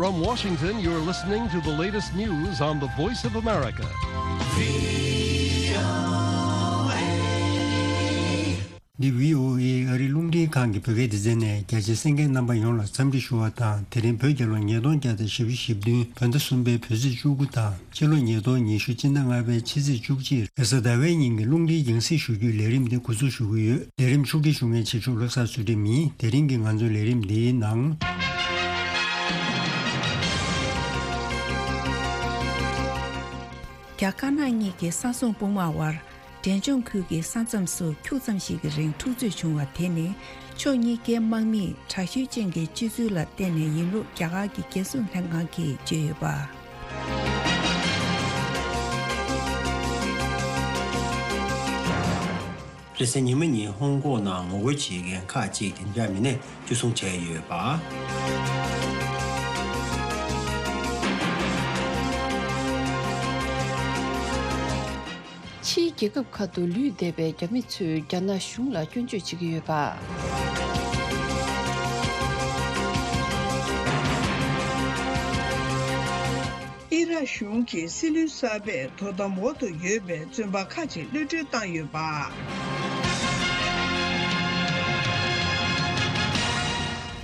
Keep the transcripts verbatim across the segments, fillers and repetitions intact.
From Washington, you're listening to the latest news on the Voice of America. འདི་བྷི་ཨོ་ཨེ་ཨ་རིའི་རླུང་འཕྲིན་ཁང་གི་བོད་སྐད་སྡེ་ཚན་ནས། རྒྱ་ཆེ་གསན་མཁན་རྣམ་པ་ཡོངས་ལ་འཚམས་འདྲི་ཞུ་བ་དང་། དེ་རིང་བོད་རྒྱལ་ལོ་ཉིས་སྟོང་བརྒྱ་དང་བཞི་བཅུ་ཞེ་བདུན་བོད་ཟླ་གསུམ་པའི་བོད་ཚེས་བཅུ་དགུ་དང་། ཕྱི་ལོ་ཉིས་སྟོང་ཉི་ཤུ་སྤྱི་ཟླ་ལྔ་པའི་ཕྱི་ཚེས་བཅུ་གཅིག་རེས་གཟའ་ཟླ་བའི་ཉིན་གྱི་རླུང་འཕྲིན་རྒྱང་སྲིང་ཞུ་རྒྱུའི་ལས་རིམ་འདི་འགོ་འཛུགས་ཞུ་གི་ཡོད། ལས་རིམ་ཕྱོགས་སྒྲིག་ཞུ་མཁན་ཆེ་མཆོག་བློ་བཟང་ཚུལ་ཁྲིམས་ཡིན། དེ་རིང་གི་ང་ཚོའི་ལས་རིམ་འདིའི་ནང་། རྒྱ་དཀར་ནག་གཉིས་ཀྱི་ས་མཚམས་དཔུང་དམག་དབར། འབྲས་ལྗོངས་ཁུལ་གྱི་ས་མཚམས་སུ་འཁྱུག་ཙམ་ཞིག་གི་རིང་འཁྲུག་རྩོད་བྱུང་བ་དེ་ནི། ཕྱོགས་གཉིས་ཀའི་དམག་མིས་དྲག་ཤུལ་ཅན་གྱི་སྤྱོད་ཚུལ་ལ་བརྟེན་ནས་ཡིན་ལུགས་རྒྱ་གར་གྱི་རྒྱལ་སྲུང་ལྷན་ཁང་གིས་བརྗོད་ཡོད་པ། རེས་གཟའ་ཉི་མ་ཉིན་ཧོང་ཀོང་ནང་ངོ་རྒོལ་བྱེད་མཁན་ཁག་ཅིག་འདི་འདྲ་མི་སྣས་བཅུ་བཟུང་བྱས་ཡོད་པ། ཕྱིའི་རྒྱལ་ཁབ་ཁག་ཏུ་ལུས་བསྡད་པའི་རྒྱ་མི་ཚོས་རྒྱ་ནག་གཞུང་ལ་སྐྱོན་བརྗོད་བྱེད་ཀྱི་ཡོད་པ། ཨི་རག་གཞུང་གིས་སྲིད་བློན་གསར་པས་དོ་དམ་འོག་ཏུ་ཡོད་པའི་བཙོན་པ་ཁག་ཅིག་གློད་གྲོལ་བཏང་ཡོད་པ།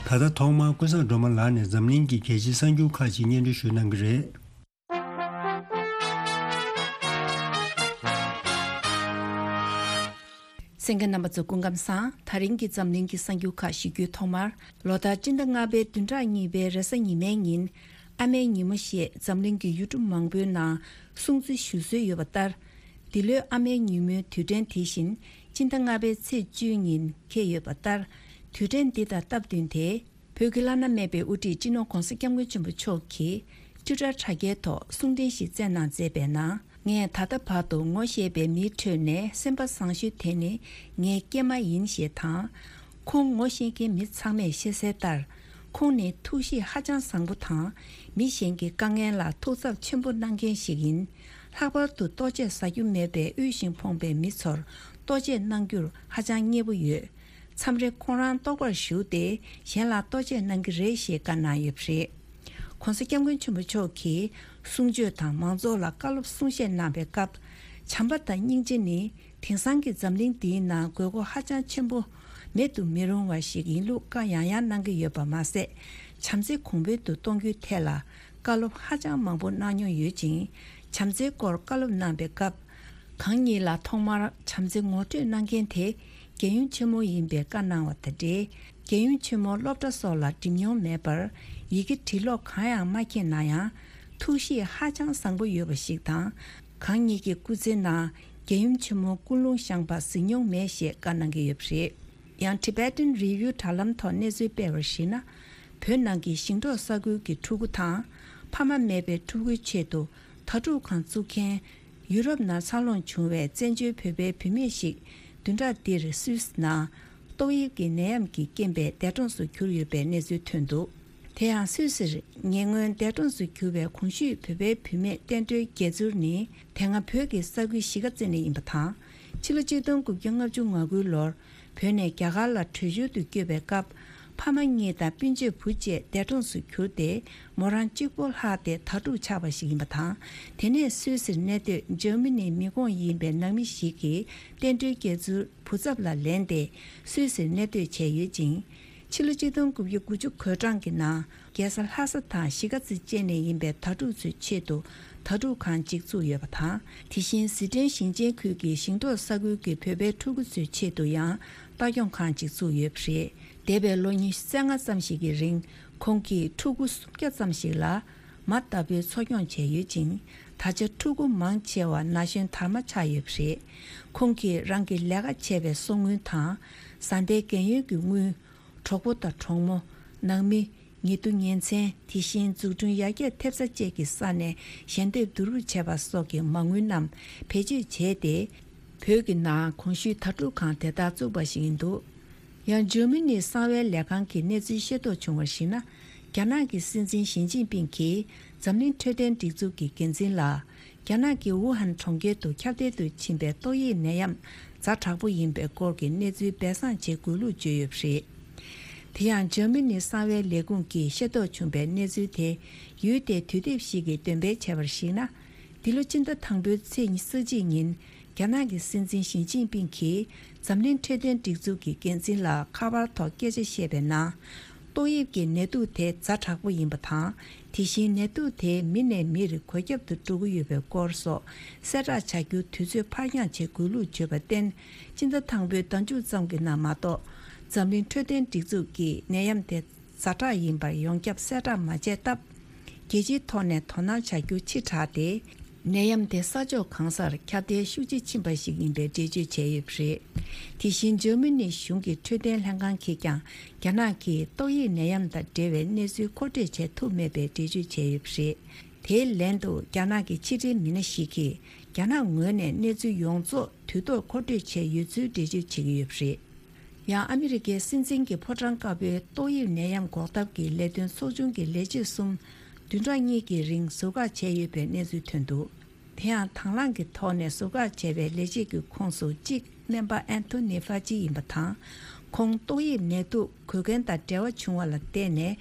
ད་ལྟ་ཐོག་མར་ཀུན་བཟང་སྒྲོལ་མ་ལགས་ནས་འཛམ་གླིང་གི་རྒྱལ་སྤྱིའི་གསར་འགྱུར་ཁག་ཅིག་སྙན་སྒྲོན་ཞུ་གནང་གི་རེད། གསན་མཁན་རྣམ་པ་ཚོ་སྐུ་ཁམས་བཟང་། ད་རིང་གི་འཛམ་གླིང་གི་གསར་འགྱུར་ཁག་ཞུ་རྒྱུའི་ཐོག་མར། ལོ་ལྟར་སྤྱི་ཟླ་ལྔ་པའི་བདུན་ཕྲག་གཉིས་པའི་རེས་གཟའ་ཉི་མའི་ཉིན། ཨ་མའི་ཉིན་མོ་ཞེས་འཛམ་གླིང་གི་ཡུལ་གྲུ་མང་པོའི་ནང་སྲུང་བརྩི་ཞུ་སྲོལ་ཡོད་པ་ལྟར། འདི་ལོའི་ཨ་མའི་ཉིན་མོའི་དུས་དྲན་དེ་བཞིན་སྤྱི་ཟླ་ལྔ་པའི་ཚེས་བཅུའི་ཉིན་འཁེལ་ཡོད་པ་ལྟར། དུས་དྲན་འདི་དང་སྟབས་བསྟུན་ཏེ། བོད་ཀྱི་བླ་ན་མེད་པའི་དབུ་ཁྲིད་སྤྱི་ནོར་༧གོང་ས་༧སྐྱབས་མགོན་ཆེན་པོ་མཆོག་གིས་ཊུ་ཊར་དྲ་རྒྱའི་ཐོག་གསུང་འཕྲིན་ཞིག་བསྩལ་གནང་མཛད་པའི་ནང་། ངས་ད་ལྟ་བར་དུ་ངོ་ཤེས་པའི་མིའི་ཁྲོད་ནས་སེམས་པ་བཟང་ཤོས་དེ་ནི་ངའི་སྐྱེས་མ་ཡིན་ཞེས་དང་། ཁོང་ངོ་ཤེས་མཁན་མི་ཚང་མས་ཤེས་གསལ་ལྟར། ཁོང་ནི་ཐུགས་གཤིས་ཧ་ཅང་བཟང་པོ་དང་། མི་གཞན་གྱི་དཀའ་ངལ་ལ་ཐུགས་འཚབ་ཆེན་པོ་གནང་མཁན་ཞིག་ཡིན། ལྷག་པར་དུ་ལྟོ་ཆས་ཟ་རྒྱུ་མེད་པའི་དབུལ་ཞིང་ཕོངས་པའི་མི་ཚོར་ལྟོ་ཆས་གནང་རྒྱུར་ཧ་ཅང་མཉེས་པོ་ཡོད། མཚམས་རེ་ཁོང་རང་ལྟོགས་པར་ཞུགས་ཏེ་གཞན་ལ་ལྟོ་ཆས་གནང་གི་རེད་ཞེས་བཀའ་གནང་ཡོད་པ་རེད། ༸གོང་ས་༸སྐྱབས་མགོན་ཆེན་པོ་མཆོག་གིས་གསུང་ཆོས་དང་མང་ཚོགས་ལ་བཀའ་སློབ་གསུང་བཤད་གནང་བའི་སྐབས། བྱམས་པ་དང་སྙིང་རྗེ་ནི་དེང་སང་གི་འཛམ་གླིང་འདིའི་ནང་དགོས་མཁོ་ཧ་ཅང་ཆེན་པོ་མེད་དུ་མི་རུང་བ་ཞིག་ཡིན་ལུགས་བཀའ་ཡང་ཡང་གནང་གི་ཡོད་པ་མ་ཟད། བྱམས་བརྩེ་གོང་འཕེལ་དུ་གཏོང་རྒྱུའི་ཐད་ལ་བཀའ་སློབ་ཧ་ཅང་མང་པོ་གནང་མྱོང་ཡོད་ཅིང་། བྱམས་བརྩེའི་སྐོར་བཀའ་སློབ་གནང་པའི་སྐབས། གང་ཉིད་ལ་ཐོག་མར་བྱམས་བརྩེ་ངོ་སྤྲོད་གནང་མཁན་དེ་རྒྱལ་ཡུམ་ཆེན་མོ་ཡིན་པའི་བཀའ་གནང་བ་དང་འབྲེལ། རྒྱལ་ཡུམ་ཆེན་མོ་སློབ་གྲྭ་སོགས་ལ་འགྲིམ་མྱོང་མེད་པར། ཡི་གེ་བྲིས་ཀློག་གང་ཡང་མ་མཁྱེན་ན་ཡང་། ཐུགས་གཤིས་ཧ་ཅང་བཟང་པོ་ཡོད་པ་ཞིག་དང་། གང་ཉིད་ཀྱི་སྐུ་ཚེའི་ནང་རྒྱལ་ཡུམ་ཆེན་མོ་ཀུན་སློང་བཞེངས་པ་གཟིགས་མྱོང་མེད་ཞེས་བཀའ་གནང་གི་ཡོད་པ་རེད། ཡང་Tibetan Review དྲ་ལམ་ཐོག་གནས་ཚུལ་སྤེལ་བར་གཞིགས་ན། བོད་ནང་གི་ཞིང་འབྲོག་ས་ཁུལ་གྱི་ཕྲུ་གུ་དང་། ཕ་མ་མེད་པའི་ཕྲུ་གུའི་ཆེད་དུ་དྭ་ཕྲུག་ཁང་བཙུགས་མཁན། ཡུ་རོབ་ནང་འཚར་ལོངས་བྱུང་བའི་བཙན་བྱོལ་བོད་པའི་བུད་མེད་ཞིག་བདུན་ཕྲག་འདིར་སུད་སི་ནང་ཏོག་དབྱིབས་ཀྱི་ནད་ཡམས་ཀྱི་རྐྱེན་པས་འདས་གྲོངས་སུ་གྱུར་ཡོད་པའི་གནས་ཚུལ་ཐོན་འདུག་དེ་ཡང་སུད་སིར་ཉེ་སྔོན་འདས་གྲོངས་སུ་གྱུར་བའི་གོང་ཞུས་བོད་པའི་བུད་མེད་བསྟན་སྒྲོལ་རྒྱལ་མཚུར་ནི། དེ་སྔ་བོད་ཀྱི་ས་ཁུལ་གཞིས་ཀ་རྩེ་ནས་ཡིན་པ་དང་། ཕྱི་ལོ་ཆིག་སྟོང་དགུ་བརྒྱ་ལྔ་བཅུ་ང་དགུའི་ལོར། བོད་ནས་རྒྱ་གར་ལ་བྲོས་བྱོལ་དུ་བསྐྱོད་པའི་སྐབས། ཕ་མ་གཉིས་དང་སྤུན་མཆེད་བུ་བཅས་འདས་གྲོངས་སུ་གྱུར་ཏེ། མོ་རང་གཅིག་པོ་ལྷག་སྟེ་དྭ་ཕྲུག་ཆགས་པ་ཞིག་ཡིན་པ་དང་། དེ་ནས་སུད་སིར་གནས་སྡོད་འཇར་མ་ནིའི་མི་ཁོངས་ཡིན་པའི་ནང་མི་ཞིག་གིས་བསྟན་སྒྲོལ་རྒྱལ་མཚུར་བུ་ཚབ་ལ་ལེན་ཏེ། སུད་སིར་གནས་སྡོད་བྱས་ཡོད་ཅིང་། ཕྱི་ལོ་ཆིག་སྟོང་དགུ་བརྒྱ་དགུ་བཅུ་གོ་གྲངས་ཀྱི་ནང་། རྒྱལ་ས་ལྷ་ས་དང་གཞིས་ཀ་རྩེ་བཅས་ནས་ཡིན་པའི་དྭ་ཕྲུག་ཚོའི་ཆེད་དུ་དྭ་ཕྲུག་ཁང་ཅིག་བཙུགས་ཡོད་པ་དང་། དེ་བཞིན་ཟི་ཁྲོན་ཞིང་ཆེན་ཁུལ་གྱི་ཞིང་འབྲོག་ས་ཁུལ་གྱི་བོད་པའི་ཕྲུ་གུ་ཚོའི་ཆེད་དུ་ཡང་ལྟ་སྐྱོང་ཁང་ཅིག་བཙུགས་ཡོད་པ་རེད། འདས་པའི་ལོ་ཉི་ཤུ་རྩ་ལྔ་ཙམ་ཞིག་གི་རིང་། ཁོང་གིས་ཕྲུ་གུ་སུམ་བརྒྱ་ཙམ་ཞིག་ལ་མ་ལྟ་བུའི་འཚོ་སྐྱོང་བྱས་ཡོད་ཅིང་། ད་ཆ་ཕྲུ་གུ་མང་ཆེ་བ་ན་གཞོན་དར་མ་ཆགས་ཡོད་པ་རེད། ཁོང་གིས་རང་གི་ལས་ཀ་བྱས་པའི་གསོག་དངུལ་དང་། བཟའ་ཟླའི་རྒན་ཡོལ་གྱི་དངུལ། གྲོགས་པོ་དང་གྲོགས་མོ། ནང་མི། ཉེ་དུ་ཉེ་ཚན། དེ་བཞིན་འཛུགས་སྐྲུན་ཡར་རྒྱས་ཐེབས་ས་བཅས་ཀྱི་ས་ནས་ཞལ་འདེབས་བསྡུ་རུབ་བྱས་པ་སོགས་ཀྱི་མ་དངུལ་རྣམས་བེད་སྤྱོད་བྱས་ཏེ། བོད་ཀྱི་ནང་གོང་ཞུས་དྭ་ཕྲུག་ཁང་དེ་དག་བཙུགས་པ་ཞིག་ཡིན་འདུག་ཡང་འཇར་མ་ནིའི་གསང་བའི་ལས་ཁང་གིས་གནས་ཚུལ་ཤེས་རྟོགས་བྱུང་བར་གཞིགས་ན། རྒྱ་ནག་གི་སྲིད་འཛིན་ཞི་ཅིན་ཕིང་གིས་འཛམ་གླིང་འཕྲོད་བསྟེན་སྒྲིག་འཛུགས་ཀྱི་འགན་འཛིན་ལ། རྒྱ་ནག་གི་ཝུ་ཧན་གྲོང་ཁྱེར་དུ་ཁྱབ་གདལ་དུ་ཕྱིན་པའི་ཏོག་དབྱིབས་ནད་ཡམས་ཛ་དྲག་པོ་ཡིན་པའི་སྐོར་གྱི་གནས་ཚུལ་སྦས་གསང་བྱེད་དགོས་ལུགས་བརྗོད་ཡོད་པ་རེད། དེ་ཡང་འཇར་མ་ནི་གསང་བའི་ལས་ཁུངས་ཀྱིས་ཤེས་རྟོགས་བྱུང་བའི་གནས་ཚུལ་དེ་ཡུལ་དེའི་དུས་དེབ་ཞིག་གིས་འདོན་སྤེལ་བྱས་པར་གཞིགས་ན། འདི་ལོ་སྤྱི་ཟླ་དང་པོའི་ཚེས་ཉི་ཤུ་རྩ་གཅིག་ཉིན། རྒྱ་ནག་གི་སྲིད་འཛིན་ཞི་ཅིན་ཕིང་གིས་འཛམ་གླིང་འཕྲོད་བསྟེན་སྒྲིག་འཛུགས་ཀྱི་འགན་འཛིན་ལ་ཁ་པར་ཐོག་སྐད་ཆ་བཤད་པའི་ནང་། ཏོག་དབྱིབས་ཀྱི་ནད་དུག་དེ་ཛ་དྲག་པོ་ཡིན་པ་དང་། དེ་བཞིན་ནད་དུག་དེ་མི་ནས་མིར་འགོས་ཁྱབ་ཏུ་འགྲོ་གི་ཡོད་པའི་སྐོར་སོགས་གསལ་བསྒྲགས་བྱ་རྒྱུ་དུས་ཚོད་ཕར་འགྱངས་བྱེད་དགོས་ལུགས་བརྗོད་པར་བརྟེན། སྤྱི་ཟླ་དང་པོའི་ཟླ་མཇུག་ཙམ་གྱི་ནང་མ་གཏོགས། འཛམ་གླིང་འཕྲོད་བསྟེན་སྒྲིག་འཛུགས་ཀྱིས་ནད་ཡམས་དེ་ཛ་དྲག་ཡིན་པར་ཡོངས་ཁྱབ་གསལ་བསྒྲགས་མ་བྱས་སྟབས། རྒྱལ་སྤྱིའི་ཐོག་ནས་དོ་སྣང་བྱ་རྒྱུ་ཕྱི་དྲགས་ཏེ། ནད་ཡམས་དེ་ས་ཕྱོགས་གང་སར་ཁྱབ་གདལ་ཤུགས་ཆེ་ཕྱིན་པ་ཞིག་ཡིན་པའི་འགྲེལ་བརྗོད་བྱས་ཡོད་པ་རེད། དེ་བཞིན་འཇར་མ་ནི་གཞུང་གི་འཕྲོད་བསྟེན་ལྷན་ཁང་གིས་ཀྱང་རྒྱ་ནག་གིས་ཏོག་དབྱིབས་ནད་ཡམས་དང་འབྲེལ་བའི་གནས་ཚུལ་མཁོ་སྤྲོད་བྱེད་ཐུབ་མེད་པའི་འགྲེལ་བརྗོད་བྱས་ཡོད་པ་རེད། དེའི་ལན་དུ་རྒྱ་ནག་གི་ཕྱི་འབྲེལ་མི་སྣ་ཞིག་གིས་རྒྱ་ནག་ངོས་ནས་གནས་ཚུལ་ཡོངས་རྫོགས་དུས་ཐོག་མཁོ་སྤྲོད་བྱས་ཡོད་ཚུལ་འགྲེལ་བརྗོད་བྱེད་ཀྱི་ཡོད་པ་རེད། ཡང་ཨ་མི་རི་ཀའི་སྲིད་འཛིན་གྱི་ཕོ་བྲང་དཀར་པོའི་ཏོག་དབྱིབས་ནད་ཡམས་འགོག་ཐབས་ཀྱི་ལས་དོན་ཚོགས་ཆུང་གི་ལས་བྱེད་གསུམ་བདུན་ཕྲག་གཉིས་ཀྱི་རིང་ཟུར་བཀག་བྱས་ཡོད་པའི་གནས་ཚུལ་ཐོན་འདུག་དེ་ཡང་དང་བླངས་ཀྱི་ཐོག་ནས་ཟུར་བཀག་བྱས་པའི་ལས་བྱེད་ཀྱི་ཁོངས་སུ་གཅིག་སྨན་པ་ཨན་ཐོ་ནི་ཧྥ་ཅི་ཡིན་པ་དང་། ཁོང་ཏོག་དབྱིབས་ནད་དུག་འགོས་མཁན་དང་འབྲེལ་བ་བྱུང་བ་ལ་བརྟེན་ནས་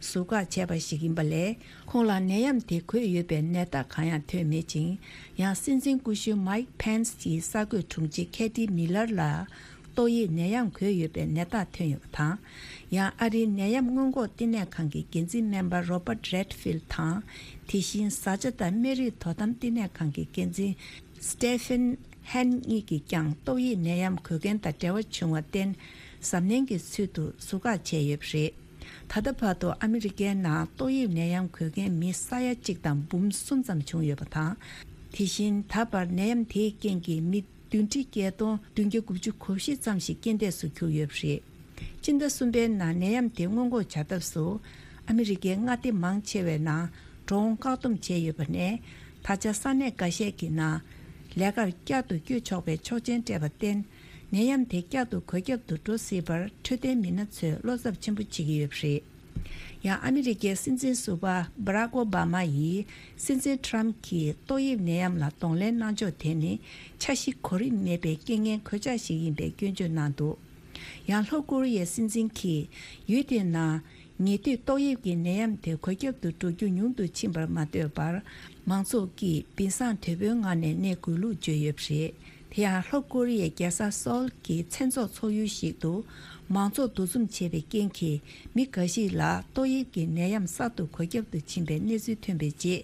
ཟུར་བཀག་བྱས་པ་ཞིག་ཡིན་པ་ལས། ཁོང་ལ་ནད་ཡམས་དེ་འགོས་ཡོད་པའི་ནད་རྟགས་གང་ཡང་ཐོན་མེད་ཅིང་། ཡང་སྲིད་འཛིན་སྐུ་ཞབས་མའིག་ཕེན་སི་ཡི་གསར་འགོད་དྲུང་ཆེ་ཁེ་ཏི་མི་ལར་ལ། ཏོག་དབྱིབས་ནད་ཡམས་འགོས་ཡོད་པའི་ནད་རྟགས་ཐོན་ཡོད་པ་དང་། ཡང་ཨ་རིའི་ནད་ཡམས་སྔོན་འགོག་བསྟི་གནས་ཁང་གི་འགན་འཛིན་སྨན་པ་རོ་པར་ཊི་རེད་ཕིལ་དང་། དེ་བཞིན་བཟའ་བཅའ་དང་སྨན་རིགས་དོ་དམ་བསྟི་གནས་ཁང་གི་འགན་འཛིན་སི་ཏེ་ཕིན་ཧན་གཉིས་ཀྱིས་ཀྱང་ཏོག་དབྱིབས་ནད་ཡམས་འགོས་མཁན་དང་འབྲེལ་བ་བྱུང་བར་བརྟེན། གཟབ་ནན་གྱི་ཚུལ་དུ་ཟུར་བཀག་བྱས་ཡོད་པ་རེད། ད་ལྟ་བར་དུ་ཨ་མི་རི་ཀའི་ནང་ཏོག་དབྱིབས་ནད་ཡམས་འགོས་མཁན་མི་ས་ཡ་གཅིག་དང་འབུམ་གསུམ་ཙམ་བྱུང་ཡོད་པ་དང་། དེ་བཞིན་ད་བར་ནད་ཡམས་དེའི་རྐྱེན་གྱིས་མི་བདུན་ཁྲི་བརྒྱད་སྟོང་བདུན་བརྒྱ་དགུ་བཅུ་གོ་བཞི་ཙམ་ཞིག་རྐྱེན་འདས་སུ་གྱུར་ཡོད་པ་རེད། སྤྱི་ཟླ་གསུམ་པའི་ནང་ནད་ཡམས་དེ་སྔོན་འགོག་བྱ་ཐབས་སུ། ཨ་མི་རི་ཀའི་མངའ་སྡེ་མང་ཆེ་བའི་ནང་འགྲོ་འོང་བཀག་སྡོམ་བྱས་ཡོད་པ་ནས། ད་ཆ་ས་གནས་འགའ་ཤས་ཀྱི་ནང་ལས་ཀར་བསྐྱར་དུ་བསྐྱོད་ཆོག་པའི་ཆོག་མཆན་སྤྲད་པར་བརྟེན། ནད་ཡམས་དེ་བསྐྱར་དུ་འགོས་ཁྱབ་ཏུ་འགྲོ་སྲིད་པར་འཕྲོད་བསྟེན་མི་སྣ་ཚོས་བློ་འཚབ་ཆེན་པོ་བྱེད་ཀྱི་ཡོད་པ་རེད། ཡང་ཨ་མི་རི་ཀའི་སྲིད་འཛིན་ཟུར་པ་སྦ་རག་ཨོ་སྦ་མ་ཡིས་སྲིད་འཛིན་ཁྲམ་གྱིས་ཏོག་དབྱིབས་ནད་ཡམས་ལ་གདོང་ལེན་གནང་ཕྱོགས་དེ་ནི་འཆར་གཞི་གོ་རིམ་མེད་པའི་རྐྱེན་ངན་གོད་ཆག་ཞིག་ཡིན་པའི་སྐྱོན་བརྗོད་གནང་འདུག་ཡང་ལྷོ་ཀོ་རི་ཡའི་སྲིད་འཛིན་གྱིས་ཡུལ་དེའི་ནང་ཉེ་དུས་ཏོག་དབྱིབས་ཀྱི་ནད་ཡམས་དེ་འགོས་ཁྱབ་ཏུ་འགྲོ་རྒྱུ་ཉུང་དུ་ཕྱིན་པར་མ་ལྟོས་པར། མང་ཚོགས་ཀྱིས་བིན་སང་དོད་པོའི་ངང་ནས་གནས་དགོས་ལུགས་བརྗོད་ཡོད་པ་རེད། དེ་ཡང་ལྷོ་ཀོ་རི་ཡའི་རྒྱལ་ས་སོལ་གྱི་མཚན་ཚོགས་ཚོགས་ཡུལ་ཞིག་ཏུ། མང་ཚོགས་འདུ་འཛོམས་བྱས་པའི་རྐྱེན་གྱིས་མི་འགའ་ཞིག་ལ་ཏོག་དབྱིབས་ཀྱི་ནད་ཡམས་གསར་དུ་འགོས་ཁྱབ་ཏུ་ཕྱིན་པའི་གནས་ཚུལ་ཐོན་པའི་རྗེས།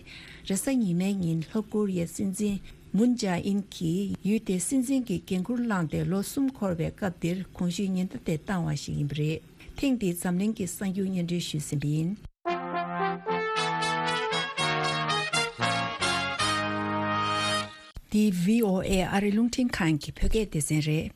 རེས་གཟའ་ཉི་མའི་ཉིན་ལྷོ་ཀོ་རི་ཡའི་སྲིད་འཛིན་མུན་ཇཱ་ཨིན་གྱིས་ཡུལ་དེའི་སྲིད་འཛིན་གྱི་འགན་འཁུར་བླངས་ཏེ་ལོ་གསུམ་འཁོར་བའི་སྐབས་འདིར་གོང་ཞུས་ཉེན་བརྡ་དེ་བཏང་བ་ཞིག་ཡིན་པ་རེད། ཐེངས་འདིའི་འཛམ་གླིང་གི་གསར་འགྱུར་སྙན་སྒྲོན་ཞུས་ཟིན་པ་ཡིན། འདི་བྷི་ཨོ་ཨེ་ཨ་རི་རླུང་འཕྲིན་ཁང་གི་བོད་སྐད་སྡེ་ཚན་རེད།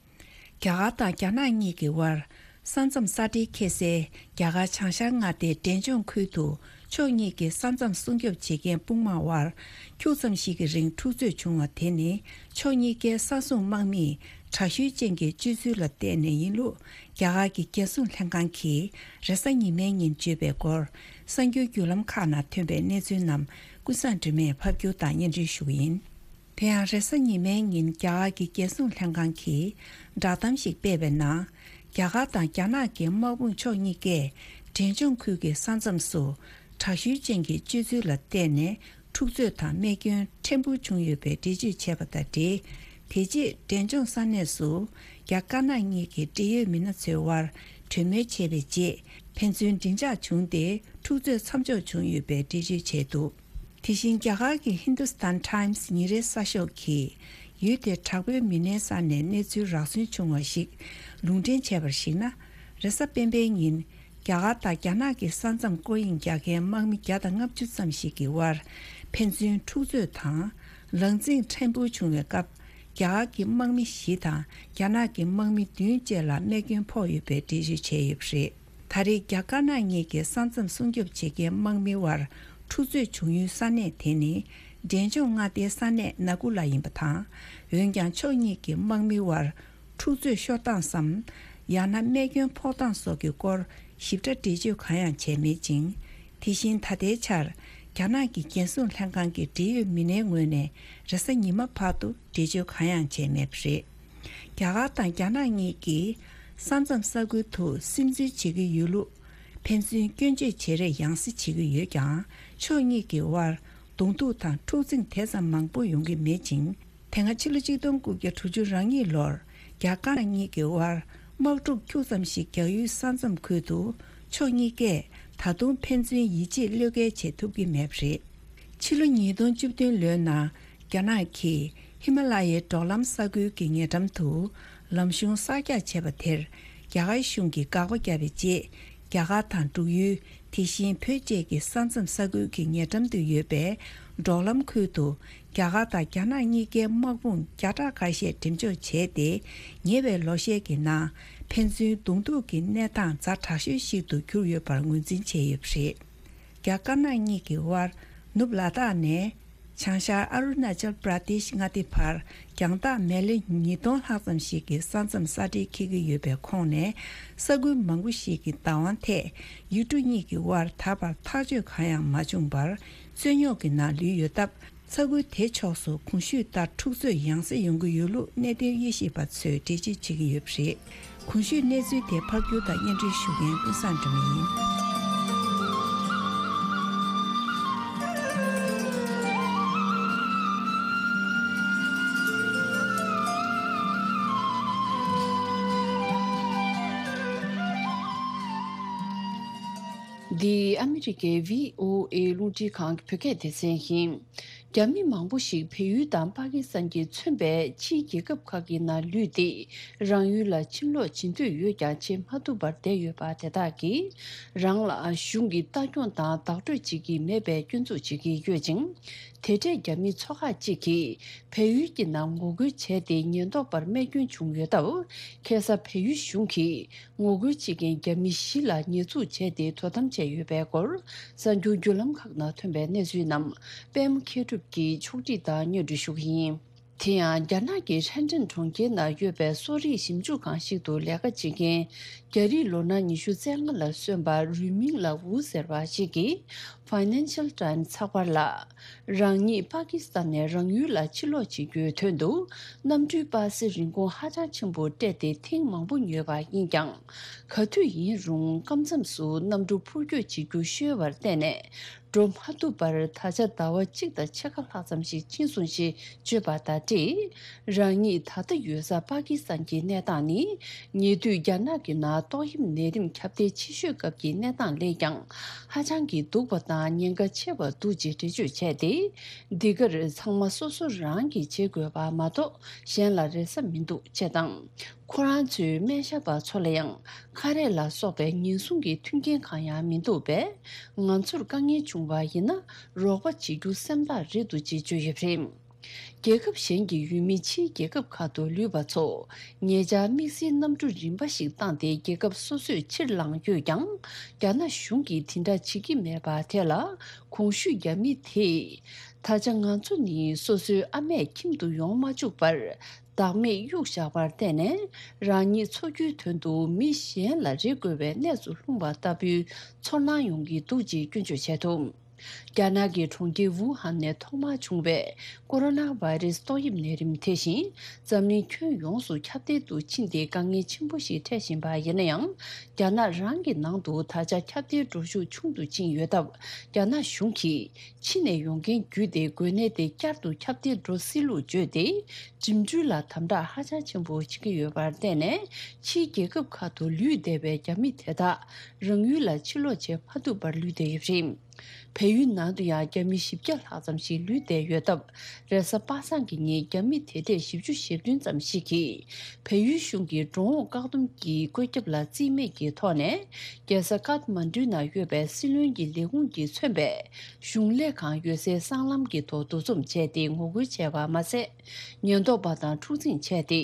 རྒྱ་གར་དང་རྒྱ་ནག་གཉིས་ཀྱི་དབར་ས་མཚམས་ས་འབྲེལ་འཁེལ་སའི་རྒྱ་གར་བྱང་ཤར་མངའ་སྡེའི་འབྲས་ལྗོངས་ཁུལ་དུ་ཕྱོགས་གཉིས་ཀྱི་ས་མཚམས་སྲུང་སྐྱོབ་བྱེད་མཁན་དཔུང་དམག་དབར་ཁྱུག་ཙམ་ཞིག་གི་རིང་འཁྲུག་རྩོད་བྱུང་བ་དེ་ནི་ཕྱོགས་གཉིས་ཀའི་ས་སྲུང་དམག་མིས་དྲག་ཤུལ་ཅན་གྱི་སྤྱོད་ཚུལ་ལ་བརྟེན་ནས་ཡིན་ལུགས་རྒྱ་གར་གྱི་རྒྱལ་སྲུང་ལྷན་ཁང་གིས་རེས་གཟའ་ཉི་མའི་ཉིན་བརྗོད་པའི་སྐོར་གསར་འགྱུར་བརྒྱུད་ལམ་ཁག་ནང་ཐོན་པའི་གནས་ཚུལ་རྣམས་ཀུན་བཟང་སྒྲོལ་མས་ཕབ་སྒྱུར་དང་སྙན་སྒྲོན་ཞུ་གི་ཡིན། དེ་ཡང་རེས་གཟའ་ཉི་མའི་ཉིན་རྒྱ་གར་གྱི་རྒྱལ་སྲུང་ལྷན་ཁང་གིས་བསྒྲགས་གཏམ་ཞིག་སྤེལ་བའི་ནང་། རྒྱ་གར་དང་རྒྱ་ནག་གི་དམག་དཔུང་ཕྱོགས་གཉིས་ཀས་འབྲས་ལྗོངས་ཁུལ་གྱི་ས་མཚམས་སུ་དྲག་ཤུལ་ཅན་གྱི་སྤྱོད་ཚུལ་ལ་བརྟེན་ནས་འཁྲུག་རྩོད་དང་རྨས་སྐྱོན་ཕྲན་བུ་བྱུང་ཡོད་པའི་འགྲེལ་བརྗོད་བྱས་པ་དང་འབྲེལ། དེ་རྗེས་འབྲས་ལྗོངས་ས་གནས་སུ་རྒྱ་དཀར་ནག་གཉིས་ཀྱི་འབྲེལ་ཡོད་མི་སྣ་ཚོའི་དབར་གྲོས་མོལ་བྱས་པའི་རྗེས་ཕན་ཚུན་མགྲིན་ཆགས་བྱུང་སྟེ་འཁྲུག་རྩོད་མཚམས་འཇོག་བྱུང་ཡོད་པའི་འགྲེལ་བརྗོད་བྱས་འདུག་དེ་བཞིན་རྒྱ་གར་གྱི་Hindustan Times་ཉིན་རེའི་གསར་ཤོག་གིས་ཡུལ་དེའི་དྲག་པོའི་མི་སྣའི་ས་ནས་གནས་ཚུལ་རག་སོན་བྱུང་བ་ཞིག་ལུང་འདྲེན་བྱས་པར་གཞིགས་ན། རེས་གཟའ་སྤེན་པའི་ཉིན་རྒྱ་གར་དང་རྒྱ་ནག་གི་ས་མཚམས་སྐོར་གཡེང་རྒྱག་མཁན་དམག་མི་བརྒྱ་དང་ལྔ་བཅུ་ཙམ་ཞིག་གི་དབར་ཕན་ཚུན་འཁྲུག་རྩོད་དང་ལག་འཛིང་ཕྲན་བུ་བྱུང་བའི་སྐབས། རྒྱ་གར་གྱི་དམག་མི་བཞི་དང་རྒྱ་ནག་གི་དམག་མི་བདུན་བཅས་ལ་རྨས་སྐྱོན་ཕོག་ཡོད་པའི་འགྲེལ་བརྗོད་བྱས་ཡོད་པ་རེད། ད་རེས་རྒྱ་དཀར་ནག་གཉིས་ཀྱི་ས་མཚམས་སྲུང་སྐྱོབ་བྱེད་མཁན་དམག་མི་དབར་འཁྲུག་རྩོད་བྱུང་ཡུལ་ས་གནས་དེ་ནི་འབྲས་ལྗོངས་མངའ་སྡེའི་ས་གནས་ན་ཀུ་ལ་ཡིན་པ་དང་། འོན་ཀྱང་ཕྱོགས་གཉིས་ཀྱི་དམག་མི་དབར་འཁྲུག་རྩོད་ཤོར་སྟངས་སམ། ཡང་ན་རྨས་སྐྱོན་ཕོག་སྟངས་སོགས་ཀྱི་སྐོར་ཞིབ་ཕྲ་འགྲེལ་བརྗོད་གང་ཡང་བྱས་མེད་ཅིང་། དེ་བཞིན་ད་ལྟའི་ཆར་རྒྱ་ནག་གི་རྒྱལ་སྲུང་ལྷན་ཁང་གི་འབྲེལ་ཡོད་མི་སྣའི་ངོས་ནས་རེས་གཟའ་ཉི་མ་བར་དུ་འགྲེལ་བརྗོད་གང་ཡང་བྱས་མེད་པ་རེད། རྒྱ་གར་དང་རྒྱ་ནག་གཉིས་ཀྱིས་ ས་མཚམས་ས་ཁུལ་དུ་སིམ་འཛུལ་བྱེད་ཀྱི་ཡོད་ལུགས། ཕན་ཚུན་སྐྱོན་བརྗོད་བྱེད་རེས་ཡང་སེ་བྱེད་ཀྱི་ཡོད་ཀྱང་། ཕྱོགས་གཉིས་ཀྱི་དབར་གདོང་ཐུག་དང་འཁྲུག་འཛིང་དེ་ཙམ་མང་པོ་ཡོང་གི་མེད་ཅིང་། དེ་སྔ་ཕྱི་ལོ་གཅིག་སྟོང་དགུ་བརྒྱ་དྲུག་ཅུ་རེ་གཉིས་ལོར་རྒྱ་དཀར་ནག་གཉིས་ཀྱི་དབར་དམག་འཁྲུག་ཁྱུག་ཙམ་ཞིག་རྒྱག་ཡུལ་ས་མཚམས་ཁུལ་དུ། ཕྱོགས་གཉིས་ཀས་ད་དུང་ཕན་ཚུན་ཡིད་ཆེས་བློས་འགེལ་བྱེད་ཐུབ་ཀྱི་མེད་པ་རེད། ཕྱི་ལོ་ཉིས་སྟོང་བཅུ་བདུན་ལོའི་ནང་རྒྱ་ནག་གིས་ཧི་མ་ལ་ཡའི་འབྲོག་ལམ་ས་ཁུལ་གྱི་ཉེ་འགྲམ་དུ་ལམ་གཞུང་གསར་རྒྱག་བྱས་པ་དེར། རྒྱ་གར་གཞུང་གིས་དགག་པ་བརྒྱབ་པའི་རྗེས། རྒྱ་གར་དང་འབྲུག་ཡུལ། དེ་བཞིན་བོད་བཅས་ཀྱི་ས་མཚམས་ས་ཁུལ་གྱི་ཉེ་འགྲམ་དུ་ཡོད་པའི་འབྲོག་ལམ་ཁུལ་དུ། རྒྱ་གར་དང་རྒྱ་ནག་གཉིས་ཀའི་དམག་དཔུང་བརྒྱ་ཕྲག་ཁ་ཤས་འགྲེམས་འཇོག་བྱས་ཏེ། ཉེ་བའི་ལོ་ཤས་ཀྱི་ནང་ཕན་ཚུན་གདོང་ཐུག་གི་གནས་སྟངས་ཛ་དྲག་ཤོས་ཤིག་ཏུ་གྱུར་ཡོད་པར་ངོས་འཛིན་བྱས་ཡོད་པ་རེད། རྒྱ་དཀར་ནག་གཉིས་ཀྱི་དབར་ནུབ་ལ་དྭགས་ནས་བྱང་ཤར་ཨ་རུ་ན་ཅལ་པྲ་དེཤ་མངའ་སྡེ་བར་རྒྱང་ཐག་མེ་ལེ་ཉིས་སྟོང་ལྷག་ཙམ་ཞིག་གི་ས་མཚམས་ས་འབྲེལ་འཁེལ་གྱི་ཡོད་པའི་ཁོངས་ནས། ས་ཁུལ་མང་པོ་ཞིག་གི་བདག་དབང་ཐད་ཡུལ་གྲུ་གཉིས་ཀྱི་དབར་ད་བར་ཐག་གཅོད་གང་ཡང་མ་བྱུང་བར། རྩོད་རྙོག་གི་ནང་ལུས་ཡོད་སྟབས། ས་ཁུལ་དེ་ཕྱོགས་སུ་གོང་ཞུས་ལྟར་འཁྲུག་རྩོད་ཡང་སེ་ཡོང་གི་ཡོད་ལུགས་གནད་དོན་དབྱེ་ཞིབ་པ་ཚོས་འགྲེལ་བརྗོད་བྱེད་ཀྱི་ཡོད་པ་རེད། གོང་ཞུས་གནས་ཚུལ་དེ་ཕབ་སྒྱུར་དང་སྙན་སྒྲོན་ཞུ་མཁན་ཀུན་བཟང་སྒྲོལ་མ་ཡིན། འདི་ཨ་མི་རི་ཀའི་བྷི་ཨོ་ཨེ་རླུང་འཕྲིན་ཁང་གི་བོད་སྐད་སྡེ་ཚན་ཡིན། རྒྱ་མི་མང་པོ་ཞིག་བལ་ཡུལ་དང་པ་ཀི་སི་ཐན་གྱིས་མཚོན་པའི་ཕྱིའི་རྒྱལ་ཁབ་ཁག་གི་ནང་ལུས་ཏེ། རང་ཡུལ་ལ་ཕྱིར་ལོག་བྱེད་འདོད་ཡོད་ཀྱང་བྱེད་མ་ཐུབ་པར་བསྡད་ཡོད་པ་དེ་དག་གིས། རང་ལ་གཞུང་གིས་ལྟ་སྐྱོང་དང་བདག་སྤྲོད་བྱེད་ཀྱི་མེད་པའི་སྐྱོན་འཛུགས་བྱེད་ཀྱི་ཡོད་ཅིང་། དེ་འཕྲལ་རྒྱ་མིའི་ཚོགས་ཁག་ཅིག་གིས་བལ་ཡུལ་གྱི་ནང་ངོ་རྒོལ་བྱས་ཏེ། ཉེན་རྟོག་པར་རྨས་སྐྱོན་བྱུང་ཡོད་སྟབས། ཁ་སང་བལ་ཡུལ་གཞུང་གིས། ངོ་རྒོལ་བྱེད་མཁན་རྒྱ་མི་བཞི་ལ་ཉེས་འཛུགས་བྱས་ཏེ། དོ་དམ་བྱས་ཡོད་པའི་སྐོར། གསར་འགྱུར་བརྒྱུད་ལམ་ཁག་ནང་ཐོན་པའི་གནས་ཚུལ་རྣམས་པད་མ་མཁས་གྲུབ་ཀྱིས་ཕྱོགས་སྒྲིག་དང་སྙན་སྒྲོན་ཞུ་གི་ཡིན། དེ་ཡང་རྒྱ་ནག་གི་ཧྲེན་ཀྲེན་གྲོང་ཁྱེར་ནང་ཡོད་པའི་གསོ་རིག་ཞིབ་འཇུག་ཁང་ཞིག་ཏུ་ལས་ཀ་བྱེད་མཁན། རྒྱ་རིགས་ལོ་ན་ཉི་ཤུ་རྩ་ལྔ་ལ་སོན་པ་རུས་མིང་ལ་ཝུ་ཟེར་བ་ཞིག་གིས་Financial Times་ཚགས་པར་ལ། རང་ཉིད་པ་ཀི་སི་ཐན་ནས་རང་ཡུལ་ལ་ཕྱིར་ལོག་བྱེད་རྒྱུའི་དོན་དུ། གནམ་གྲུའི་པ་སེ་རིན་གོང་ཧ་ཅང་ཆེན་པོ་སྤྲད་དེ་ཐེངས་མང་པོ་ཉོས་པ་ཡིན་ཀྱང་། ག་དུས་ཡིན་རུང་སྐབས་མཚམས་སུ་གནམ་གྲུ་འཕུར་སྐྱོད་བྱེད་རྒྱུ་ཤོར་བར་བརྟེན་ནས། འགྲོ་མ་ཐུབ་པར་ད་ཆ་ཟླ་བ་གཅིག་དང་ཕྱེད་ཀ་ལྷག་ཙམ་ཞིག་ཕྱིན་སོང་ཞེས་བརྗོད་པ་དང་འབྲེལ། རང་ཉིད་ད་ལྟ་ཡོད་ས་པ་ཀི་སི་ཐན་གྱི་གནས་སྟངས་ནི། ཉེ་དུས་རྒྱ་ནག་གི་ནང་ཏོག་དབྱིབས་ནད་རིམས་ཁྱབ་གདལ་ཆེ་ཤོས་སྐབས་ཀྱི་གནས་སྟངས་ལས་ཀྱང་ཧ་ཅང་གི་སྡུག་པ་དང་ཉེན་ཁ་ཆེ་བ་འདུག་ཅེས་འགྲེལ་བརྗོད་བྱས་ཏེ། འདི་གར་ཚང་མ་སོ་སོ་རང་གིས་བྱེད་དགོས་པ་མ་གཏོགས་གཞན་ལ་རེ་ས་མི་འདུག་ཅེས་དང་། ཁོ་རང་ཚོས་སྨན་ཞབས་པ་ཚོ་ལ་ཡང་ཁ་རས་ལ་སོགས་པའི་ཉེན་སྲུང་གི་མཐུན་རྐྱེན་གང་ཡང་མི་འདུག་པས། ང་ཚོར་དཀའ་ངལ་བྱུང་བ་ཡིན་ན་རོགས་པ་བྱེད་རྒྱུ་སེམས་ཐག་རིང་འདུག་ཅེས་བརྗོད་ཡོད་པ་རེད། རྒྱལ་ཁབ་གཞན་གྱི་ཡུལ་མི་ཕྱིའི་རྒྱལ་ཁབ་ཁག་ཏུ་ལུས་པ་ཚོ་ཉེ་ཆར་དམིགས་བསལ་གནམ་གྲུ་རིམ་པ་ཞིག་བཏང་སྟེ་རྒྱལ་ཁབ་སོ་སོར་ཕྱིར་ལངས་ཡོད་ཀྱང་། རྒྱ་ནག་གཞུང་གིས་དེ་འདྲ་བྱེད་ཀྱི་མེད་པ་དེ་ལ་གོང་ཞུས་རྒྱ་མི་དེས། ད་ཆ་ང་ཚོ་ནི་སོ་སོའི་ཨ་མས་ཁྱིམ་དུ་ཡོང་མ་བཅུག་པར། བདག་མེད་གཡུགས་བཞག་པར་བརྟེན་ནས། རང་ཉིད་འཚོ་རྒྱུའི་དོན་དུ་མི་གཞན་ལ་རེ་དགོས་པའི་གནས་སུ་ལྷུང་བ་ལྟ་བུའི་ཚོར་སྣང་ཡོང་གི་འདུག་ཅེས་སྐྱོན་བརྗོད་བྱས་འདུག་རྒྱ་ནག་གི་གྲོང་ཁྱེར་ཝུ་ཧན་ནས་ཐོག་མར་བྱུང་བའི་ཀོ་རོ་ན་བྷའི་རེ་སི་ཏོག་དབྱིབས་ནད་རིམས་དེ་བཞིན་འཛམ་གླིང་ཁྱོན་ཡོངས་སུ་ཁྱབ་གདལ་དུ་ཕྱིན་ཏེ་དཀའ་ངལ་ཆེན་པོ་ཞིག་འཕྲད་བཞིན་པ་ཡིན་ན་ཡང་། རྒྱ་ནག་རང་གི་ནང་དུ་ད་ཆ་ཁྱབ་གདལ་འགྲོ་ཤུགས་ཆུང་དུ་ཕྱིན་ཡོད་སྟབས། རྒྱ་ནག་གཞུང་གིས་ཕྱི་ནས་ཡོང་མཁན་བརྒྱུད་དེ་འགོས་ནད་དེ་བསྐྱར་དུ་ཁྱབ་གདལ་འགྲོ་སྲིད་ལུགས་བརྗོད་དེ། འགྲིམ་འགྲུལ་ལ་དམ་དྲག་ཧ་ཅང་ཆེན་པོ་བྱེད་ཀྱི་ཡོད་པར་བརྟེན་ནས། ཕྱིའི་རྒྱལ་ཁབ་ཁག་ཏུ་ལུས་བསྡད་པའི་རྒྱ་མི་དེ་དག་རང་ཡུལ་ལ་ཕྱིར་ལོག་བྱེད་མ་ཐུབ་པར་ལུས་བསྡད་ཡོད་པ་རེད། བལ་ཡུལ་ནང་དུ་ཡང་རྒྱ་མི་བཞི་བརྒྱ་ལྷག་ཙམ་ཞིག་ལུས་བསྡད་ཡོད་སྟབས། རེས་གཟའ་པ་སངས་ཀྱི་ཉིན་རྒྱ་མི་དེ་གྲས་བཞི་བཅུ་ཞེ་བདུན་ཙམ་ཞིག་གིས། བལ་ཡུལ་གཞུང་གི་འགྲོ་འོང་བཀག་སྡོམ་གྱི་བཀོད་ཁྱབ་ལ་རྩིས་མེད་ཀྱི་ཐོག་ནས། རྒྱལ་ས་ཀཐ་མན་ཌུ་ནང་ཡོད་པའི་སྲིད་བློན་གྱི་ལས་ཁུངས་ཀྱིས་མཚོན་པའི་གཞུང་ལས་ཁང་ཡོད་སའི་སྲང་ལམ་གྱི་ཐོག་འདུ་འཛོམས་བྱས་ཏེ་ངོ་རྒོལ་བྱས་པ་མ་ཟད། ཉེན་རྟོག་པ་དང་འཁྲུག་འཛིང་བྱས་ཏེ།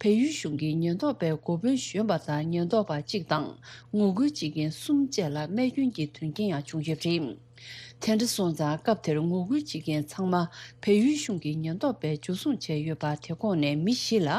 བལ་ཡུལ་གཞུང་གིས་ཉེན་རྟོག་པའི་འགོ་དཔོན་གཞོན་པ་དང་ཉེན་རྟོག་པ་གཅིག་དང་ངོ་རྒོལ་བྱེད་མཁན་གསུམ་བཅས་ལ་རྨས་སྐྱོན་གྱི་དོན་རྐྱེན་ཡང་བྱུང་ཡོད་པ་རེད། དེ་འདྲ་སོང་ཙང་སྐབས་དེར་ངོ་རྒོལ་བྱེད་མཁན་ཚང་མ་བལ་ཡུལ་གཞུང་གི་ཉེན་རྟོག་པས་འཇུ་བཟུང་བྱས་ཡོད་པ་དེ་ཁོངས་ནས་མི་བཞི་ལ་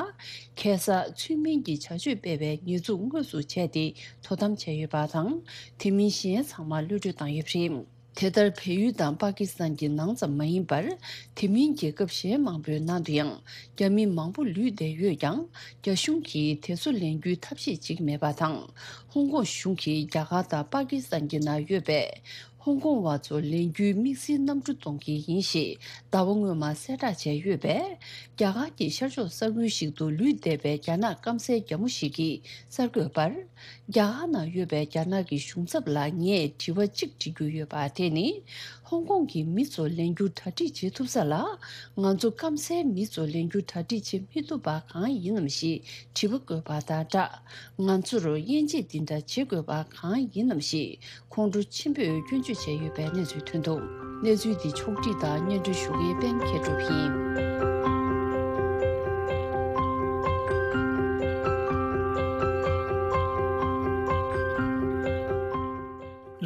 ཁ་སང་ཚུལ་མིན་གྱི་བྱ་སྤྱོད་སྤེལ་བའི་ཉེས་འཛུགས་དངོས་སུ་བྱས་ཏེ་དོ་དམ་བྱས་ཡོད་པ་དང་། དེ་མིན་གཞན་ཚང་མ་གློད་གྲོལ་བཏང་ཡོད་པ་རེད། དེ་ལྟར་བལ་ཡུལ་དང་པ་ཀི་སི་ཐན་གྱི་ནང་ཙམ་མ་ཡིན་པར། དེ་མིན་རྒྱལ་ཁབ་གཞན་མང་པོའི་ནང་དུ་ཡང་རྒྱ་མི་མང་པོ་ལུས་བསྡད་ཡོད་ཀྱང་། རྒྱ་གཞུང་གིས་དེ་ཚོ་ལེན་རྒྱུའི་ཐབས་ཤེས་ཅིག་མེད་པ་དང་། ཧོང་ཀོང་གཞུང་གིས་རྒྱ་གར་དང་པ་ཀི་སི་ཐན་གྱི་ནང་ཡོད་པའི་ཧོང་ཀོང་བ་ཚོ་ལེན་རྒྱུའི་དམིགས་བསལ་གནམ་གྲུ་གཏོང་གི་ཡིན་ཞེས་ཟླ་བ་སྔོན་མ་གསལ་བསྒྲགས་བྱས་ཡོད་པས། རྒྱ་གར་གྱི་ཤར་ཕྱོགས་ས་ཁུལ་ཞིག་ཏུ་ལུས་བསྡད་པའི་རྒྱ་ནག་སྐམ་སའི་རྒྱ་མོ་ཞིག་གིས་གསར་འགོད་པར། རྒྱ་གར་ནང་ཡོད་པའི་རྒྱ་ནག་གི་གཞུང་ཚབ་ལ་ངས་དྲི་བ་གཅིག་འདྲི་རྒྱུ་ཡོད་པ་དེ་ནི། ཧོང་ཀོང་གི་མི་ཚོ་ལེན་རྒྱུ་གྲ་སྒྲིག་བྱེད་ཐུབ་ས་ལ། ང་ཚོ་སྐམ་སའི་མི་ཚོ་ལེན་རྒྱུ་གྲ་སྒྲིག་བྱེད་མི་ཐུབ་པ་གང་ཡིན་ནམ་ཞེས་དྲི་བ་བཀོད་པ་དང་སྦྲགས། ང་ཚོར་དབྱེ་འབྱེད་འདི་འདྲ་བྱེད་དགོས་པ་གང་ཡིན་ནམ་ཞེས། ཁོང་ཁྲོ་ཆེན་པོས་སྐྱོན་བརྗོད་བྱས་ཡོད་པའི་གནས་ཚུལ་ཐོན་འདུག་གནས་ཚུལ་འདི་ཕྱོགས་བསྒྲིགས་དང་སྙན་སྒྲོན་ཞུ་མཁན་པད་མ་མཁས་གྲུབ་ཡིན།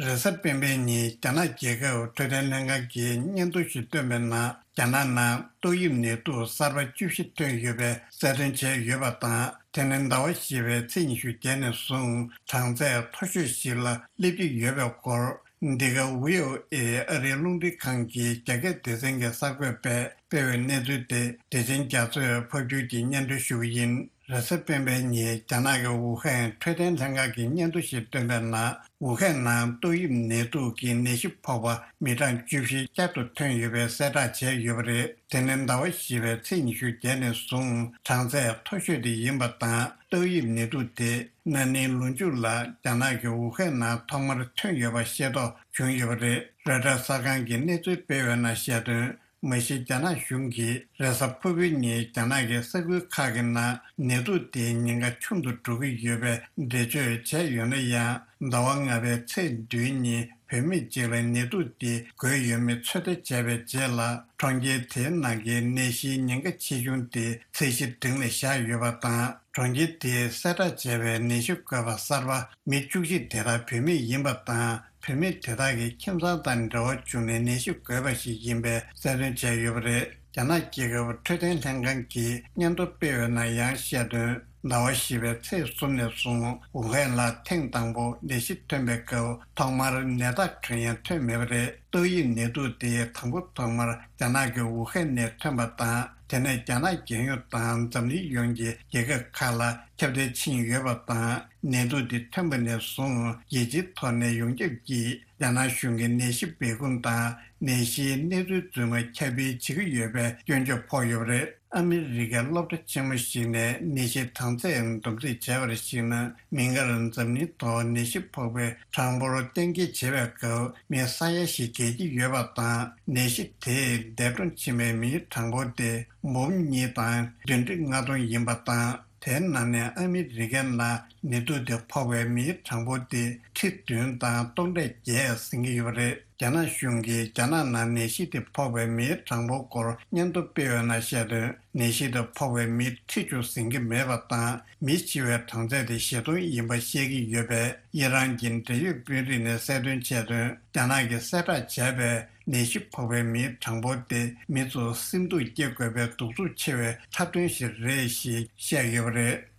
རེས་གཟའ་སྤེན་པའི་ཉིན་རྒྱ་ནག་རྒྱལ་ཁབ་འཕྲོད་བསྟེན་ལྷན་ཁང་གིས་སྙན་ཐོ་ཞིག་བཏོན་པའི་ནང་། རྒྱ་ནག་ནང་ཏོག་དབྱིབས་ནད་དུག་གསར་པ་བཅུ་བཞི་ཐོན་ཡོད་པའི་གསལ་སྟོན་བྱས་ཡོད་པ་དང་། དེ་ནི་ཟླ་བ་བཞི་པའི་ཚེས་ཉི་ཤུ་བརྒྱད་ནས་བཟུང་གྲངས་ཚད་མཐོ་ཤོས་ཤིག་ལ་སླེབས་ཀྱི་ཡོད་པའི་སྐོར། འདི་ག་བྷི་ཨོ་ཨེ་ཨ་རིའི་རླུང་འཕྲིན་ཁང་གི་རྒྱ་སྐད་སྡེ་ཚན་གྱི་གསར་འགོད་པས་སྤེལ་བའི་གནས་ཚུལ་དེ་བདེ་ཆེན་རྒྱ་མཚོས་ཕབ་སྒྱུར་གྱིས་སྙན་སྒྲོན་ཞུ་གི་ཡིན། རེས་གཟའ་སྤེན་པའི་ཉིན་རྒྱ་ནག་གི་ཝུ་ཧན་འཕྲོད་བསྟེན་ལྷན་ཁང་གིས་སྙན་ཐོ་ཞིག་བཏོན་པའི་ནང་། ཝུ་ཧན་ནང་ཏོག་དབྱིབས་ནད་དུག་གི་ནད་གཞི་ཕོག་པ་མི་གྲངས་བཅུ་བཞི་བསྐྱར་དུ་ཐོན་ཡོད་པའི་གསལ་བསྒྲགས་བྱས་ཡོད་པ་རེད། དེ་ནི་ཟླ་བ་བཞི་པའི་ཚེས་ཉི་ཤུ་བརྒྱད་ནས་བཟུང་གྲངས་ཚད་མཐོ་ཤོས་དེ་ཡིན་པ་དང་། ཏོག་དབྱིབས་ནད་དུག་དེ་ན་ནིང་ལོ་མཇུག་ལ་རྒྱ་ནག་གི་ཝུ་ཧན་ནང་ཐོག་མར་ཐོན་ཡོད་པ་ཤེས་རྟོགས་བྱུང་ཡོད་པ་རེད། རོའི་ཊར་གསར་ཁང་གིས་གནས་ཚུལ་སྤེལ་བའི་ནང་བཤད་དོན། མ་གཞི་རྒྱ་ནག་གཞུང་གིས་རེས་གཟའ་ཕུར་བུའི་ཉིན་རྒྱ་ནག་གི་ས་ཁུལ་ཁག་གི་ནང་ནད་དུག་དེའི་ཉེན་ཁ་ཆུང་དུ་འགྲོ་གི་ཡོད་པའི་འགྲེལ་བརྗོད་བྱས་ཡོད་ན་ཡང་། ཟླ་བ་ལྔ་པའི་ཚེས་བདུན་ཉིན་བུད་མེད་ཅིག་ལ་ནད་དུག་དེ་འགོས་ཡོད་མེད་ཚོད་ལྟ་བྱས་པའི་རྗེས་ལ། གྲོང་ཁྱེར་དེའི་ནང་གི་ནད་གཞིའི་ཉེན་ཁ་ཆེ་ཆུང་དེ་ཚད་གཞི་འབྲིང་ལ་བཞག་ཡོད་པ་དང་། གྲོང་ཁྱེར་དེས་གསལ་བསྒྲགས་བྱས་པའི་ནད་གཞི་འགོས་པ་གསར་པ་མི་བཅུ་གཅིག་དེ་དག་བུད་མེད་ཡིན་པ་དང་། བུད་མེད་དེ་དག་གི་ཁྱིམ་ཚང་དང་འབྲེལ་བ་བྱུང་ནས་ནད་གཞི་འགོས་པ་ཞིག་ཡིན་པའི་གསལ་སྟོན་བྱས་ཡོད་པ་རེད། རྒྱ་ནག་རྒྱལ་ཁབ་འཕྲོད་བསྟེན་ལྷན་ཁང་གིས་སྙན་ཐོ་སྤེལ་བའི་ནང་ཡང་བཤད་དོན། ཟླ་བ་བཞི་པའི་ཚེས་གསུམ་ནས་བཟུང་ཝུ་ཧན་ལ་ཐེངས་དང་པོ་ནད་གཞི་ཐོན་པའི་སྐབས་ཐོག་མར་ནད་རྟགས་གང་ཡང་ཐོན་མེད་པ་རེད། ཏོག་དབྱིབས་ནད་དུག་དེ་དང་པོ་ཐོག་མར་རྒྱ་ནག་གི་ཝུ་ཧན་ནས་ཐོན་པ་དང་། དེ་ནས་རྒྱ་ནག་རྒྱལ་ཡོངས་དང་འཛམ་གླིང་ཡོངས་ཀྱི་རྒྱལ་ཁབ་ཁག་ལ་ཁྱབ་གདལ་ཕྱིན་ཡོད་པ་དང་། ནད་དུག་འདི་ཐོན་པ་ནས་བཟུང་རྒྱལ་སྤྱིའི་ཐོག་ནས་ཡོངས་ཁྱབ་ཀྱིས་རྒྱ་ནག་གཞུང་གི་ནད་གཞི་སྦས་སྐུང་དང་ནད་གཞིའི་གནས་ཚུལ་རྫུན་མ་ཁྱབ་སྤེལ་བྱེད་ཀྱི་ཡོད་པའི་སྐྱོན་བརྗོད་ཕོག་ཡོད་པ་རེད། ཨ་མི་རི་ཀའི་སློབ་གྲྭ་ཆེན་མོ་ཞིག་ནས་ནད་གཞིའི་གྲངས་ཚད་བསྡོམས་རྩིས་བྱས་པར་གཞིགས་ན། མིག་སྔར་འཛམ་གླིང་ཐོག་ནད་གཞི་ཕོག་པའི་གྲངས་འབོར་གཏན་འཁེལ་བྱེད་པའི་སྐབས་མི་ས་ཡ་བཞི་བརྒལ་གྱི་ཡོད་པ་དང་། ནད་གཞི་དེས་འདས་གྲོངས་ཕྱིན་པའི་མིའི་གྲངས་འབོར་དེ་འབུམ་གཉིས་དང་བདུན་ཁྲི་ལྔ་སྟོང་ཡིན་པ་དང་། དེའི་ནང་ནས་ཨ་མི་རི་ཀའི་ནང་ནད་དུག་དེ་ཕོག་པའི་མིའི་གྲངས་འབོར་དེ་ཁྲི་བདུན་དང་སྟོང་ཕྲག་བརྒྱད་ཟིན་གྱི་ཡོད་པ་རེད། རྒྱ་ནག་གཞུང་གིས་རྒྱ་ནག་ནང་ནད་གཞི་དེ་ཕོག་པའི་མིའི་གྲངས་འབོར་སྐོར་སྙན་ཐོ་སྤེལ་བའི་ནང་བཤད་དོན། ནད་གཞི་དེ་ཕོག་པའི་མི་ཁྲི་བཅུ་ཟིན་གྱི་མེད་པ་དང་། མི་འཆི་བའི་གྲངས་ཚད་དེ་བཞི་སྟོང་ཡིན་པ་བཤད་ཀྱི་ཡོད་པས། ཨི་རན་གྱི་འབྲེལ་ཡོད་དཔོན་རིགས་ནས་གསལ་སྟོན་བྱས་དོན། རྒྱ་ནག་གིས་གསལ་བསྒྲགས་བྱས་པའི་ནད་གཞི་ཕོག་པའི་མིའི་གྲངས་འབོར་དེ་མི་ཚོ་སེམས་སྡུག་སྐྱེ་དགོས་པའི་གདུག་རྩུབ་ཆེ་བའི་འཁྲབ་སྟོན་ཞིག་རེད་ཞེས་བཤད་ཡོད་པ་རེད།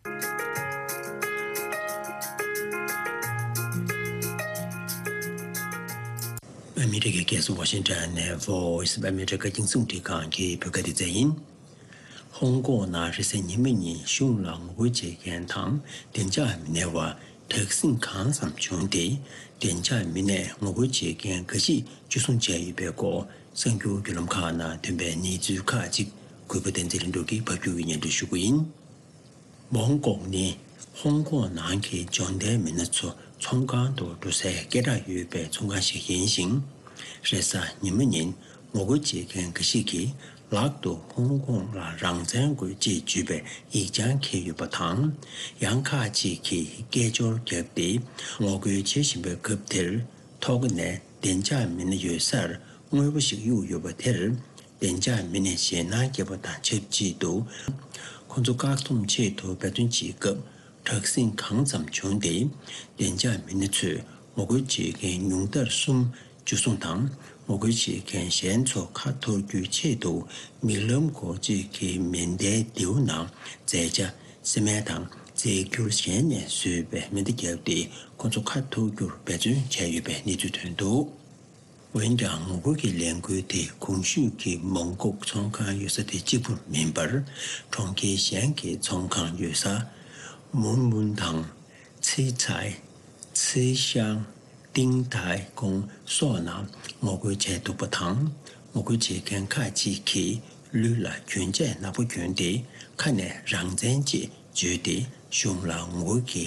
ཨ་མི་རི་ཀའི་རྒྱལ་ས་ཝ་ཤིང་ཊོན་ནས་Voice of America་རྒྱང་སྲིང་རླུང་འཕྲིན་ཁང་གི་བོད་སྐད་སྡེ་ཚན་ཡིན། ཧོང་ཀོང་ནང་རེས་གཟའ་ཉི་མ་ཉིན་གཞུང་ལ་ངོ་རྒོལ་བྱེད་མཁན་དང་བདེ་འཇགས་མི་སྣ་བར་དྲག་ཟིང་གང་ཙམ་བྱུང་སྟེ། བདེ་འཇགས་མི་སྣས་ངོ་རྒོལ་བྱེད་མཁན་འགའ་ཞིག་འཇུ་བཟུང་བྱས་ཡོད་པའི་སྐོར། གསར་འགྱུར་བརྒྱུད་ལམ་ཁག་ནང་ཐོན་པའི་གནས་ཚུལ་ཁག་ཅིག་གུས་པ་བསྟན་འཛིན་ལྷུན་གྲུབ་ཀྱིས་ཕབ་སྒྱུར་གྱིས་སྙན་སྒྲོན་ཞུ་གི་ཡིན། མོང་ཀོང་ནི་ཧོང་ཀོང་ནང་གི་འབྱོར་ལྡན་མི་སྣ་ཚོ་ཚོང་ཁང་དུ་འགྲོ་སའི་སྐད་གྲགས་ཡོད་པའི་ཚོང་ཁང་ཞིག་ཡིན་ཞིང་། རེས་གཟའ་ཉི་མ་ཉིན་ངོ་རྒོལ་བྱེད་མཁན་འགའ་ཞིག་གིས་ལག་ཏུ་ཧོང་ཀོང་ལ་རང་བཙན་དགོས་ཅེས་བརྗོད་པའི་ཡིག་ཆ་འཁྱེར་ཡོད་པ་དང་། ཡང་ཁག་ཅིག་གིས་སྐད་ཅོར་བརྒྱབ་སྟེ་ངོ་རྒོལ་བྱེད་བཞིན་པའི་སྐབས་དེར། ཐོག་ནས་བདེ་འཇགས་མི་སྣ་ཡོད་སར་དངོས་པོ་ཞིག་གཡུགས་ཡོད་པ་དེར། བདེ་འཇགས་མི་སྣས་ཞེད་སྣང་སྐྱེས་པ་དང་ཆབས་ཅིག་ཏུ། ཁོ་ཚོ་བཀག་སྡོམ་ཆེད་དུ་འབད་བརྩོན་བྱེད་སྐབས། དྲག་ཟིང་གང་ཙམ་བྱུང་སྟེ། བདེ་འཇགས་མི་སྣ་ཚོས་ངོ་རྒོལ་བྱེད་མཁན་ཉུང་མཐར་གསུམ་འཇུ་བཟུང་དང་། ངོ་རྒོལ་བྱེད་མཁན་གཞན་ཚོ་ཁ་འཐོར་རྒྱུའི་ཆེད་དུ། མིག་ལམ་སྒོར་གཅིག་གི་མེ་མདའི་མདེའུ་ནང་རྫས་ཆ་སི་མེན་དང་རྫས་འགྱུར་གཞན་ནས་བཟོས་པའི་མེ་མདའ་བརྒྱབ་སྟེ། ཁོ་ཚོ་ཁ་འཐོར་རྒྱུར་འབད་བརྩོན་བྱས་ཡོད་པའི་གནས་ཚུལ་ཐོན་འདུག་འོན་ཀྱང་ངོ་རྒོལ་གྱི་ལས་འགུལ་དེ་གོང་ཞུས་ཀྱི་མོང་ཀོག་ཚོང་ཁང་ཡོད་ས་དེ་གཅིག་པུ་མིན་པར། གྲོང་ཁྱེར་གཞན་གྱི་ཚོང་ཁང་ཡོད་ས་མུན་མུན་དང་། ཚེ་ཚའི། ཚེ་ཤང་། ཏིང་ཐའི་ཀོང་སོགས་ནང་ངོ་རྒོལ་བྱས་འདུག་པ་དང་། ངོ་རྒོལ་བྱེད་མཁན་ཁག་ཅིག་གིས་ལུས་ལ་གྱོན་ཆས་ནག་པོ་གྱོན་ཏེ། ཁ་ནས་རང་བཙན་ཅེས་བརྗོད་དེ། གཞུང་ལ་ངོ་རྒོལ་གྱི་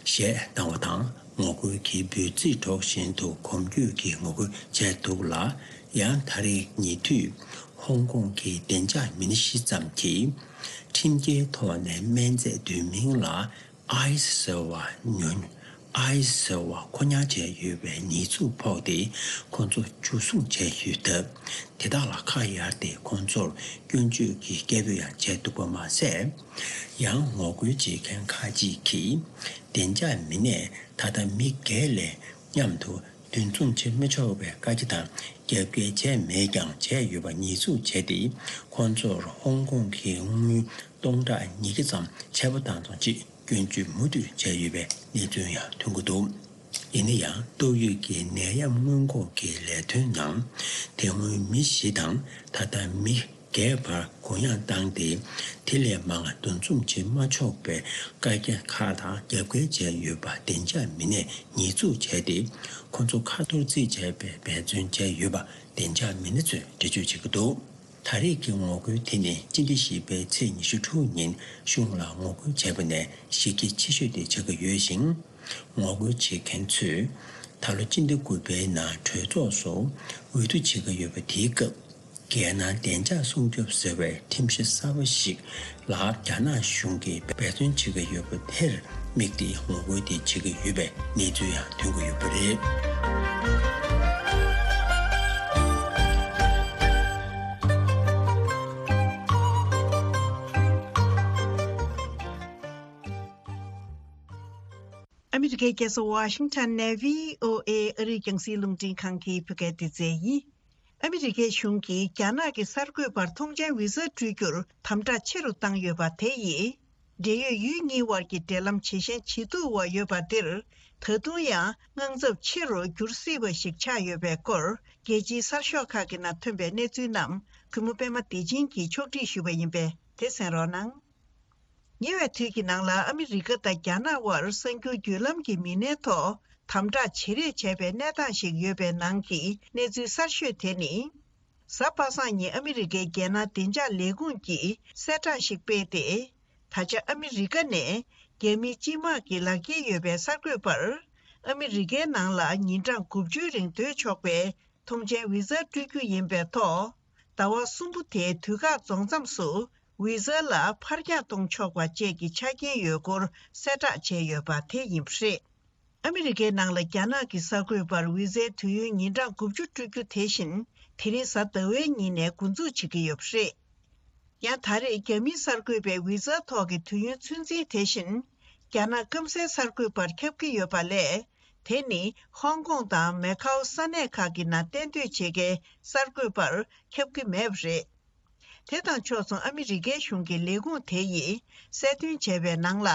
གཞས་བཏང་བ་དང་། ངོ་རྒོལ་གྱི་འབོད་ཚིག་སྒྲོག་བཞིན་དུ་གོམ་བགྲོད་ཀྱིས་ངོ་རྒོལ་བྱས་འདུག་ལ། ཡང་ད་རེས་ཉེ་དུས་ཧོང་ཀོང་གི་བདེ་འཇགས་མི་སྣ་བཞི་ཙམ་གྱིས་ཁྲིམས་འགལ་ཐོག་ནས་སྨན་རྫས་འདོན་མིན་ལ། ཨའི་སི་ཟེར་བ་ཉོ། ཨའི་སི་ཟེར་བ་མཁོ་ཉར་བྱས་ཡོད་པའི་ཉེས་འཛུགས་ཕོག་སྟེ། ཁོང་ཚོ་འཇུ་བཟུང་བྱས་ཡོད་སྟབས། དེ་དག་ལ་ཁ་གཡར་ཏེ། ཁོང་ཚོར་སྐྱོན་བརྗོད་ཀྱི་སྐད་འབོད་ཡང་བྱས་འདུག་པ་མ་ཟད། ཡང་ངོ་རྒོལ་བྱེད་མཁན་ཁག་ཅིག་གིས། བདེ་འཇགས་མི་སྣས་ད་ལྟ་མི་སྒེར་ལ་མཉམ་དུ་འདུ་འཛོམས་བྱེད་མི་ཆོག་པའི་བཀའ་རྒྱ་དང་རྒྱབ་འགལ་བྱས་མེད་ཀྱང་བྱས་ཡོད་པ་ཉེས་འཛུགས་བྱས་ཏེ། ཁོང་ཚོར་ཧོང་ཀོང་གི་དངུལ་སྟོང་ཕྲག་ཉིས་བརྒྱ་ཙམ་ཆད་པ་བཏང་ཐོག་ཅིག་སྐྱོན་བརྗོད་མུ་མཐུད་བྱས་ཡོད་པའི་གནས་ཚུལ་ཡང་ཐོན་གྱི་འདུག་ཡིན་ན་ཡང་། ཏོག་དབྱིབས་ཀྱི་ནད་ཡམས་སྔོན་འགོག་གི་ལས་དོན་ནང་། དེ་སྔོན་མི་བཞི་དང་། ད་ལྟ་མི་བརྒྱད་བར་གུ་ཡངས་བཏང་སྟེ། དེ་ལས་མང་བ་འདུ་འཛོམས་བྱེད་མ་ཆོག་པའི་བཀའ་རྒྱ་ཁག་དང་རྒྱབ་འགལ་བྱས་ཡོད་པ་བདེ་འཇགས་མི་སྣས་ཉེས་འཛུགས་བྱས་ཏེ། ཁོ་ཚོ་ཁ་གཏོར་རྩིས་བྱས་པའི་འབད་བརྩོན་བྱས་ཡོད་པ་བདེ་འཇགས་མི་སྣ་ཚོས་འགྲེལ་བརྗོད་བྱེད་ཀྱི་འདུག་ད་རེས་ཀྱི་ངོ་རྒོལ་དེ་ནི་སྤྱི་ཟླ་བཞི་པའི་ཚེས་ཉི་ཤུ་དྲུག་ཉིན་གཞུང་ལ་ངོ་རྒོལ་བྱས་པ་ནས་གཞི་རྒྱ་ཆེ་ཤོས་དེ་ཆགས་ཀྱི་ཡོད་ཅིང་། ངོ་རྒོལ་བྱེད་མཁན་ཚོས་ད་ལོ་སྤྱི་ཟླ་དགུ་པའི་ནང་གྲོས་ཚོགས་སུ་འོས་བསྡུ་བྱེད་ཀྱི་ཡོད་པ་དེའི་སྐབས། རྒྱལ་ནང་བདེ་འཇགས་སྲུང་སྐྱོབ་ཟེར་བའི་ཁྲིམས་གཞི་གསར་པ་ཞིག་ལ་རྒྱ་ནག་གཞུང་གིས་འབད་བརྩོན་བྱེད་ཀྱི་ཡོད་པ་དེར་དམིགས་ཏེ་ངོ་རྒོལ་དེ་བྱེད་ཀྱི་ཡོད་པའི་གནས་ཚུལ་ཡང་ཐོན་གྱི་ཡོད་པ་རེད། ཨ་མི་རི་ཀའི་རྒྱལ་ས་ཝ་ཤིང་ཊོན་ནས་བྷི་ཨོ་ཨེ་ཨ་རིའི་རྒྱང་སྲིང་རླུང་འཕྲིན་ཁང་གི་བོད་སྐད་སྡེ་ཚན་ཡིན། ཨ་མི་རི་ཀའི་གཞུང་གིས་རྒྱ་ནག་གི་གསར་འགོད་པར་ཐོངས་མཆན་བི་ཟ་སྤྲོད་རྒྱུར་དམ་དྲག་ཆེ་རུ་བཏང་ཡོད་པ་དེ་ཡིས། འབྲེལ་ཡོད་ཡུལ་གཉིས་དབར་གྱི་འབྲེལ་ལམ་ཇེ་ཞན་ཇེ་སྡུག་འོག་ཡོད་པ་འདིར། ད་དུང་ཡང་དངངས་འཚབ་ཆེ་རུ་འགྱུར་སྲིད་པ་ཞིག་ཆགས་ཡོད་པའི་སྐོར། རྒྱལ་སྤྱིའི་གསར་ཤོག་ཁག་གི་ནང་ཐོན་པའི་གནས་ཚུལ་རྣམས། གུས་མོ་པད་མ་བདེ་ཆེན་གྱིས་ཕྱོགས་སྒྲིག་ཞུས་པ་ཡིན་པས། དེ་གསན་རོགས་གནང་། ཉེ་བའི་དུས་ཀྱི་ནང་ལ་ཨ་མི་རི་ཀ་དང་རྒྱ་ནག་དབར་གསར་འགྱུར་བརྒྱུད་ལམ་གྱི་མི་སྣའི་ཐོག་དམ་དྲག་ཇེ་རེ་བྱས་པའི་གནས་སྟངས་ཤིག་ཡོད་པའི་ནང་གི་གནས་ཚུལ་གསར་ཤོས་དེ་ནི། གཟའ་པ་སངས་ཉིན་ཨ་མི་རི་ཀའི་རྒྱལ་ནང་བདེ་འཇགས་ལས་ཁུངས་ཀྱིས་གསལ་བསྒྲགས་ཤིག་སྤེལ་ཏེ། ད་ཆ་ཨ་མི་རི་ཀ་ནས་རྒྱ་མིའི་སྤྱི་དམངས་ཀྱི་ལག་འཁྱེར་ཡོད་པའི་གསར་འགོད་པར། ཨ་མི་རི་ཀའི་ནང་ལ་ཉིན་གྲངས་དགུ་བཅུའི་རིང་སྡོད་ཆོག་པའི་ཐོངས་མཆན་བི་ཟ་སྤྲོད་རྒྱུ་ཡིན་པའི་ཐོག་ཟླ་བ་གསུམ་པོ་དེའི་དུས་བཀག་རྫོགས་མཚམས་སུ། བི་ཟ་ལ་ཕར་འགྱངས་གཏོང་ཆོག་པ་བཅས་ཀྱི་ཆ་རྐྱེན་ཡོད་སྐོར་གསལ་བསྒྲགས་བྱས་ཡོད་པ་དེ་ཡིན་པ་རེད། ཨ་མི་རི་ཀའི་ནང་ལ་རྒྱ་ནག་གི་གསར་འགོད་པར་བི་ཟའི་དུས་ཡུན་ཉིན་གྲངས་དགུ་བཅུ་སྤྲོད་རྒྱུ་དེ་བཞིན། དེ་རིང་གཟའ་ཟླ་བའི་ཉིན་ནས་འགོ་འཛུགས་བྱེད་ཀྱི་ཡོད་པ་རེད། ཡང་ད་རེས་རྒྱ་མིའི་གསར་འགོད་པའི་བི་ཟ་ཐོག་གི་དུས་ཡུན་ཚོད་འཛིན་དེ་བཞིན། རྒྱ་ནག་སྐམ་སའི་གསར་འགོད་པར་ཁྱབ་ཀྱི་ཡོད་པ་ལས། དེ་ནི་ཧོང་ཀོང་དང་མེ་ཁའོ་ས་གནས་ཁག་གི་ནང་གཏན་སྡོད་བྱེད་མཁན་གསར་འགོད་པར་ཁྱབ་ཀྱི་མེད་པ་རེད། དེ་དང་ཕྱོགས་མཚུངས་ཨ་མི་རི་ཀའི་གཞུང་གི་ལས་ཁུངས་དེ་ཡིས་གསལ་སྟོན་བྱས་པའི་ནང་ལ།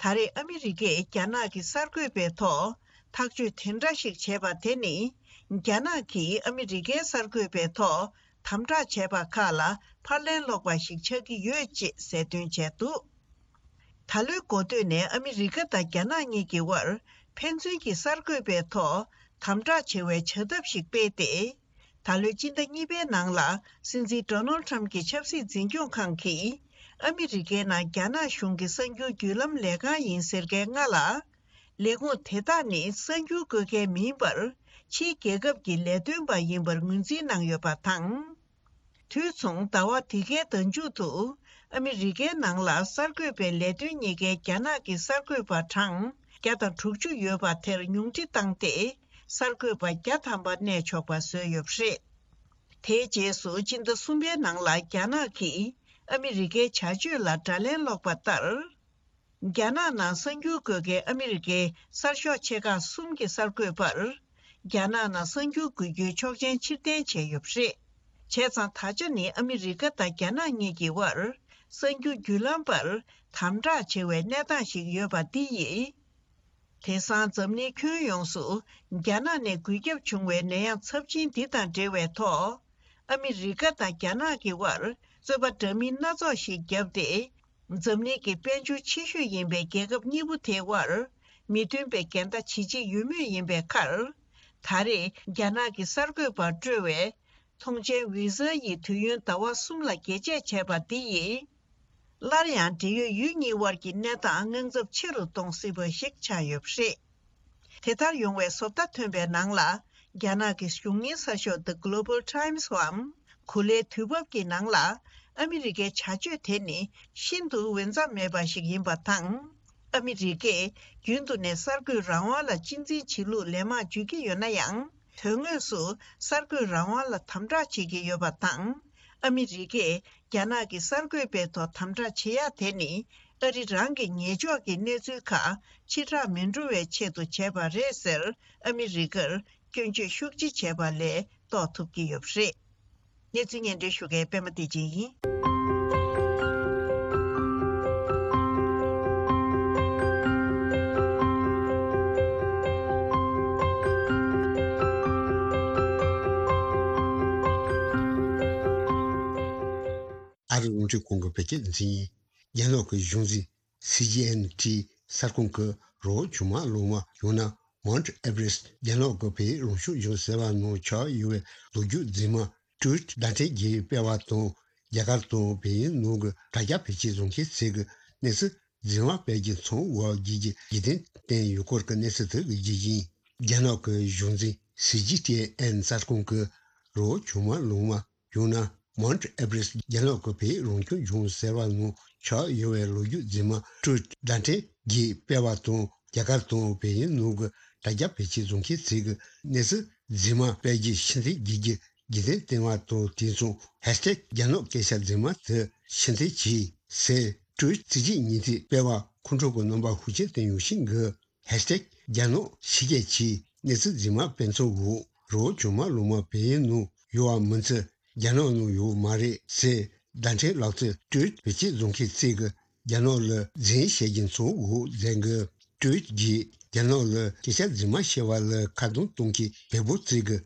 ད་རེས་ཨ་མི་རི་ཀས་རྒྱ་ནག་གི་གསར་འགོད་པའི་ཐོག་ཐག་གཅོད་དེ་འདྲ་ཞིག་བྱས་པ་དེ་ནི། རྒྱ་ནག་གིས་ཨ་མི་རི་ཀའི་གསར་འགོད་པའི་ཐོག་དམ་དྲག་བྱས་པ་ཁག་ལ་ཕར་ལན་སློག་པ་ཞིག་ཆགས་ཀྱི་ཡོད་ཅེས་གསལ་སྟོན་བྱས་འདུག་ད་ལོའི་འགོ་སྟོད་ནས་ཨ་མི་རི་ཀ་དང་རྒྱ་ནག་གཉིས་ཀྱི་དབར་ཕན་ཚུན་གྱི་གསར་འགོད་པའི་ཐོག་དམ་དྲག་བྱེད་པའི་བྱ་ཐབས་ཤིག་སྤེལ་ཏེ། ད་ལོའི་སྤྱི་ཟླ་གཉིས་པའི་ནང་ལ་སྲིད་འཛིན་ཌོ་ནལ་ཁྲམ་གྱི་ཆབ་སྲིད་འཛིན་སྐྱོང་ཁང་གིས་ཨ་མི་རི་ཀའི་ནང་རྒྱ་ནག་གཞུང་གི་གསར་འགྱུར་བརྒྱུད་ལམ་ལས་ཁང་ཡིན་ཟེར་མཁན་ལྔ་ལ། ལས་ཁུངས་དེ་དག་ནི་གསར་འགྱུར་འགོད་མཁན་མིན་པར་ཕྱིའི་རྒྱལ་ཁབ་ཀྱི་ལས་དོན་པ་ཡིན་པར་ངོས་འཛིན་གནང་ཡོད་པ་དང་། དུས་མཚུངས་ཟླ་བ་འདི་གའི་ཟླ་མཇུག་ཏུ་ཨ་མི་རི་ཀའི་ནང་ལ་གསར་འགོད་པའི་ལས་དོན་གཉིས་ཀའི་རྒྱ་ནག་གི་གསར་འགོད་པ་གྲངས་བརྒྱ་དང་དྲུག་ཅུ་ཡོད་པ་དེར་ཉུང་འཕྲི་བཏང་སྟེ་གསར་འགོད་པ་བརྒྱ་ཐམ་པ་གནས་ཆོག་པ་བཟོས་ཡོད་པ་རེད། དེའི་རྗེས་སུ་སྤྱི་ཟླ་གསུམ་པའི་ནང་ལ་རྒྱ་ནག་གིས་ཨ་མི་རི་ཀའི་བྱ་སྤྱོད་ལ་དགྲ་ལན་སློག་པ་ལྟར། རྒྱ་ནག་ནང་གསར་འགྱུར་འགོད་མཁན་ཨ་མི་རི་ཀའི་གསར་ཤོག་ཆེ་ཁག་གསུམ་གྱི་གསར་འགོད་པར། རྒྱ་ནག་ནང་གསར་འགྱུར་འགོད་རྒྱུའི་ཆོག་མཆན་ཕྱིར་འཐེན་བྱས་ཡོད་པ་རེད། བྱས་ཙང་ད་ཆ་ནི་ཨ་མི་རི་ཀ་དང་རྒྱ་ནག་གཉིས་ཀྱི་དབར་གསར་འགྱུར་བརྒྱུད་ལམ་པར་དམ་དྲག་བྱེད་པའི་གནས་སྟངས་ཤིག་ཡོད་པ་འདི་ཡིས། དེང་སང་འཛམ་གླིང་ཁྱོན་ཡོངས་སུ་རྒྱ་ནག་ནས་འགོས་ཁྱབ་བྱུང་བའི་ནད་ཡམས་ཚབས་ཆེན་འདི་དང་འབྲེལ་བའི་ཐོག་ཨ་མི་རི་ཀ་དང་རྒྱ་ནག་གི་དབར་རྩོད་པ་འདྲ་མིན་སྣ་ཚོགས་ཤིག་བརྒྱབ་སྟེ། འཛམ་གླིང་གི་དཔལ་འབྱོར་ཆེ་ཤོས་ཡིན་པའི་རྒྱལ་ཁབ་གཉིས་པོ་དེའི་དབར་མི་མཐུན་པའི་འགལ་ཟླ་ཇི་ཆེ་ཡོད་མུས་ཡིན་པའི་ཁར། ད་རེས་རྒྱ་ནག་གི་གསར་འགོད་པར་སྤྲོད་པའི་ཐོངས་མཆན་ཝི་ཟ་ཡི་དུས་ཡུན་ཟླ་བ་གསུམ་ལ་རྒྱས་བཅད་བྱས་པ་འདི་ཡིས། སླར་ཡང་འབྲེལ་ཡོད་ཡུལ་གཉིས་དབར་གྱི་གནས་སྟངས་དངངས་འཚབ་ཆེ་རུ་གཏོང་སྲིད་པ་ཞིག་ཆགས་ཡོད་པ་རེད། དེ་ལྟར་ཡོང་བའི་བཟོ་ལྟ་ཐོན་པའི་ནང་ལ། རྒྱ་ནག་གི་གཞུང་གཉེར་གསར་ཤོག་The Global Times བའམ། གོ་ལའི་དུས་བབ་ཀྱི་ནང་ལ། ཨ་མི་རི་ཀའི་བྱ་སྤྱོད་དེ་ནི་ཤིན་ཏུ་འོས་འཚམ་མེད་པ་ཞིག་ཡིན་པ་དང་། ཨ་མི་རི་ཀས་རྒྱུན་དུ་ནས་གསར་འགོད་རང་དབང་ལ་གཅེས་འཛིན་བྱེད་ལུགས་ལན་མང་བརྗོད་ཀྱི་ཡོད་ན་ཡང་། དོན་དངོས་སུ་གསར་འགོད་རང་དབང་ལ་དམ་དྲག་བྱེད་ཀྱི་ཡོད་པ་དང་། ཨ་མི་རི་ཀས་རྒྱ་ནག་གི་གསར་འགོད་པའི་ཐོག་དམ་དྲག་བྱེད་ཡག་དེ་ནི། ཨ་རི་རང་གི་ཉེས་འཇོག་གི་གནས་ཚུལ་ཁག་ཕྱིར་བསྒྲགས་མི་འགྲོ་བའི་ཆེད་དུ་བྱས་པ་རེད་ཟེར། ཨ་མི་རི་ཀར་སྐྱོན་བརྗོད་ཤུགས་ཆེ་བྱས་པ་ལས་རྟོགས་ཐུབ་ཀྱི་ཡོད་པ་རེད། གནས་ཚུལ་སྙན་སྒྲོན་ཞུ་མཁན་པད་མ་བདེ་ཆེན་ཡིན། ཨ་རི་རླུང་འཕྲིན་ཁང་གི་བོད་སྐད་སྡེ་ཚན་ཡིན། རྒྱ་ནག་གི་གཞུང་འཛིན། སི་ཇི་ཨེན་ཊི་གསར་ཁང་གི་རི་བོ་བྱུར་དམར་ལུང་པ་ཡང་ན་Mount Everest རྒྱ་ནག་གི་བོད་ཡུལ་རང་སྐྱོང་ལྗོངས་ཟེར་བ་ནང་ཆགས་ཡོད་པའི་ལོ་རྒྱུས་རྫུན་མ་ཊུ་ཝིཊ་བརྡ་འཕྲིན་བརྒྱུད་སྤེལ་བ་དང་། རྒྱ་གར་དང་བལ་ཡུལ་ནང་གི་དྲ་རྒྱ་བེད་སྤྱོད་བཟོ་མཁན་ཚོས་ཀྱི་གནས་ཚུལ་རྫུན་མ་སྤེལ་རྒྱུ་མཚོན་དགོས་རྒྱུ་གྱི་རྒྱུ་རྐྱེན་བསྟན་ཡོད་སྐོར་གྱི་གནས་ཚུལ་དེ་གི་རྒྱུ་རྐྱེན། རྒྱ་ནག་གི་གཞུང་འཛིན་སི་ཇི་ཊི་ཨེན་གསར་ཁང་གི་རི་བོ་བྱུར་དམར་ལུང་པ་ཡང་ན་Mount Everest རྒྱ་ནག་གི་བོད་རང་སྐྱོང་ལྗོངས་ཟེར་བ་ནང་ཆགས་ཡོད་པའི་ལོ་རྒྱུས་རྫུན་མ་ཊུ་ཝིཊ་བརྡ་འཕྲིན་བརྒྱུད་སྤེལ་བ་དང་། རྒྱ་གར་དང་བལ་ཡུལ་ནང་གི་དྲ་རྒྱ་བེད་སྤྱོད་བཟོ་མཁན་ཚོས་ཀྱི་གནས་ཚུལ་རྫུན་མ་སྤེལ་རྒྱུ་ཕྱིར་འཐེན་བགྱིད་རྒྱུ་རྒྱུ་མཚན་བསྟན་པ་དང་། དེ་མཚུངས་ཧེཤ་ཊེག་རྒྱ་ནག་སྐད་ཆ་རྫུན་མ་དེ་ཕྱིར་འཐེན་གྱིས་ཟེར་ཊུ་ཝིཊ་ཚིག་གཅིག་ཉིས་མཐའི་སྤེལ་བ་ཁོང་ཁྲོ་གི་རྣམ་པ་ཤུགས་ཆེན་བསྟན་ཡོད་ཤིང་གི། ཧེཤ་ཊེག་རྒྱ་ནག་ཕྱི་རྒྱལ་གྱིས་གནས་ཚུལ་རྫུན་མ་སྤེལ་མཚམས་འོག་རི་བོ་བྱུར་དམར་ལུང་པ་བལ་ཡུལ་ནང་ཡོད་པ་མིན་ཚེ་རྒྱ་ནག་ནང་ཡོད་མ་རེད་ཟེར་བརྡ་འཕྲིན་ལག་རྩལ་ཊུ་ཝིཊ་བེད་སྤྱོད་བཟོ་མཁན་ཚོས་ཀྱི་རྒྱ་ནག་ལ་རྫུན་བཤད་རྒྱུ་མཚོན་འོག་མཛད་འགུལ་ཊུ་ཝིཊ་གྱིས་རྒྱ་ནག་ལ་སྐད་ཆ་རྫུན་མ་བཤད་པ་ལ་ཁ་རྡུང་གཏོང་མཁན་བལ་པོ་ཚོས་ཀྱི་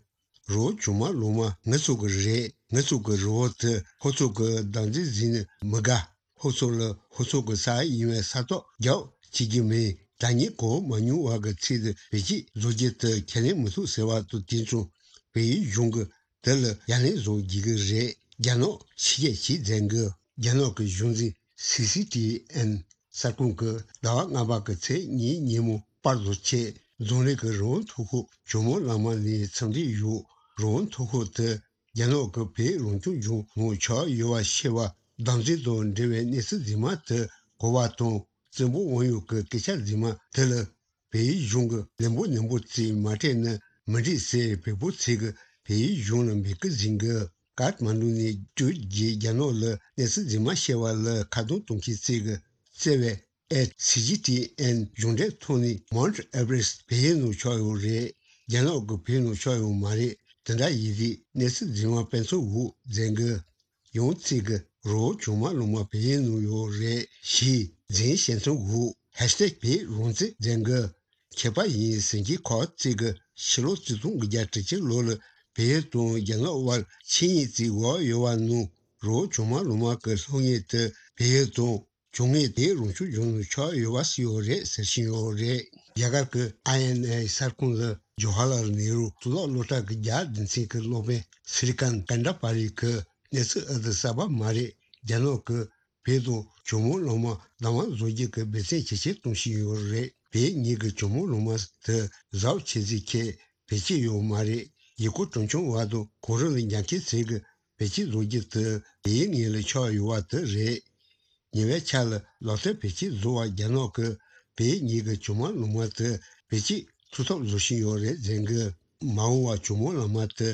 རི་བོ་བྱུར་དམར་ལུང་པ་ངེད་ཚོ་གི་རེད། ངེད་ཚོ་གི་རི་བོ་དེ་ཁོ་ཚོ་གི་བདག་འཛིན་བཟུང་ནས་མི་དགའ། ཁོ་ཚོ་ལ་ཁོ་ཚོ་གི་ས་ཡིན་པའི་ས་ཐོག་རྒྱག་བྱེད་རྒྱུ་མིན། ད་ངས་གོ་མ་མྱོང་བ་གི་ཚིག་དེ་བེད་སྤྱོད་བཟོ་རྒྱུ་དེ་ཁས་ལེན་མི་ཐུབ་ཟེར་བ་དང་། དེ་མཚུངས་བལ་ཡུལ་གཞུང་གི་དེ་ལ་ཡ་ལན་བཟོ་རྒྱུ་གི་རེད། རྒྱ་ནག་ཕྱི་རྒྱལ་གྱིས་མཛད་འགུལ། རྒྱ་ནག་གི་གཞུང་འཛིན་སི་སི་ཊི་ཨེན་གསར་ཁང་གིས་ཟླ་བ་ལྔ་པ་གི་ཚེས་གཉིས་ཉིན་མོ་པར་བཟོ་ཆེད་རྫོང་རིགས་ཀྱི་རི་བོ་མཐོ་ཤོས་ཇོ་མོ་གླང་མ་ནས་འཚམས་འདྲི་ཡོད། རི་བོ་མཐོ་ཤོས་དེ་རྒྱ་ནག་གི་བོད་རང་སྐྱོང་ལྗོངས་ནང་ཆགས་ཡོད་པ་ཤེས་པ་བདག་འཛིན་དང་འབྲེལ་བའི་གནས་ཚུལ་རྫུན་མ་དེ་གོ་བ་དང་། བཙན་པོ་དབང་ཡོད་ཀྱི་སྐད་ཆ་རྫུན་མ་དེ་ལ་བལ་ཡུལ་གཞུང་གིས་ལན་པོ་ནན་པོ་བྱས་མ་སྤྲད་ན་མི་འགྲིག་ཟེར་བལ་པོ་ཚོས་ཀྱི་བལ་ཡུལ་གཞུང་ལ་འབོད་སྐུལ་ཟིན་གི། ཀཐ་མན་ཌུ་ནས་ཊུ་ཝིཊ་གྱིས་རྒྱ་ནག་ལ་གནས་ཚུལ་རྫུན་མ་བཤད་པ་ལ་ཁ་རྡུང་གཏོང་མཁན་ཚོས་ཀྱི་བརྩེ་བའི་ཨེཊ་སི་ཇི་ཊི་ཨེན་གཞུང་འབྲེལ་ཐོག་ནས་Mount Everest བལ་ཡུལ་ནང་ཆགས་ཡོད་རེད། རྒྱ་ནག་གི་བོད་ནང་ཆགས་ཡོད་མ་རེད། དེ་འདྲ་ཡིན་དུས་གནས་ཚུལ་རྫུན་མ་སྤེལ་མཚམས་འོག་མཛད་གི། ཡང་ཚིག་གི་རི་བོ་བྱུར་དམར་ལུང་པ་བལ་ཡུལ་ནང་ཡོད་རེད་ཞེས་རྫུན་བཤད་མཚམས་འོག་ཧེཤ་ཊེག་བོད་རང་བཙན་མཛད་གི། མཁས་པ་ཡིན་ཟེར་མཁན་ཁག་ཅིག་གིས་ཕྱི་ལོ་ཆིག་སྟོང་དགུ་བརྒྱ་དྲུག་ཅུ་ལོ་ལ་བལ་ཡུལ་དང་རྒྱ་ནག་དབར་ཆིངས་ཡིག་ཅིག་འོག་ཡོད་པ་ནང་རི་བོ་བྱུར་དམར་ལུང་པ་གི་སློབ་གཉེར་དེ་བལ་ཡུལ་དང་བྱང་མའི་བོད་རང་སྐྱོང་ལྗོངས་ནང་ཆགས་ཡོད་པ་ཞིག་ཡོད་རེད་ཟེར་བཞིན་ཡོད་རེད། རྒྱ་གར་གྱི་ཨའི་ཨེན་ཨེ་གསར་ཁང་ལ་ཇོ་ཧ་ལར་ནེ་རུ་གཙུག་ལག་སློབ་གྲྭ་གི་རྒྱ་སྡེ་ཚན་གྱི་སློབ་དཔོན་སི་རི་ཀན་ཀན་ཌ་པ་རི་གིས་གནས་ཚུལ་ཨ་ཏི་གསར་པ་མ་རེད། རྒྱ་ནག་གིས་བོད་དང་ཇོ་མོ་གླང་མ་བདག་དབང་བཟོ་རྒྱུ་གི་འབད་བརྩོན་ཇེ་ཆེར་གཏོང་བཞིན་ཡོད་རེད། བོད་གཉིས་ཀྱི་ཇོ་མོ་གླང་མ་དེ་གཟབ་བྱེད་རྩིས་ཁས་བེད་སྤྱོད་ཡོད་མ་རེད། ཡུལ་སྐོར་སྤྲོ་འཆམ་བ་དང་གོ་རིམ་ལ་འགྱངས་ཁྱེར་ཚོས་ཀྱི་བེད་སྤྱོད་བཟོ་རྒྱུ་དེ་བོད་ཡིག་ངོས་ལ་ཆགས་ཡོད་པ་དེ་རེད། ཉེ་བའི་ཆར་ལ་ལག་རྩལ་བེད་སྤྱོད་བཟོ་བར་རྒྱ་ནག་གིས་བོད་གཉིས་ཀྱི་ཇོ་མོ་གླང་མ་དེ་བེད་སྤྱོད་ཐུབ་ཐབས་བཟོ་བཞིན་ཡོད་རེད་ཟེར་གི། མ་འོངས་པར་ཇོ་མོ་གླང་མ་དེ་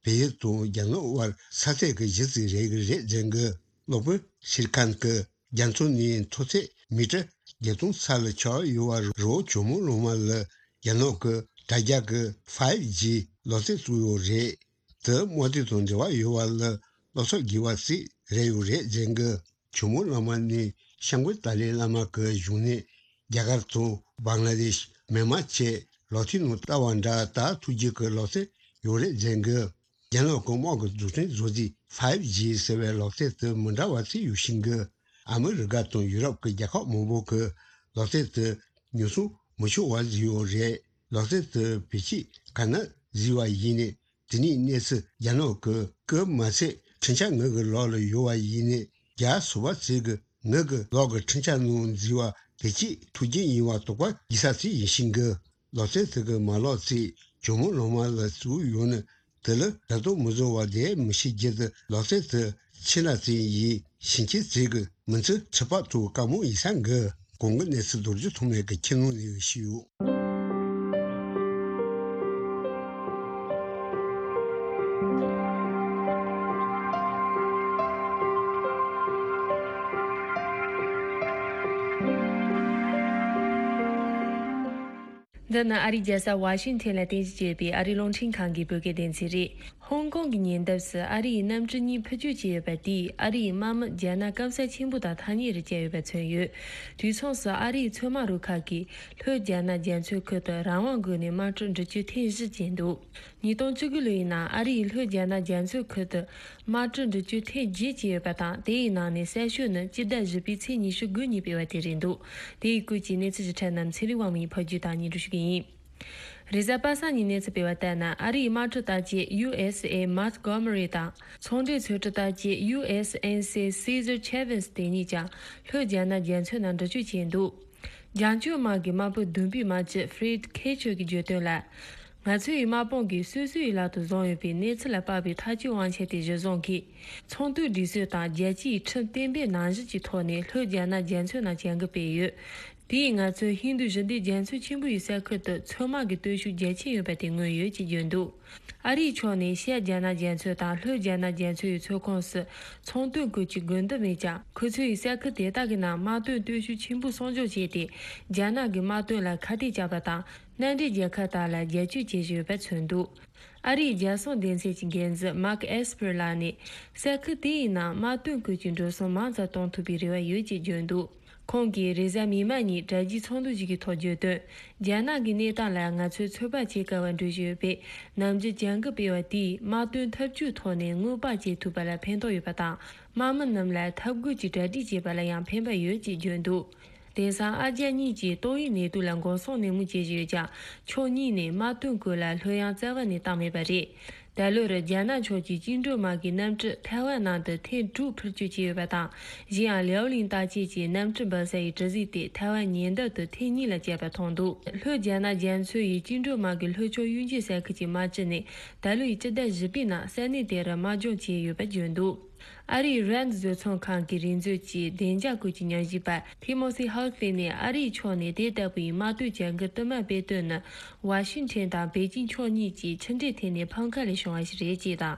བལ་ཡུལ་དང་རྒྱ་ནག་དབར་ས་ཚིགས་ཀྱི་གཞི་རྩ་རེད་ཀྱི་རེད་ཟེར་གི། སློབ་དཔོན་ཤིར་ཁན་གྱིས་རྒྱ་མཚོ་ནས་མཐོ་ཚད་མི་ཊར་བརྒྱད་སྟོང་ས་ལ་ཆགས་ཡོད་པ་རི་བོ་ཇོ་མོ་གླང་མ་ལ་རྒྱ་ནག་གི་དྲ་རྒྱ་གི་ཕའི་ཇི་ལག་རྩལ་བཙུགས་ཡོད་རེད། དེ་དམག་དོན་དང་འབྲེལ་བ་ཡོད་པ་ལ་བློ་འཚབ་དགོས་པ་ཞིག་རེད་ཡོད་རེད་ཟེར་གི། ཇོ་མོ་གླང་མ་ནི་སྐྱབས་མགོན་ཏཱ་ལའི་བླ་མ་གི་བཞུགས་གནས་རྒྱ་གར་དང་བང་ལ་དེཤ། མི་མང་ཆེ་ལག་མཐིལ་ནང་ལྟ་བ་འདྲ་ལྟ་ཐུབ་རྒྱུ་གི་ལག་རྩལ་ཡོད་རེད་ཟེར་གི། རྒྱ་ནག་གི་དམག་གི་འཛུགས་སྐྲུན་བཟོ་རྩིས་ཕའིབ་ཇི་ཟེར་བའི་ལག་རྩལ་དེ་མི་འདྲ་བ་ཞིག་ཡོད་ཤིང་གི། ཨ་མི་རི་ཀ་དང་ཡུ་རོབ་ཀྱི་རྒྱལ་ཁབ་མང་པོ་གི་ལག་རྩལ་དེ་ཉོ་ཚོང་མི་ཆོག་པ་བཟོས་ཡོད་རེད། ལག་རྩལ་དེ་བེད་སྤྱོད་ག་ནས་བཟོས་པ་ཡིན་ནའི། དེ་ནས་གནས་ཚུལ་རྒྱ་ནག་གི་སྐུ་མ་ཚད་འཕྲིན་ཆ་ངོས་ཀྱི་ལག་ལ་ཡོད་པ་ཡིན་ནའི། རྒྱ་སོ་པ་ཚོས་ཀྱི་ངོས་ཀྱི་ལག་གི་འཕྲིན་ཆ་ནང་འཛུལ་བ་བེད་སྤྱོད་ཐུབ་རྒྱུ་ཡིན་པ་དོགས་པ་སྐྱེ་ས་ཞིག་ཡིན་ཤིང་གི། ལག་རྩལ་དེ་གི་མ་ལག་ཚོས་ཇོ་མོ་གླང་མ་ལ་བཙུགས་ཡོད་ནི་དེ་ལ་ད་དུང་མི་བཟོ་བ་དེ་མི་ཤེས་རྒྱུ་དེ། ལག་རྩལ་དེ་ཕྱི་ནང་ཚོས་ཡིན་ཕྱིན་ཆད་ཚོས་ཀྱི་མི་ཚེ་ཁྲི་པ་ཐུག་དཀའ་མོ་ཡིན་ས་གི། གོང་གི་གནས་ཚུལ་རྡོ་རྗེ་ཐོགས་མེད་ཀྱི་ཁྱིམ་ནང་ནས་ཞུས་ཡོད། འདི་ནི་ཨ་རིའི་རྒྱལ་ས་ཝ་ཤིང་ཐན་ལ་རྟེན་གཞི་བྱས་པའི་ཨ་རིའི་རླུང་འཕྲིན་ཁང་གི་བོད་སྐད་སྡེ་ཚན་རེད། ཧོང་ཀོང་གི་ཉེ་འདབས་སུ་ཨ་རིའི་གནམ་གྲུ་གཉིས་འཕུར་སྐྱོད་བྱས་ཡོད་པ་དེས་ཨ་རིའི་དམག་མི་རྒྱ་ནག་སྐམ་ས་ཆེན་པོ་དང་ཐག་ཉེ་རུ་བསྐྱལ་ཡོད་པ་མཚོན་ཡོད། དུས་མཚུངས་སུ་ཨ་རིའི་མཚོ་དམག་རུ་ཁག་གིས་ལྷོ་རྒྱ་ནག་རྒྱ་མཚོའི་ཁུལ་དུ་རང་དབང་སྒོ་ནས་དམག་གྲུ་འགྲུལ་སྐྱོད་ཐེངས་བཞི་བྱས་འདུག་ཉིས་སྟོང་བཅུ་དགུ་ལོའི་ནང་ཨ་རིས་ལྷོ་རྒྱ་ནག་རྒྱ་མཚོའི་ཁུལ་དུ་དམག་གྲུ་འགྲུལ་སྐྱོད་ཐེངས་བརྒྱད་བྱས་ཡོད་པ་དང་། དེའི་ནང་ནས་གསལ་ཤོས་ནི་སྤྱི་ཟླ་བཞི་པའི་ཚེས་ཉི་ཤུ་དགུ་ཉིན་སྤེལ་བ་དེ་རེད་འདུག་དེའི་སྐོར་གྱི་གནས་ཚུལ་ཞིབ་ཕྲ་རྣམས་ཚེ་རིང་དབང་མོས་ཕབ་སྒྱུར་དང་སྙན་སྒྲོན་ཞུ་གི་ཡིན། རེས་གཟའ་པ་སངས་ཉིན་གནས་ཚུལ་སྤེལ་བ་ལྟར་ན། ཨ་རིའི་དམག་གྲུ་བརྟག་དཔྱད་ཡུ་ཨེས་ཨེ་Montgomery དང་། ཚོང་འབྲེལ་ཚོན་ཁྲི་བརྟག་དཔྱད་ཡུ་ཨེས་ཨེན་སི་Cesar Chavez དེ་གཉིས་ཀྱང་ལྷོ་རྒྱ་ནག་རྒྱ་མཚོའི་ནང་འགྲུལ་སྐྱོད་བྱས་འདུག་རྒྱང་སྐྱོད་དམག་གི་དམག་དཔོན་བདུན་པའི་དམག་སྤྱི་Fred Kachur གྱིས་བརྗོད་དོན་ལ། ང་ཚོའི་དམག་དཔུང་གིས་སོ་སོའི་ལག་ཏུ་བཟུང་ཡོད་པའི་གནས་ཚུལ་ལ་དཔག་པའི་ཐག་གཅོད་དབང་ཆ་དེ་གཞིར་བཟུང་གིས། ཚོང་དོན་སྒྲིག་སྲོལ་དང་རྒྱལ་སྤྱིའི་ཁྲིམས་གཏན་འབེབས་ནང་བཞིན་གྱི་ཐོག་ནས་ལྷོ་རྒྱ་ནག་རྒྱ་མཚོའི་ནང་བྱ་འགུལ་སྤེལ་ཡོད། དེས་ང་ཚོས་ཧིན་རྡུ་ཞི་བདེ་རྒྱ་མཚོ་ཆེན་པོ་ཡི་ས་ཁུལ་དུ་མཚོ་དམག་གི་སྟོབས་ཤུགས་རྒྱ་ཆེན་ཡོད་པ་དེ་མངོན་ཡོད་ཅེས་བརྗོད་འདུག་ཨ་རིའི་ཕྱོགས་ནས་ཤར་རྒྱ་ནག་རྒྱ་མཚོ་དང་ལྷོ་རྒྱ་ནག་རྒྱ་མཚོ་ཡི་མཚོ་ཁོངས་སུ་ཚོང་དོན་སྐོར་གྱི་དགོས་འདུན་མེད་ཀྱང་། ཁོ་ཚོས་ས་ཁུལ་དེ་དག་གི་ནང་དམག་དོན་སྟོབས་ཤུགས་ཆེན་པོ་སྲུང་སྐྱོབ་བྱས་ཏེ། རྒྱ་ནག་གི་དམག་དོན་ལ་ཁ་གཏད་བཅག་པ་དང་། མནའ་འབྲེལ་རྒྱལ་ཁབ་དག་ལ་རྒྱབ་སྐྱོར་བྱེད་བཞིན་ཡོད་པ་མཚོན་འདུག་ཨ་རིའི་རྒྱལ་སྲུང་སྡེ་ཚན་གྱི་འགན་འཛིན་Mark Esper ལགས་ནས། ས་ཁུལ་དེའི་ནང་དམག་དོན་སྐོར་གྱི་འགྲོ་སོང་མང་ཙམ་གཏོང་ཐུབ་པའི་རེ་བ་ཡོད་ཅེས་བརྗོད་འདུག་ཁོང་གིས་རེས་གཟའ་མིག་དམར་ཉིན་དྲ་རྒྱའི་ཚོགས་འདུ་ཞིག་གི་ཐོག་བརྗོད་དོན། རྒྱ་ནག་གི་གནས་སྟངས་ལ་ང་ཚོས་ཚོད་དཔག་བྱེད་དཀའ་བ་འགྲོ་བཞིན་ཡོད་པས། ནམ་རྒྱུན་བྱ་འགུལ་སྤེལ་བ་དེས་དམག་དོན་འཐབ་ཇུས་ཐོག་ནས་སྔོན་དཔག་བྱེད་ཐུབ་པ་ལ་ཕན་ཐོགས་ཡོད་པ་དང་། དམག་མི་རྣམས་ལ་འཐབ་རྒོལ་གྱི་གྲ་སྒྲིག་བྱེད་པ་ལ་ཡང་ཕན་པ་ཡོད་ཅེས་བརྗོད་འདུག་དེང་སང་ཨ་རྒྱ་གཉིས་ཀྱིས་ཏོག་དབྱིབས་ནད་དུག་ལ་འགོག་སྲུང་ནན་མོ་བྱེད་བཞིན་ཡོད་ཀྱང་། ཕྱོགས་གཉིས་ནས་དམག་དོན་སྐོར་ལ་ལྷོད་ཡངས་རྩ་བ་ནས་བཏང་མེད་པ་རེད། ད་ལོར་རྒྱ་ནག་ཕྱོགས་ཀྱི་བཅིངས་འགྲོལ་དམག་གི་གནམ་གྲུ་ཐའེ་ཝན་ནང་དུ་ཐེངས་དྲུག་འཕུར་སྐྱོད་བྱས་ཡོད་པ་དང་། གཞན་ཡང་ལེའོ་ལིང་བརྟག་དཔྱད་ཀྱི་གནམ་གྲུ་འབབ་ས་ཡི་གྲུ་གཟིངས་དེ་ཐའེ་ཝན་ཉེ་འདབས་དུ་ཐེངས་གཉིས་ལ་བསྐྱལ་པ་མཐོང་འདུག་ལྷོ་རྒྱ་ནག་རྒྱ་མཚོ་ཡི་བཅིངས་འགྲོལ་དམག་གི་ལྷོ་ཕྱོགས་གཡུལ་འགྱེད་ས་ཁུལ་གྱི་དམག་སྤྱི་ནས་ད་ལོའི་སྤྱི་ཟླ་བཞི་པའི་ནང་ས་གནས་དེ་རུ་དམག་སྦྱོང་བྱས་ཡོད་པ་བརྗོད་འདུག་ཨ་རིའི་རན་བཟོ་ཚོང་ཁང་གི་རིག་མཛོད་ཀྱི་བདེ་འཇགས་སྐོར་གྱི་ཉམས་ཞིབ་པ་Timothy Halfley ནས། ཨ་རིའི་ཕྱོགས་ནས་དེ་ལྟ་བུའི་དམག་དོན་བྱ་འགུལ་དུ་མ་སྤེལ་དོན་ནི། ཝ་ཤིང་ཊོན་དང་པེ་ཅིང་ཕྱོགས་གཉིས་ཀྱིས་ཕྱི་འབྲེལ་ཐད་ནས་ཕམ་ཁ་ལས་བྱུང་བ་ཞིག་རེད་ཅེས་དང་།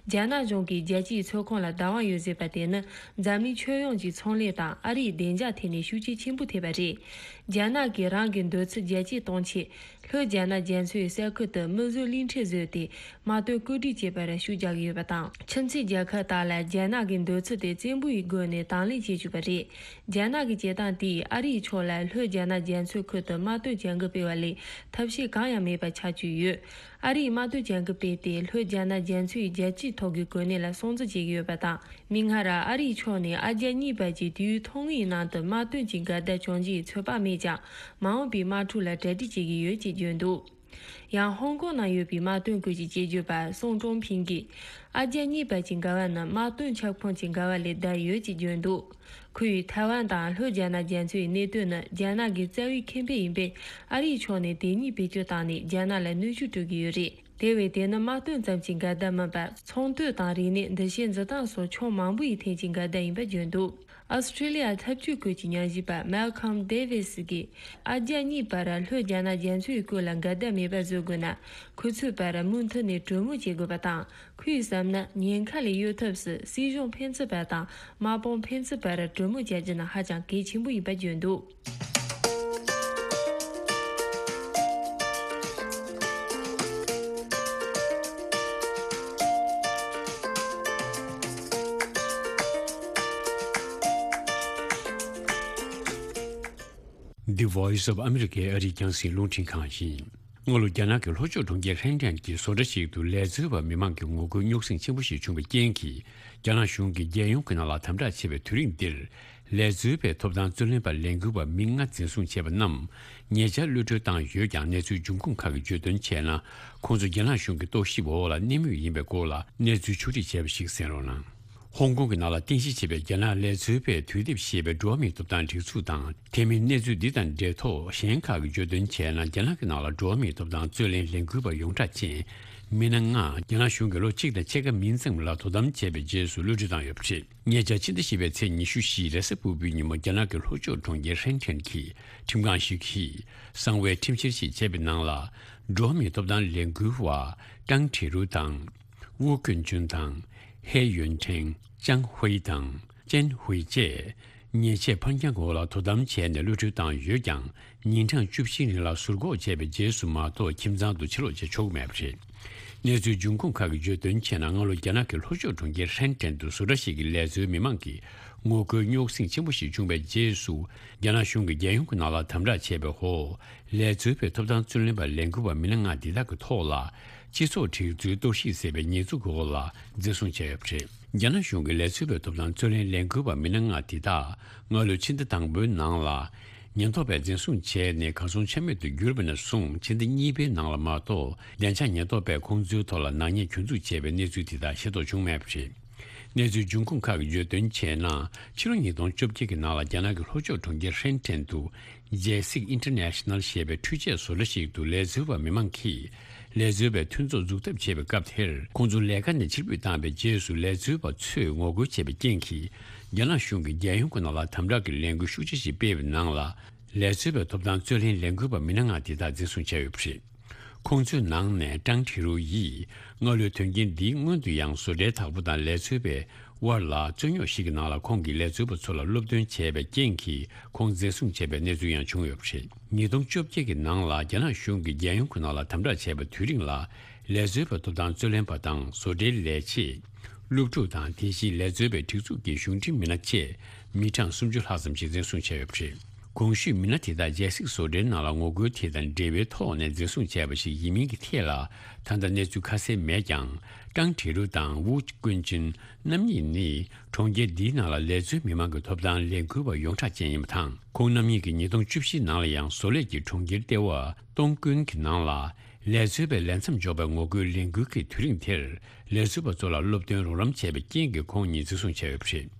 རྒྱ་ནག་གཞུང་གིས་རྒྱལ་སྤྱིའི་མཚོ་ཁོངས་ལ་བདག་དབང་ཡོད་བཟོས་པ་དེ་ནི། འཛམ་གླིང་ཁྱོན་ཡོངས་ཀྱི་ཚོང་ལས་དང་ཨ་རིའི་བདེ་འཇགས་ཐད་ནས་ཤུགས་རྐྱེན་ཆེན་པོ་ཐེབས་པ་རེད། རྒྱ་ནག་གིས་རང་གི་འདོད་ཚུལ་རྒྱ་སྐྱེད་གཏོང་ཆེད། ལྷོ་རྒྱ་ནག་རྒྱ་མཚོའི་ས་ཁུལ་དུ་མི་བཟོས་གླིང་ཕྲན་བཟོས་ཏེ། དམག་དོན་བཀོད་སྒྲིག་བྱེད་པར་ཤུགས་རྒྱག་གི་ཡོད་པ་དང་། ཁྱིམ་མཚེས་རྒྱལ་ཁབ་དག་ལ་རྒྱ་ནག་གི་འདོད་ཚུལ་དེ་བཙན་པོའི་སྒོ་ནས་དང་ལེན་བྱེད་བཅུག་པ་རེད། རྒྱ་ནག་གི་བྱེད་སྟངས་དེས་ཨ་རིའི་ཕྱོགས་ལ་ལྷོ་རྒྱ་ནག་རྒྱ་མཚོའི་ཁུལ་དུ་དམག་དོན་བྱ་འགུལ་སྤེལ་བ་ལས་ཐབས་ཤེས་གང་ཡང་མེད་པ་ཆགས་བཅུག་ཡོད། ཨ་རིས་དམག་དོན་བྱ་འགུལ་སྤེལ་ཏེ་ལྷོ་རྒྱ་ནག་རྒྱ་མཚོའི་རྒྱལ་སྤྱིའི་ཐོག་གི་གོ་གནས་ལ་སྲུང་བརྩི་བྱེད་ཀྱི་ཡོད་པ་དང་། མིག་སྔར་ཨ་རིའི་ཕྱོགས་ནས་ཨ་རྒྱ་གཉིས་བར་གྱི་དུས་ཡུན་ཐུང་ངུའི་ནང་དུ་དམག་དོན་གྱི་འགལ་ཟླ་བྱུང་རྒྱུའི་ཚོད་དཔག་མེད་ཀྱང་། མ་འོངས་པའི་དམག་འཁྲུག་ལ་གྲ་སྒྲིག་བྱེད་ཀྱི་ཡོད་ཅེས་བརྗོད་འདུག་ཡང་ཧོང་ཀོང་ནང་ཡོད་པའི་དམག་དོན་སྐོར་གྱི་དཔྱད་བརྗོད་པ་སུང་ཀྲོང་ཕིང་གིས། ཨ་རྒྱ་གཉིས་བར་གྱི་འགལ་བ་ནི་དམག་དོན་ཁྱབ་ཁོངས་ཀྱི་འགལ་བ་ལས་བསྡད་ཡོད་ཅེས་བརྗོད་འདུག་ཁོས་ཐའེ་ཝན་དང་ལྷོ་རྒྱ་ནག་རྒྱ་མཚོའི་གནད་དོན་ནི་རྒྱ་ནག་གི་རྩ་བའི་ཁེ་ཕན་ཡིན་པས། ཨ་རིའི་ཕྱོགས་ནས་དེ་གཉིས་བེད་སྤྱོད་བཏང་ནས་རྒྱ་ནག་ལ་གནོན་ཤུགས་སྤྲོད་ཀྱི་ཡོད་རེད། དེ་བས་དེ་ནི་དམག་དོན་ཙམ་གྱི་འགལ་ཟླ་མིན་པར། ཚོང་དོན་དང་རིག་གནས། འདུ་ཤེས་འཛིན་སྟངས་སོགས་ཕྱོགས་མང་པོ་ཡི་ཐད་ཀྱི་འགལ་ཟླ་ཡིན་པ་བརྗོད་འདུག་ཨོ་སི་ཁྲི་ལི་ཡ་འཐབ་ཇུས་སྐོར་གྱི་ཉམས་ཞིབ་པ་Malcolm Davis གིས། ཨ་རྒྱ་གཉིས་བར་ལྷོ་རྒྱ་ནག་རྒྱ་མཚོའི་སྐོར་ལ་འགལ་ཟླ་མེད་པ་བཟོ་དགོས་ན། ཁོ་ཚོའི་བར་མུ་མཐུད་ནས་གྲོས་མོལ་བྱེད་དགོས་པ་དང་། ཁོས་བསམ་ན། ཉེན་ཁ་ལས་གཡོལ་ཐབས་སུ་སྲིད་གཞུང་ཕན་ཚུན་བར་དང་། དམག་དཔུང་ཕན་ཚུན་བར་གྲོས་མོལ་བྱ་རྒྱུ་ནི་ཧ་ཅང་གལ་ཆེན་པོ་ཡིན་པ་བརྗོད་འདུག The Voice of America ཨ་རིའི་རྒྱང་སྲིང་རླུང་འཕྲིན་ཁང་ཡིན། སྔ་ལོ་རྒྱ་ནག་གི་ལྷོ་ཕྱོགས་གྲོང་ཁྱེར་ཧྲེན་ཀྲེན་གྱི་བཟོ་གྲྭ་ཞིག་ཏུ་ལས་བཟོ་བ་མི་མང་གི་ངོ་རྒོལ་རྙོག་ཟིང་ཆེན་པོ་ཞིག་བྱུང་བའི་རྐྱེན་གྱིས། རྒྱ་ནག་གཞུང་གིས་རྒྱལ་ཡོངས་ཀྱི་ནང་ལ་དམ་དྲག་བྱེད་པའི་དུས་རིང་འདིར། ལས་བཟོ་བའི་ཐོབ་ཐང་རྩོད་ལེན་པ་ལས་འགུལ་བ་མི་ལྔ་འཛིན་བཟུང་བྱས་པ་རྣམས་ཉེ་ཆར་གློད་གྲོལ་བཏང་ཡོད་ཀྱང་། གནས་ཚུལ་འབྱུང་ཁུངས་ཁག་གིས་བརྗོད་དོན་བྱས་ན། ཁོང་ཚོ་རྒྱ་ནག་གཞུང་གི་རྟོག་ཞིབ་འོག་ལ་གནས་མུས་ཡིན་པའི་སྐོར་ལ་གནས་ཚུལ་ཕྱོགས་སྒྲིག་བྱས་པ་ཞིག་གསན་རོགས་གནང་། ཧོང་ཀོང་གི་ནང་ལ་རྟེན་གཞི་བྱས་པའི་རྒྱ་ནག་ལས་བཟོ་བའི་དུས་དེབ་ཞེས་པའི་འགྲོ་བ་མིའི་ཐོབ་ཐང་སྒྲིག་འཛུགས་དང་། དེ་མིན་གནས་ཚུལ་འདི་དང་འབྲེལ་ཐོགས་གཞན་ཁག་གིས་བརྗོད་དོན་བྱས་ན། རྒྱ་ནག་གི་ནང་ལ་འགྲོ་བ་མིའི་ཐོབ་ཐང་རྩོད་ལེན་ལས་འགུལ་བ་ཡོངས་གྲགས་ཅན་མི་སྣ་ལྔ་རྒྱ་ནག་གཞུང་གིས་ལོ་གཅིག་དང་ཕྱེད་ཀ་མིན་ཙམ་ལ་དོ་དམ་བྱས་པའི་རྗེས་སུ་གློད་གྲོལ་བཏང་ཡོད་པ་རེད། ཉེ་ཆར་ཕྱི་ཟླ་བཞི་པའི་ཚེས་ཉི་ཤུ་བཞི་རེས་གཟའ་ཕུར་བུའི་ཉིན་མོ་རྒྱ་ནག་གི་ལྷོ་ཕྱོགས་གྲོང་ཁྱེར་ཧྲེན་ཀྲེན་གྱི་ཁྲིམས་ཁང་ཞིག་གིས་གསང་བའི་ཁྲིམས་བཤེར་ཞིག་བྱས་པའི་ནང་ལ། འགྲོ་བ་མིའི་ཐོབ་ཐང་ལས་འགུལ་བ་ཀྲང་ཁྲི་རུ་དང་། ཝུའུ་ཀུན་ཅུན་དང་། ཧེ་ཡོན་ཁྲེང་། ཅང་ཧུའེ་དང་། ཅན་ཧུའེ་བཅས་ཉེས་ཆད་ཕར་འགྱངས་འོག་ལ་དོ་དམ་བྱས་ནས་གློད་གྲོལ་བཏང་ཡོད་ཀྱང་། ཉིན་གྲངས་བཅུ་བཞིའི་རིང་ལ་ཟུར་འགོག་བྱས་པའི་རྗེས་སུ་མ་གཏོགས་ཁྱིམ་ཚང་དུ་ཕྱིར་ལོག་བྱེད་ཆོག་གི་མེད་པ་རེད། གནས་ཚུལ་འབྱུང་ཁུངས་ཁག་གིས་བརྗོད་དོན་བྱས་ན། སྔ་ལོ་རྒྱ་ནག་གི་ལྷོ་ཕྱོགས་གྲོང་ཁྱེར་ཧྲེན་ཀྲེན་དུ་བཟོ་གྲྭ་ཞིག་གི་ལས་བཟོའི་མི་མང་གི་ངོ་རྒོལ་རྙོག་ཟིང་ཆེན་པོ་ཞིག་བྱུང་བའི་རྗེས་སུ། རྒྱ་ནག་གཞུང་གིས་རྒྱལ་ཡོངས་ཀྱི་ནང་ལ་དམ་དྲག་བྱས་པའི་འོག་ལས་བཟོ་བའི་ཐོབ་ཐང་རྩོད་ལེན་པ་ལས་འགུལ་བ་མི་སྣ་ལྔ་འདི་དག་གི་ཐོག་ལ། སྤྱི་ཚོགས་སྒྲིག་འཛུགས་གཏོར་བཤིག་ཟེར་བའི་ཉེས་འཛུགས་ཀྱི་འོག་ལ་འཛིན་བཟུང་བྱས་ཡོད་པ་རེད། རྒྱ་ནག་གཞུང་གིས་ལས་བཟོ་བའི་ཐོབ་ཐང་རྩོད་ལེན་ལས་འགུལ་བ་མི་སྣ་ལྔ་འདི་དག་སྔ་ལོའི་ཕྱི་ཟླ་དང་པོའི་ནང་ལ། ཉེན་རྟོག་པས་འཛིན་བཟུང་བྱས་ནས་གར་སོང་ཆ་མེད་དུ་གྱུར་བ་ནས་བཟུང་ཕྱི་ཟླ་གཉིས་པའི་ནང་ལ་མ་གཏོགས། བདེ་འཇགས་ཉེན་རྟོག་པས་ཁོང་ཚོའི་ཐོག་ལ་ནག་ཉེས་གྱོད་འཛུགས་བྱས་པའི་གནས་ཚུལ་དེ་དག་ཤེས་རྟོགས་བྱུང་མེད་པ་རེད། གནས་ཚུལ་འབྱུང་ཁུངས་ཁག་གིས་བརྗོད་དོན་བྱས་ན། ཕྱི་ལོ་ཉིས་སྟོང་བཅོ་བརྒྱད་ཀྱི་ནང་ལ་རྒྱ་ནག་གི་ལྷོ་ཕྱོགས་གྲོང་ཁྱེར་ཧྲེན་ཀྲེན་དུ། ཇེ་སིག་ཨིན་ཊར་ནེ་ཤ་ནལ་ཞེས་པའི་འཕྲུལ་ཆས་བཟོ་གྲྭ་ཞིག་ཏུ་ལས་བཟོ་བ་མི་མང་གིས། ལས་བཟོ་བའི་མཐུན་ཚོགས་འཛུགས་ཐབས་བྱས་པའི་སྐབས་དེར། ཁོང་ཚོ་ལས་ཀ་ནས་ཕྱིར་འབུད་བཏང་བའི་རྗེས་སུ། ལས་བཟོ་བ་ཚོས་ངོ་རྒོལ་བྱས་པའི་རྐྱེན་གྱིས། རྒྱ་ནག་གཞུང་གིས་རྒྱལ་ཡོངས་ཀྱི་ནང་ལ་དམ་དྲག་གི་ལས་འགུལ་ཤུགས་ཆེ་ཞིག་སྤེལ་བའི་ནང་ལ། ལས་བཟོ་བའི་ཐོབ་ཐང་རྩོད་ལེན་ལས་འགུལ་བ་མི་སྣ་ལྔ་དེ་དག་འཛིན་བཟུང་བྱས་ཡོད་པ་རེད། ཁོང་ཚོའི་ནང་ནས་ཀྲང་ཁྲི་རུ་ཡིས། སྔ་ལོའི་དོན་རྐྱེན་འདིའི་སྔོན་དུ་ཡང་བཟོ་གྲྭའི་བདག་པོ་དང་ལས་བཟོ་བའི་དབར་ལ་རྩོད་རྙོག་ཞིག་གི་ནང་ལ། ཁོང་གིས་ལས་བཟོ་བ་ཚོ་ལ་སློབ་སྟོན་བྱས་པའི་རྐྱེན་གྱིས། ཁོང་འཛིན་བཟུང་བྱས་པའི་གནས་ཚུལ་ཡང་བྱུང་ཡོད་པ་རེད། ཉིས་སྟོང་བཅོ་བརྒྱད་ཀྱི་ནང་ལ་རྒྱ་ནག་གཞུང་གིས་རྒྱལ་ཡོངས་ཀྱི་ནང་ལ་དམ་དྲག་བྱས་པ་དེའི་རིང་ལ། ལས་བཟོ་བའི་ཐོབ་ཐང་རྩོད་ལེན་པ་དང་། བཟོ་གྲྭའི་ལས་བྱེད། སློབ་ཕྲུག་དང་། དེ་བཞིན་ལས་བཟོ་བའི་སྒྲིག་འཛུགས་ཀྱི་གཞུང་འབྲེལ་མི་སྣ་བཅས་མི་གྲངས་སུམ་ཅུ་ལྷག་ཙམ་ཞིག་འཛིན་བཟུང་བྱས་ཡོད་པ་རེད། གོང་ཞུས་མི་སྣ་དེ་དག་ཇེ་སིག་བཟོ་གྲྭའི་ནང་ལ་ངོ་རྒོལ་དེ་དང་འབྲེལ་བའི་ཐོག་ནས་འཛིན་བཟུང་བྱས་པ་ཞིག་ཡིན་མིན་གྱི་ཐད་ལ། ད་ལྟ་གནས་ཚུལ་ཁ་གསལ་མེད་ཀྱང་། ཀྲང་ཁྲི་རུ་དང་ཝུ་ཀུན་ཅུན་རྣམ་གཉིས་ནི། གྲོང་ཁྱེར་འདིའི་ནང་ལ་ལས་བཟོའི་མི་མང་གི་ཐོབ་ཐང་ལས་འགུལ་བ་ཡོངས་གྲགས་ཅན་ཡིན་པ་དང་། ཁོང་རྣམ་གཉིས་ཀྱིས་ཉིས་སྟོང་བཅུ་བཞིའི་ནང་ལ་ཡང་། བཟོ་ལས་ཀྱི་གྲོང་ཁྱེར་ལྟེ་བ་ཏོང་ཀུན་གྱི་ནང་ལ། ལས་བཟོ་བའི་ལས་མཚམས་འཇོག་པའི་ངོ་རྒོལ་ལས་འགུལ་གྱི་དུས་རིང་དེར། ལས་བཟོ་བ་ཚོ་ལ་སློབ་སྟོན་རོགས་རམ་བྱས་པའི་རྐྱེན་གྱིས། ཁོང་གཉིས་འཛིན་བཟུང་བྱས་ཡོད་པ་རེད།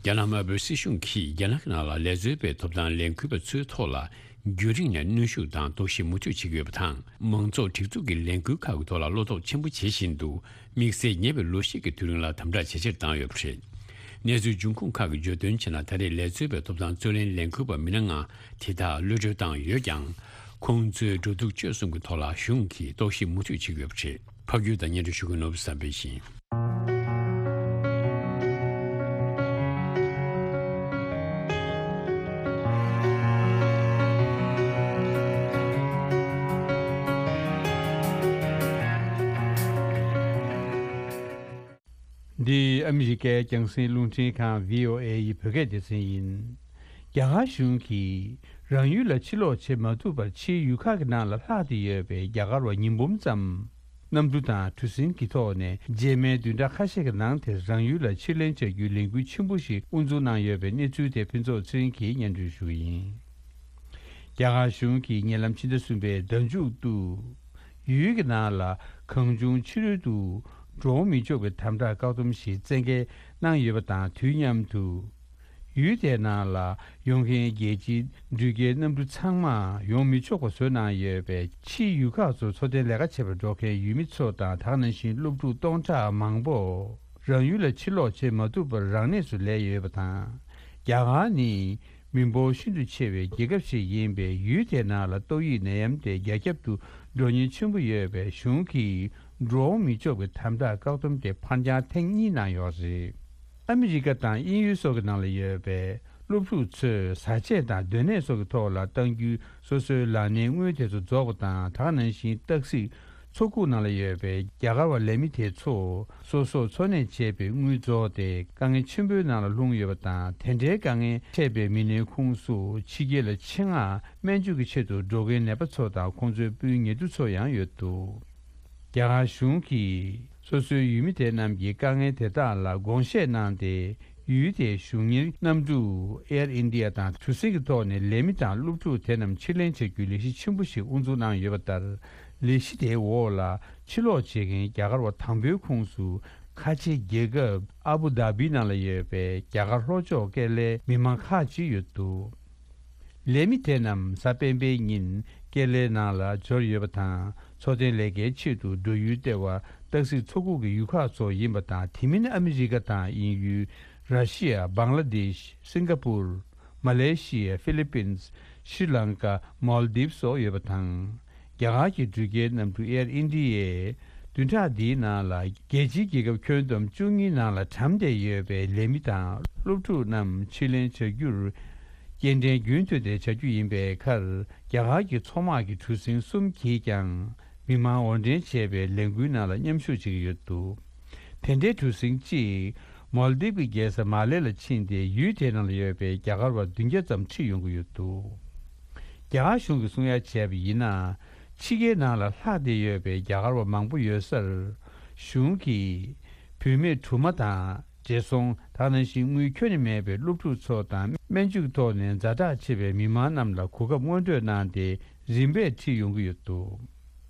རྒྱ་ནག་དམར་པོའི་སྲིད་གཞུང་གིས། རྒྱ་ནག་གི་ནང་ལ་ལས་བཟོ་བའི་ཐོབ་ཐང་ལས་འགུལ་བ་ཚོའི་ཐོག་ལ། རྒྱུན་རིང་ནས་གནོན་ཤུགས་དང་དོགས་གཞི་མུ་མཐུད་བྱེད་ཀྱི་ཡོད་པ་དང་། མང་ཚོགས་སྒྲིག་འཛུགས་ཀྱི་ལས་འགུལ་ཁག་གི་ཐོག་ལ་བློ་དོགས་ཆེན་པོ་བྱེད་བཞིན་དུ། དམིགས་བསལ་ཉེ་བའི་ལོ་ཤས་ཀྱི་དུས་རིང་ལ་དམ་དྲག་ཇེ་ཆེར་བཏང་ཡོད་པ་རེད། གནས་ཚུལ་འབྱུང་ཁུངས་ཁག་གིས་བརྗོད་དོན་བྱས་ན། ད་རེས་ལས་བཟོ་བའི་ཐོབ་ཐང་རྩོད་ལེན་ལས་འགུལ་བ་མི་སྣ་ལྔ་དེ་དག་གློད་གྲོལ་བཏང་ཡོད་ཀྱང་། ཁོང་ཚོའི་འགྲོ་འདུག་སྤྱོད་གསུམ་གྱི་ཐོག་ལ་གཞུང་གིས་རྟོག་ཞིབ་མུ་མཐུད་བྱེད་ཀྱི་ཡོད་པ་རེད། ཕབ་སྒྱུར་དང་སྙན་སྒྲོན་ཞུ་མཁན་ནོར་བུ་བསམ་འཕེལ་ཡིན། འདི་ཨ་མི་རི་ཀའི་རྒྱང་སྲིང་རླུང་འཕྲིན་ཁང་བྷི་ཨོ་ཨེ་ཡི་བོད་སྐད་སྡེ་ཚན་ཡིན། རྒྱ་གར་གཞུང་གིས་རང་ཡུལ་ལ་ཕྱིར་ལོག་བྱེད་མ་ཐུབ་པར་ཕྱིའི་ཡུལ་ཁག་གི་ནང་ལ་ལྷག་སྟེ་ཡོད་པའི་རྒྱ་གར་བ་ཉིས་འབུམ་ཙམ་གནམ་གྲུ་དང་གྲུ་གཟིངས་ཀྱི་ཐོག་ནས་རྗེས་མའི་བདུན་ཕྲག་ཁ་ཤས་ཀྱི་ནང་དེར་རང་ཡུལ་ལ་ཕྱིར་ལེན་བྱ་རྒྱུའི་ལས་འགུལ་ཆེན་པོ་ཞིག་དབུ་འཛུགས་གནང་ཡོད་པའི་གནས་ཚུལ་དེ་ཕུན་ཚོགས་ཚེ་རིང་གིས་སྙན་སྒྲོན་ཞུ་གི་ཡིན། རྒྱ་གར་གཞུང་གིས་ཉེ་ལམ་ཕྱི་ཟླ་གསུམ་པའི་ཟླ་མཇུག་ཏུ། ཡུལ་གྱི་ནང་ལ་གང་བྱུང་ཕྱི་རོལ་དུ་འགྲོ་འོང་མི་ཆོག་པའི་དམ་དྲག་བཀག་སྡོམ་ཞིག་བཙན་འགེལ་གནང་ཡོད་པ་དང་། དུས་མཉམ་དུ། ཡུལ་དེའི་ནང་ལ་ཡོང་མཁན་རྒྱལ་སྤྱིའི་འགྲུལ་སྐྱེལ་གནམ་གྲུ་ཚང་མ་ཡོང་མི་ཆོག་པ་བཟོས་གནང་ཡོད་པས། ཕྱིའི་ཡུལ་ཁག་ཚོར་འཚོ་རྟེན་ལས་ཀ་བྱེད་པར་འགྲོ་མཁན་ཡུལ་མི་ཚོ་དང་། ད་ག་ནང་བཞིན་སློབ་ཕྲུག་སྟོང་ཕྲག་མང་པོ་རང་ཡུལ་ལ་ཕྱིར་ལོག་བྱེད་མ་ཐུབ་པར་རང་གནས་སུ་ལུས་ཡོད་པ་དང་། རྒྱ་གར་ནི། མི་འབོར་ཤིན་ཏུ་ཆེ་བའི་རྒྱལ་ཁབ་ཞིག་ཡིན་པས། ཡུལ་དེའི་ནང་ལ་ཏོག་དབྱིབས་ནད་ཡམས་དེ་རྒྱ་ཁྱབ་ཏུ་འགྲོ་ཉེན་ཆེན་པོ་ཡོད་པས། གཞུང་གིས་འགྲོ་འོང་མི་ཆོག་པའི་དམ་དྲག་བཀག་སྡོམ་དེ་ཕར་འགྱངས་ཐེངས་གཉིས་གནང་ཡོད་རེད། ཨ་མི་རི་ཀ་དང་དབྱིན་ཡུལ་སོགས་ཀྱི་ནང་ལ་ཡོད་པའི་སློབ་ཕྲུག་ཚོས་བཟའ་ཆས་དང་སྡོད་གནས་སོགས་ཀྱི་ཐོག་ལ་གཏང་རྒྱུའི་སོ་སོའི་ལག་ལེན་དངུལ་དེ་ཚོ་རྫོགས་པ་དང་། ད་ག་ནང་བཞིན་སྟག་གཟིག་ མཚོ་ཁུག་ནང་ལ་ཡོད་པའི་རྒྱ་གར་བ་ལས་མི་དེ་ཚོ་སོ་སོར་འཚོ་གནས་བྱེད་པའི་དངུལ་རྫོགས་ཏེ་དཀའ་ངལ་ཆེན་པོའི་ནང་ལ་ལྷུང་ཡོད་པ་དང་། དེ་འདྲའི་དཀའ་ངལ་འཕྲད་པའི་མི་སྣའི་ཁོངས་སུ་ཕྱི་རྒྱལ་ལ་ཆེད་མངགས་སྨན་བཅོས་ཀྱི་ཆེད་དུ་འགྲོ་མཁན་ནད་པ་ཚོ་དང་ཁོང་ཚོའི་སྤུན་ཉེ་དུ་ཚོ་ཡང་ཡོད་འདུག། རྒྱ་གར་གཞུང་གིས་སོ་སོའི་ཡུལ་མི་དེ་རྣམས་ཀྱི་དཀའ་ངལ་དེ་དག་ལ་དགོངས་བཞེས་གནང་སྟེ། ཡུལ་དེའི་གཞུང་གཉེར་གནམ་གྲུ་Air India དང་གྲུ་གཟིངས་ཀྱི་ཐོག་ནས་ལས་མི་དང་སློབ་ཕྲུག་དེ་རྣམས་ཕྱིར་ལེན་བྱ་རྒྱུའི་ལས་གཞི་ཆེན་པོ་ཞིག་དབུ་འཛུགས་གནང་ཡོད་པ་ལྟར། ལས་གཞི་དེའི་འོག་ལ་ཕྱིར་ལོག་བྱེད་མཁན་རྒྱ་གར་བ་དང་པོའི་ཁོངས་སུ། ཁ་ཆེ་རྒྱལ་ཁབ་ཨ་བུ་དྷ་བི་ནང་ལ་ཡོད་པའི་རྒྱ་གར་ལྷོ་ཕྱོགས་ཀེ་ལའི་མི་མང་ཁག་ཅིག་ཡོད་འདུག། ལས་མི་དེ་རྣམས་གཟའ་སྤེན་པའི་ཉིན་ཀེ་ལའི་ནང་ལ་འབྱོར་ཡོད་པ་དང་། འཚོ་རྟེན་ལས་ཀའི་ཆེད་དུ་འགྲོ་ཡུལ་ལྟེ་བ་སྟག་གཟིག་མཚོ་ཁུག་གི་ཡུལ་ཁག་ཚོ་ཡིན་པ་དང་། དེ་མིན་ཨ་མི་རི་ཀ་དང་དབྱིན་ཡུལ། ར་ཤི་ཡ། བང་ལ་དེཤ། སིང་ག་པུར། མ་ལེ་ཤི་ཡ། ཧྥི་ལི་པིན། ཤྲི་ལང་ཀ། མོལ་དིབ་སོགས་ཡོད་པ་དང་། རྒྱ་གར་གྱི་འགྲུལ་སྐྱེལ་གནམ་གྲུ་Air India ཡིས་བདུན་ཕྲག་འདིའི་ནང་ལ་རྒྱལ་སྤྱིའི་རྒྱལ་ཁབ་ཁྱོན་བསྡོམས་བཅུ་གཉིས་ནང་ལ་གྲམ་བསྡད་ཡོད་པའི་ལས་མི་དང་སློབ་ཕྲུག་རྣམས་ཕྱིར་ལེན་བྱ་རྒྱུར་སྐྱེལ་འདྲེན་རྒྱུན་མཐུད་དེ་བྱ་རྒྱུ་ཡིན་པའི་ཁར། རྒྱ་གར་གྱི་མཚོ་དམག་གི་གྲུ་གཟིངས་གསུམ་གྱིས་ཀྱང་མི་མང་དབོར་འདྲེན་བྱས་པའི་ལས་འགུལ་ནང་ལ་མཉམ་ཞུགས་བྱེད་ཀྱི་ཡོད་འདུག། དེ་འདྲའི་གྲུ་གཟིངས་གཅིག་མོལ་དིབ་ཀྱི་རྒྱལ་ས་མ་ལེ་ལ་ཕྱིན་ཏེ། ཡུལ་དེའི་ནང་ལ་ཡོད་པའི་རྒྱ་གར་བ་བདུན་བརྒྱ་ཙམ་ཁྲིད་ཡོང་གི་ཡོད་འདུག། རྒྱ་གར་གཞུང་གིས་གསུང་ཡ་བྱས་པ་ཡིན་ན། ཕྱི་རྒྱལ་ནང་ལ་ལྷག་བསྡད་ཡོད་པའི་རྒྱ་གར་བ་མང་པོ་ཡོད་སར། གཞུང་གིས་བུད་མེད་དྲུག་མ་དང་བགྲེས་སོང་། ད་ནང་བཞིན་དངུལ་ཁྱོན་ནས་མེད་པའི་སློབ་ཕྲུག་ཚོ་དང་། སྨན་བཅོས་ཐོག་ནས་ཛ་དྲག་ཆེ་བའི་མི་མང་རྣམས་ལ་གོ་སྐབས་སྔོན་སྤྲོད་གནང་སྟེ། རིམ་པས་ཁྲིད་ཡོང་གི་ཡོད་འདུག།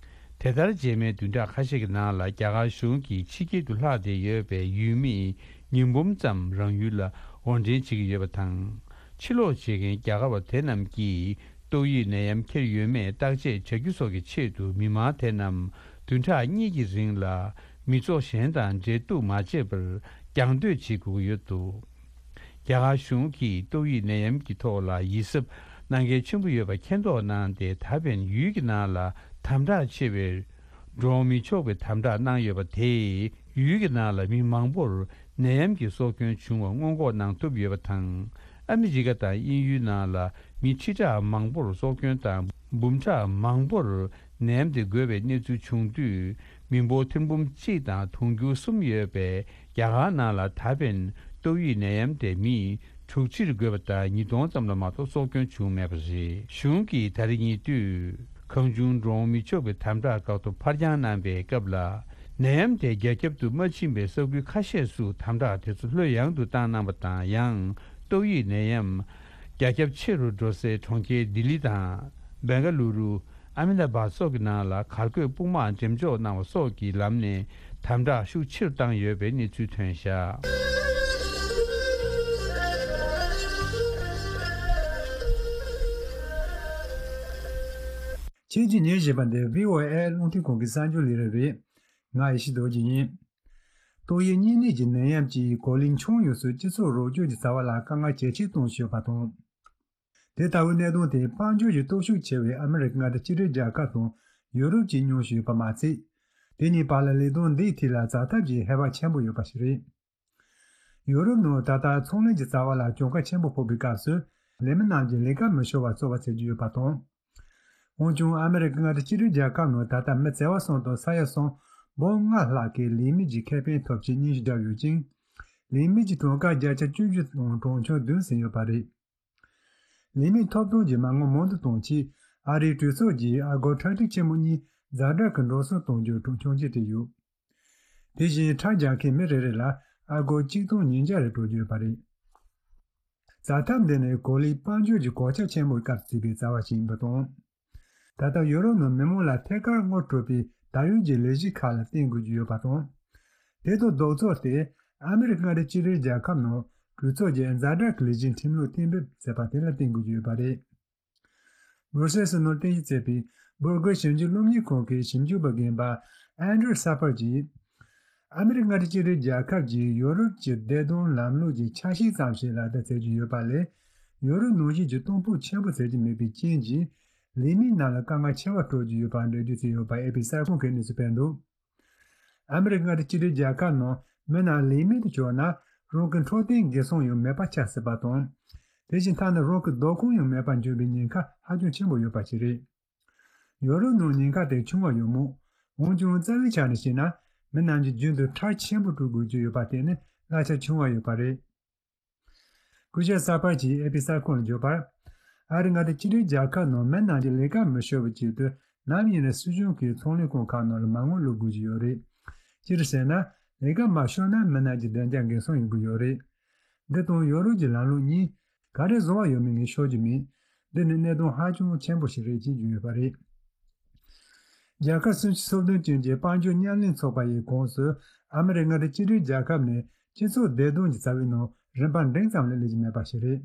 དེ་ལྟར། རྗེས་མའི་བདུན་ཕྲག་ཁ་ཤས་ཀྱི་ནང་ལ་རྒྱ་གར་གཞུང་གིས་ཕྱི་རྒྱལ་དུ་ལྷག་བསྡད་ཡོད་པའི་ཡུལ་མིའི་ཉིས་འབུམ་ཙམ་རང་ཡུལ་ལ་དབོར་འདྲེན་བྱེད་ཀྱི་ཡོད་པ་དང་། ཕྱིར་ལོག་བྱེད་མཁན་རྒྱ་གར་བ་དེ་རྣམས་ཀྱིས་ཏོག་དབྱིབས་ནད་ཡམས་ཁྱེར་ཡོད་མེད་བརྟག་དཔྱད་བྱ་རྒྱུ་སོགས་ཀྱི་ཆེད་དུ། མི་མང་དེ་རྣམས་བདུན་ཕྲག་གཉིས་ཀྱི་རིང་ལ་མི་ཚོགས་གཞན་དང་འབྲེལ་གཏུག་མ་བྱས་པར་རྒྱང་སྡོད་བྱེད་དགོས་ཀྱི་ཡོད་འདུག། རྒྱ་གར་གཞུང་གིས་ཏོག་དབྱིབས་ནད་ཡམས་ཀྱི་ཐོག་ལ་ཡིད་གཟབ་གནང་གལ་ཆེན་པོ་ཡོད་པ་མཁྱེན་རྟོགས་གནང་སྟེ། ད་ཕན་ཡུལ་གྱི་ནང་ལ་དམ་དྲག་ཆེ་བའི་འགྲོ་འོང་མི་ཆོག་པའི་དམ་དྲག་གནང་ཡོད་པ་དེས། ཡུལ་གྱི་ནང་ལ་མི་མང་པོར་ནད་ཡམས་ཀྱི་སྲོག་སྐྱོན་བྱུང་བ་སྔོན་འགོག་གནང་ཐུབ་ཡོད་པ་དང་། ཨ་མི་རི་ཀ་དང་དབྱིན་ཡུལ་ནང་ལ་མི་ཁྲི་ཕྲག་མང་པོར་སྲོག་སྐྱོན་དང་། འབུམ་ཕྲག་མང་པོར་ནད་ཡམས་དེ་འགོས་པའི་གནས་ཚུལ་བྱུང་དུས། མི་འབོར་ཐེར་འབུམ་གཅིག་དང་དུང་ཕྱུར་གསུམ་ཡོད་པའི་རྒྱ་གར་ནང་ལ་ད་ཕན་ཏོག་དབྱིབས་ནད་ཡམས་དེ་མི་དྲུག་ཅུ་རེ་འགོས་པ་དང་། ཉིས་སྟོང་ཙམ་ལ་མ་གཏོགས་སྲོག་སྐྱོན་བྱུང་མེད་པ་རེད། གཞུང་གིས་ད་རེས་ཉེ་དུས་གང་བྱུང་འགྲོ་འོང་མི་ཆོག་པའི་དམ་དྲག་བཀག་ཐོ་ཕར་འགྱངས་གནང་པའི་སྐབས་ལ། ནད་ཡམས་དེ་རྒྱ་ཁྱབ་ཏུ་མ་ཕྱིན་པའི་ས་ཁུལ་ཁ་ཤས་སུ་དམ་དྲག་དེ་ཚོ་ལྷོད་ཡངས་དུ་བཏང་གནང་བ་དང་། ཡང་ཏོག་དབྱིབས་ནད་ཡམས་རྒྱ་ཁྱབ་ཆེ་རུ་འགྲོ་སའི་གྲོང་ཁྱེར་ལྡི་ལི་དང་། བེང་ག་ལུ་རུ། ཨ་མེ་ད་བྷ་སོགས་ཀྱི་ནང་ལ་གར་འགོད་དཔུང་དམག་འགྲེམས་འཇོག་གནང་བ་སོགས་ཀྱི་ལམ་ནས་དམ་དྲག་ཤུགས་ཆེ་རུ་བཏང་ཡོད་པའི་གནས་ཚུལ་ཐོན་བཞག། ཁྱེད་ཀྱིས་ཉན་བཞིན་པ་འདི་བྷི་ཨོ་ཨེ་རླུང་འཕྲིན་ཁང་གི་གསར་འགྱུར་ལས་རིམ་རེད། ང་ཡེ་ཤེས་རྡོ་རྗེ་ཡིན། ཏོག་དབྱིབས་གཉན་ནད་ཀྱི་ནད་ཡམས་ཀྱིས་གོ་ལའི་ཁྱོན་ཡོངས་སུ་སྤྱི་ཚོགས་རོགས་སྐྱོར་གྱི་རྩ་བ་ལ་དཀའ་ངལ་ཇེ་ཆེར་གཏོང་བཞིན་ཡོད་པ་དང་། དེ་ལྟ་བུའི་གནད་དོན་དེ་དཔལ་འབྱོར་གྱི་སྟོབས་ཤུགས་ཆེ་བའི་ཨ་མི་རི་ཀ་མངའ་སྡེ་གཅིག་སྒྲིལ་རྒྱལ་ཁབ་དང་ཡུ་རོབ་ཀྱིས་མྱོང་བཞིན་ཡོད་པ་མ་ཚད། དེ་གཉིས་བར་ལ་ལས་དོན་འདིའི་ཐད་ལ་འཛའ་ཐབས་ཀྱི་ཧེ་བག་ཆེན་པོ་ཡོད་པ་ཞིག་རེད། ཡུ་རོབ་ནང་ད་ལྟ་ཚོང་ལས་ཀྱི་རྩ་བ་ལ་གྱོང་ཁ་ཆེན་པོ་ཕོག་པའི་སྐབས་སུ། ལས་མི་རྣམས་ཀྱིས་ལས་ཀ་མི་ཤོར་བ་གཙོ་བོ་བྱེད་ཀྱི་ཡོད་པ་དང་། འོན་ཀྱང་ཨ་མི་རི་ཀ་མངའ་སྡེ་གཅིག་སྒྲིལ་རྒྱལ་ཁབ་ནང་ད་ལྟ་མི་བྱེ་བ་གསུམ་དང་ས་ཡ་གསུམ་འབུམ་ལྔ་ལྷག་གིས་ལས་མེད་ཀྱི་ཁེ་ཕན་ཐོབ་ཆེད་སྙན་ཞུ་བརྒྱབ་ཡོད་ཅིང་། ལས་མེད་ཀྱི་གྲངས་ཀ་བརྒྱ་ཆ་བཅུ་བཞི་དང་གྲངས་ཆུང་བདུན་ཟིན་ཡོད་པ་རེད། ལས་མེད་ཐོབ་ཐང་གི་མ་དངུལ་མང་དུ་གཏོང་ཆེད་ཨ་རིའི་གྲོས་ཚོགས་ཀྱིས་ཨ་སྒོར་ཁྲག་ཁྲིག་ཆེན་མོ་གཉིས་ཛ་དྲག་གི་འགྲོ་སོང་གཏོང་རྒྱུར་གྲོས་ཆོད་བྱས་ཡོད། དེ་བཞིན་ཁྲལ་རྒྱག་མཁན་མི་རེ་རེ་ལ་ཨ་སྒོར་གཅིག་སྟོང་ཉིས་བརྒྱ་རེ་སྤྲོད་རྒྱུ་ཡོད་པ་རེད། འཛའ་ཐབས་འདི་ནི་གོ་ལའི་དཔལ་འབྱོར་གྱི་གོད་ཆག་ཆེན་པོའི་སྐབས་བརྩིས་པའི་རྩ་བ་ཞིག་ཡིན་པ་དང་། ད་ལྟ་ཡུ་རོབ་ནང་མི་མང་ལ་ཐད་ཀར་དངུལ་སྤྲོད་པའི་ད་ཡོད་ཀྱི་ལས་གཞི་ཁག་ལ་བརྟེན་དགོས་ཀྱི་ཡོད་པ་དང་། དེ་དང་ལྡོག་ཕྱོགས་ཏེ། ཨ་མི་རི་ཀ་མངའ་སྡེ་གཅིག་སྒྲིལ་རྒྱལ་ཁབ་ནང་གྲོས་ཚོགས་ཀྱིས་ཛ་དྲག་གི་ལས་གཞིའི་ཁྲིམས་ལུགས་གཏན་འབེབས་མཛད་པ་དེ་ལ་བརྟེན་དགོས་ཀྱི་ཡོད་པ་རེད། སྦུར་སེལ་སི་ནང་རྟེན་གཞི་བྱས་པའི་སྦུར་གུར་ཞིབ་འཇུག་སློབ་གཉེར་ཁང་གི་ཞིབ་འཇུག་པ་རྒན་པ་ཨན་ཌྲུ་སཱ་ཕར་གྱིས། ཨ་མི་རི་ཀ་མངའ་སྡེ་གཅིག་སྒྲིལ་རྒྱལ་ཁབ་ཀྱིས་ཡོ་རོབ་ཀྱི་བདེ་དོན་ལམ་ལུགས་ཀྱི་ཆ་ཤས་ཙམ་ཞིག་ལག་བསྟར་བྱེད་ཀྱི་ཡོད་པ་ལས། ཡོ་རོབ་ནང་བཞིན་གྱི་གཏོང་ཕོད་ཆེན་པོ་བྱེད་ཀྱི་མེད་པའི་རྐྱེན་གྱིས། ལས་མི་རྣམས་ལ་དཀའ་ངལ་ཆེ་བ་སྤྲོད་ཀྱི་ཡོད་པ་འགྲེལ་བརྗོད་བྱས་ཡོད་པ་ཨེ་པི་གསར་ཁང་གིས་གནས་ཚུལ་སྤེལ་འདུག། ཨ་མི་རི་ཀ་མངའ་སྡེ་གཅིག་སྒྲིལ་རྒྱལ་ཁབ་ནང་མི་རྣམས་ལས་མེད་དུ་གྱུར་ན། རང་གི་འཕྲོད་བསྟེན་འགན་སྲུང་ཡང་མེད་པ་ཆགས་སྲིད་པ་དང་། དེ་བཞིན་ཐ་ན་རང་གི་བདག་ཁོངས་ཡང་མེད་པར་འགྱུར་བའི་ཉེན་ཁ་ཧ་ཅང་ཆེན་པོ་ཡོད་པ་ཞིག་རེད། ཡོ་རོབ་ནང་ཉེན་ཁ་དེ་ཆུང་བ་ཡང་མང་ འོན་ཀྱང་རྩ་བའི་ཆ་ནས་བཤད་ན། མི་རྣམས་ཀྱིས་རྒྱུན་དུ་ཁྲལ་ཆེན་པོ་སྤྲོད་དགོས་ཀྱི་ཡོད་པ་དེ་ནི་གླ་ཆ་ཆུང་བ་ཡོད་པ་རེད། སྐུ་ཞབས་ས་ཕར་གྱིས་ཨེ་པི་གསར་ཁང་ལ་བརྗོད་པར། ཨ་རི་མངའ་སྡེ་གཅིག་སྒྲིལ་རྒྱལ་ཁབ་ནང་མི་རྣམས་ཀྱིས་ལས་ཀ་མི་ཤོར་བའི་ཆེད་དུ། ནམ་ཡིན་ན་སྲིད་གཞུང་གིས་ཚོང་ལས་ཁང་ཁག་ནང་ལ་མ་དངུལ་བླུག་དགོས་ཀྱི་ཡོད་རེད། སྤྱིར་བཤད་ན། ལས་ཀ་མ་ཤོར་ན་མི་རྣམས་ཀྱི་བདེ་འཇགས་འགན་སྲུང་ཡོང་གི་ཡོད་རེད། འདི་དང་ཡོ་རོབ་ཀྱི་ལམ་ལུགས་གཉིས་ག་རེ་བཟང་བ་ཡོད་མེད་ངས་ཤོད་ཀྱི་མེད། འདི་ནི་གནད་དོན་ཧ་ཅང་ཆེན་པོ་ཞིག་རེད་ཅེས་བརྗོད་ཡོད་པ་རེད། རྒྱལ་ཁབ་སུམ་ཅུ་སོ་བདུན་ཅན་གྱི་དཔལ་འབྱོར་མཉམ་ལས་ཚོགས་པ་ཡི་ཁོངས་སུ། ཨ་མི་རི་ཀ་མངའ་སྡེ་གཅིག་སྒྲིལ་རྒྱལ་ཁབ་ནི་སྤྱི་ཚོགས་བདེ་དོན་གྱི་རྩ་བའི་ནང་རིམ་པ་འབྲིང་ཙམ་ལས་སླེབས་ཀྱི་མེད་པ་ཞིག་རེད།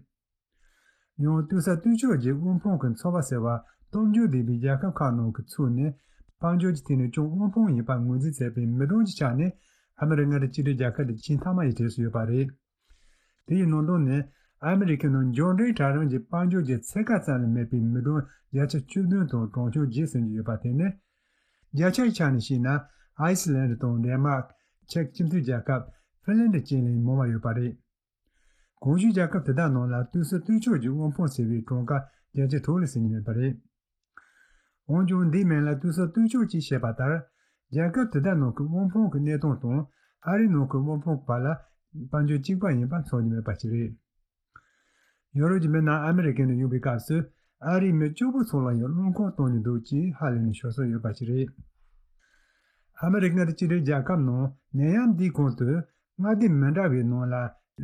ཡང་ལྟོས་ས་ལྟོས་འབྱོར་གྱི་དབུལ་ཕོངས་ཀྱི་ཚོར་བ་ཟེར་བ་སྟོབས་འབྱོར་ལྡན་པའི་རྒྱལ་ཁབ་ཁག་ནང་གི་ཚུད་ནས། དཔལ་འབྱོར་གྱི་ཐད་ནས་ཅུང་དབུལ་ཕོངས་ཡིན་པ་ངོས་འཛིན་མཛད་པའི་མི་གྲངས་ཀྱི་ཆ་ནས་ཨ་མི་རི་ཀ་མངའ་སྡེ་གཅིག་སྒྲིལ་རྒྱལ་ཁབ་དེ་ཆེས་མཐའ་མ་ཡི་གྲས་སུ་ཡོད་པ་རེད། དེ་ཡི་ནང་དོན་ནི། ཨ་མི་རི་ཀའི་ནང་འབྱོར་འབྲིང་གྲལ་རིམ་གྱི་དཔལ་འབྱོར་གྱི་ཚད་བཀག་ཙམ་ལས་མེད་པའི་མི་གྲངས་བརྒྱ་ཆ་བཅུ་བདུན་དང་གྲངས་ཆུང་བརྒྱད་ཟིན་གྱི་ཡོད་པ་དེ་ནི། བརྒྱ་ཆའི་ཆ་ནས་བཤད་ན། ཨའི་སི་ལན་དང་ཌེན་མཱག་ཅེཀ་སྤྱི་མཐུན་རྒྱལ་ཁབ། ཧྥིན་ལན་ཌི་བཅས་ལས་མང་བ་ཡོད་པ་རེད། གོང་ཞུས་རྒྱལ་ཁབ་དེ་དག་ནང་ལ་ལྟོས་ས་ལྟོས་འབྱོར་གྱི་དབུལ་ཕོངས་ཟེར་བའི་གྲངས་ཀ་བརྒྱ་ཆ་དྲུག་ལས་ཟིན་གྱི་མེད་པ་རེད། འོན་ཀྱང་འདིའི་མིང་ལ་ལྟོས་ས་ལྟོས་འབྱོར་ཅེས་བཤད་པ་ལྟར། རྒྱལ་ཁབ་དེ་དག་ནང་གི་དབུལ་ཕོངས་ཀྱི་གནས་སྟངས་དང་ཨ་རིའི་ནང་གི་དབུལ་ཕོངས་བར་ལ་དཔལ་འབྱོར་གཅིག་པ་ཡིན་པ་མཚོན་གྱི་མེད་པ་ཞིག་རེད། ཡོ་རོབ་ཀྱི་མི་རྣམས་ཨ་མི་རི་ཀའི་ནང་ཡོང་བའི་སྐབས་སུ། ཨ་རིའི་མི་གཅིག་པུ་ཚོ་ལ་ཡང་རླངས་འཁོར་གཏོང་རྒྱུ་འདུག་ཅེས་ཧ་ལས་ནས་ཤོར་སྲོལ་ཡོད་པ་ཞིག་རེད། ཨ་མི་རི་ཀ་མངའ་སྡེ་གཅིག་སྒྲིལ་རྒྱལ་ཁབ་ནང་ནད་ཡམས་འདིའི་གོང་དུ། མངའ་སྡེ་མི་འདྲ་བའི་ནང་ལ་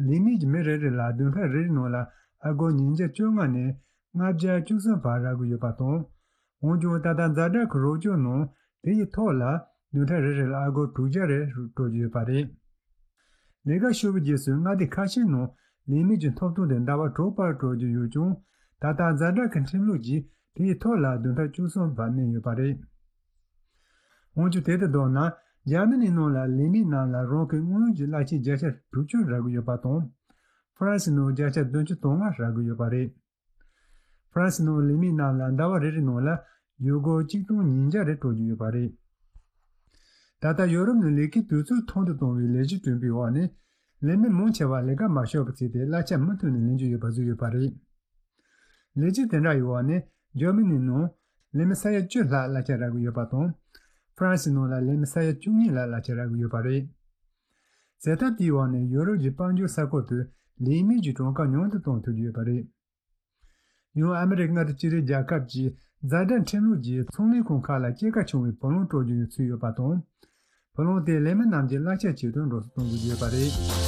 ལས་མི་གྱི་མི་རེ་རེ་ལ་བདུན་ཕྲག་རེ་རེའི་ནང་ལ་ཨ་སྒོར་ཉིས་བརྒྱ་བཅོ་ལྔ་ནས་ལྔ་བརྒྱ་བཅུ་གསུམ་བར་རག་གི་ཡོད་པ་དང་། འོན་ཀྱང་ད་ལྟ་ཛ་དྲག་གི་རོགས་སྐྱོར་ནང་དེ་ཡི་ཐོག་ལ་བདུན་ཕྲག་རེ་རེ་ལ་ཨ་སྒོར་དྲུག་བརྒྱ་རེ་སྤྲོད་ཀྱི་ཡོད་པ་རེད། ལས་ཀ་ཤོར་བའི་རྗེས་སུ་མངའ་སྡེ་ཁ་ཤས་ནང་ལས་མི་གྱི་ཐོབ་ཐང་དེ་ཟླ་བ་དྲུག་བར་སྤྲོད་ཀྱི་ཡོད་ཀྱང་། ད་ལྟ་ཛ་དྲག་གི་ཁྲིམས་ལུགས་ཀྱིས་དེའི་ཐོག་ལ་བདུན་ཕྲག་བཅུ་གསུམ་བར་གནས་ཡོད་པ་རེད། འོན་ཀྱང་དེ་དང་བསྡུར་ན། འཇར་མ་ནིའི་ནང་ལ་ལས་མི་རྣམས་ལ་རང་གི་དངུལ་གྱི་གླ་ཆའི་བརྒྱ་ཆ་དྲུག་ཅུ་རག་གི་ཡོད་པ་དང་། ཧྥ་རན་སིའི་ནང་བརྒྱ་ཆ་བདུན་ཅུ་དོན་ལྔ་རག་གི་ཡོད་པ་རེད། ཧྥ་རན་སིའི་ནང་ལས་མི་རྣམས་ལ་ཟླ་བ་རེ་རེའི་ནང་ལ་ཡུ་སྒོར་གཅིག་སྟོང་ཉིས་བརྒྱ་རེ་སྤྲོད་ཀྱི་ཡོད་པ་རེད། ད་ལྟ་ཡོ་རོབ་ནང་ལས་ཀའི་དུས་ཚོད་ཐུང་དུ་གཏོང་བའི་ལས་གཞི་སྐྲུན་པའི་འོག་ནས། ལས་མི་མང་ཆེ་བ་ལས་ཀ་མ་ཤོར་བར་བརྩིས་ཏེ་གླ་ཆ་མུ་མཐུད་ནས་ལེན་རྒྱུ་ཡོད་པ་བཟོས་ཡོད་པ་རེད། ལས་གཞི་དེ་འདྲ་ཡི་འོག་ནས་འཇར་མ་ནིའི་ནང་ལས་མི་ས་ཡ་བཅུ་ལྷག་གླ་ཆ་རག་གི་ཡོད་པ་དང་། ཧྥ་རན་སིའི་ནང་ལ་ལས་མི་ས་ཡ་བཅུ་གཉིས་ལྷག་གླ་ཆ་རག་གི་ཡོད་པ་རེད། བྱེད་ཐབས་དེའི་འོག་ནས་ཡོ་རོབ་ཀྱི་དཔལ་འབྱོར་ས་ཁུལ་དུ་ལས་མི་གྱི་གྲངས་ཀ་ཉུང་དུ་གཏོང་ཐུབ་ཀྱི་ཡོད་པ་རེད། ཡང་ཨ་མི་རི་ཀ་མངའ་སྡེ་གཅིག་སྒྲིལ་རྒྱལ་ཁབ་ཀྱི་ཛ་དྲག་ཁྲིམས་ལུགས་ཀྱིས་ཚོང་ལས་ཁང་ཁག་ལ་སྐྱེད་ཀ་ཆུང་བའི་བུ་ལོན་སྤྲོད་རྒྱུ་ཡང་ཚུད་ཡོད་པ་དང་། བུ་ལོན་དེ་ལས་མི་རྣམས་ཀྱི་གླ་ཆ་ཆེད་དུ་འགྲོ་སོང་གཏོང་དགོས་ཀྱི་ཡོད་པ་རེད།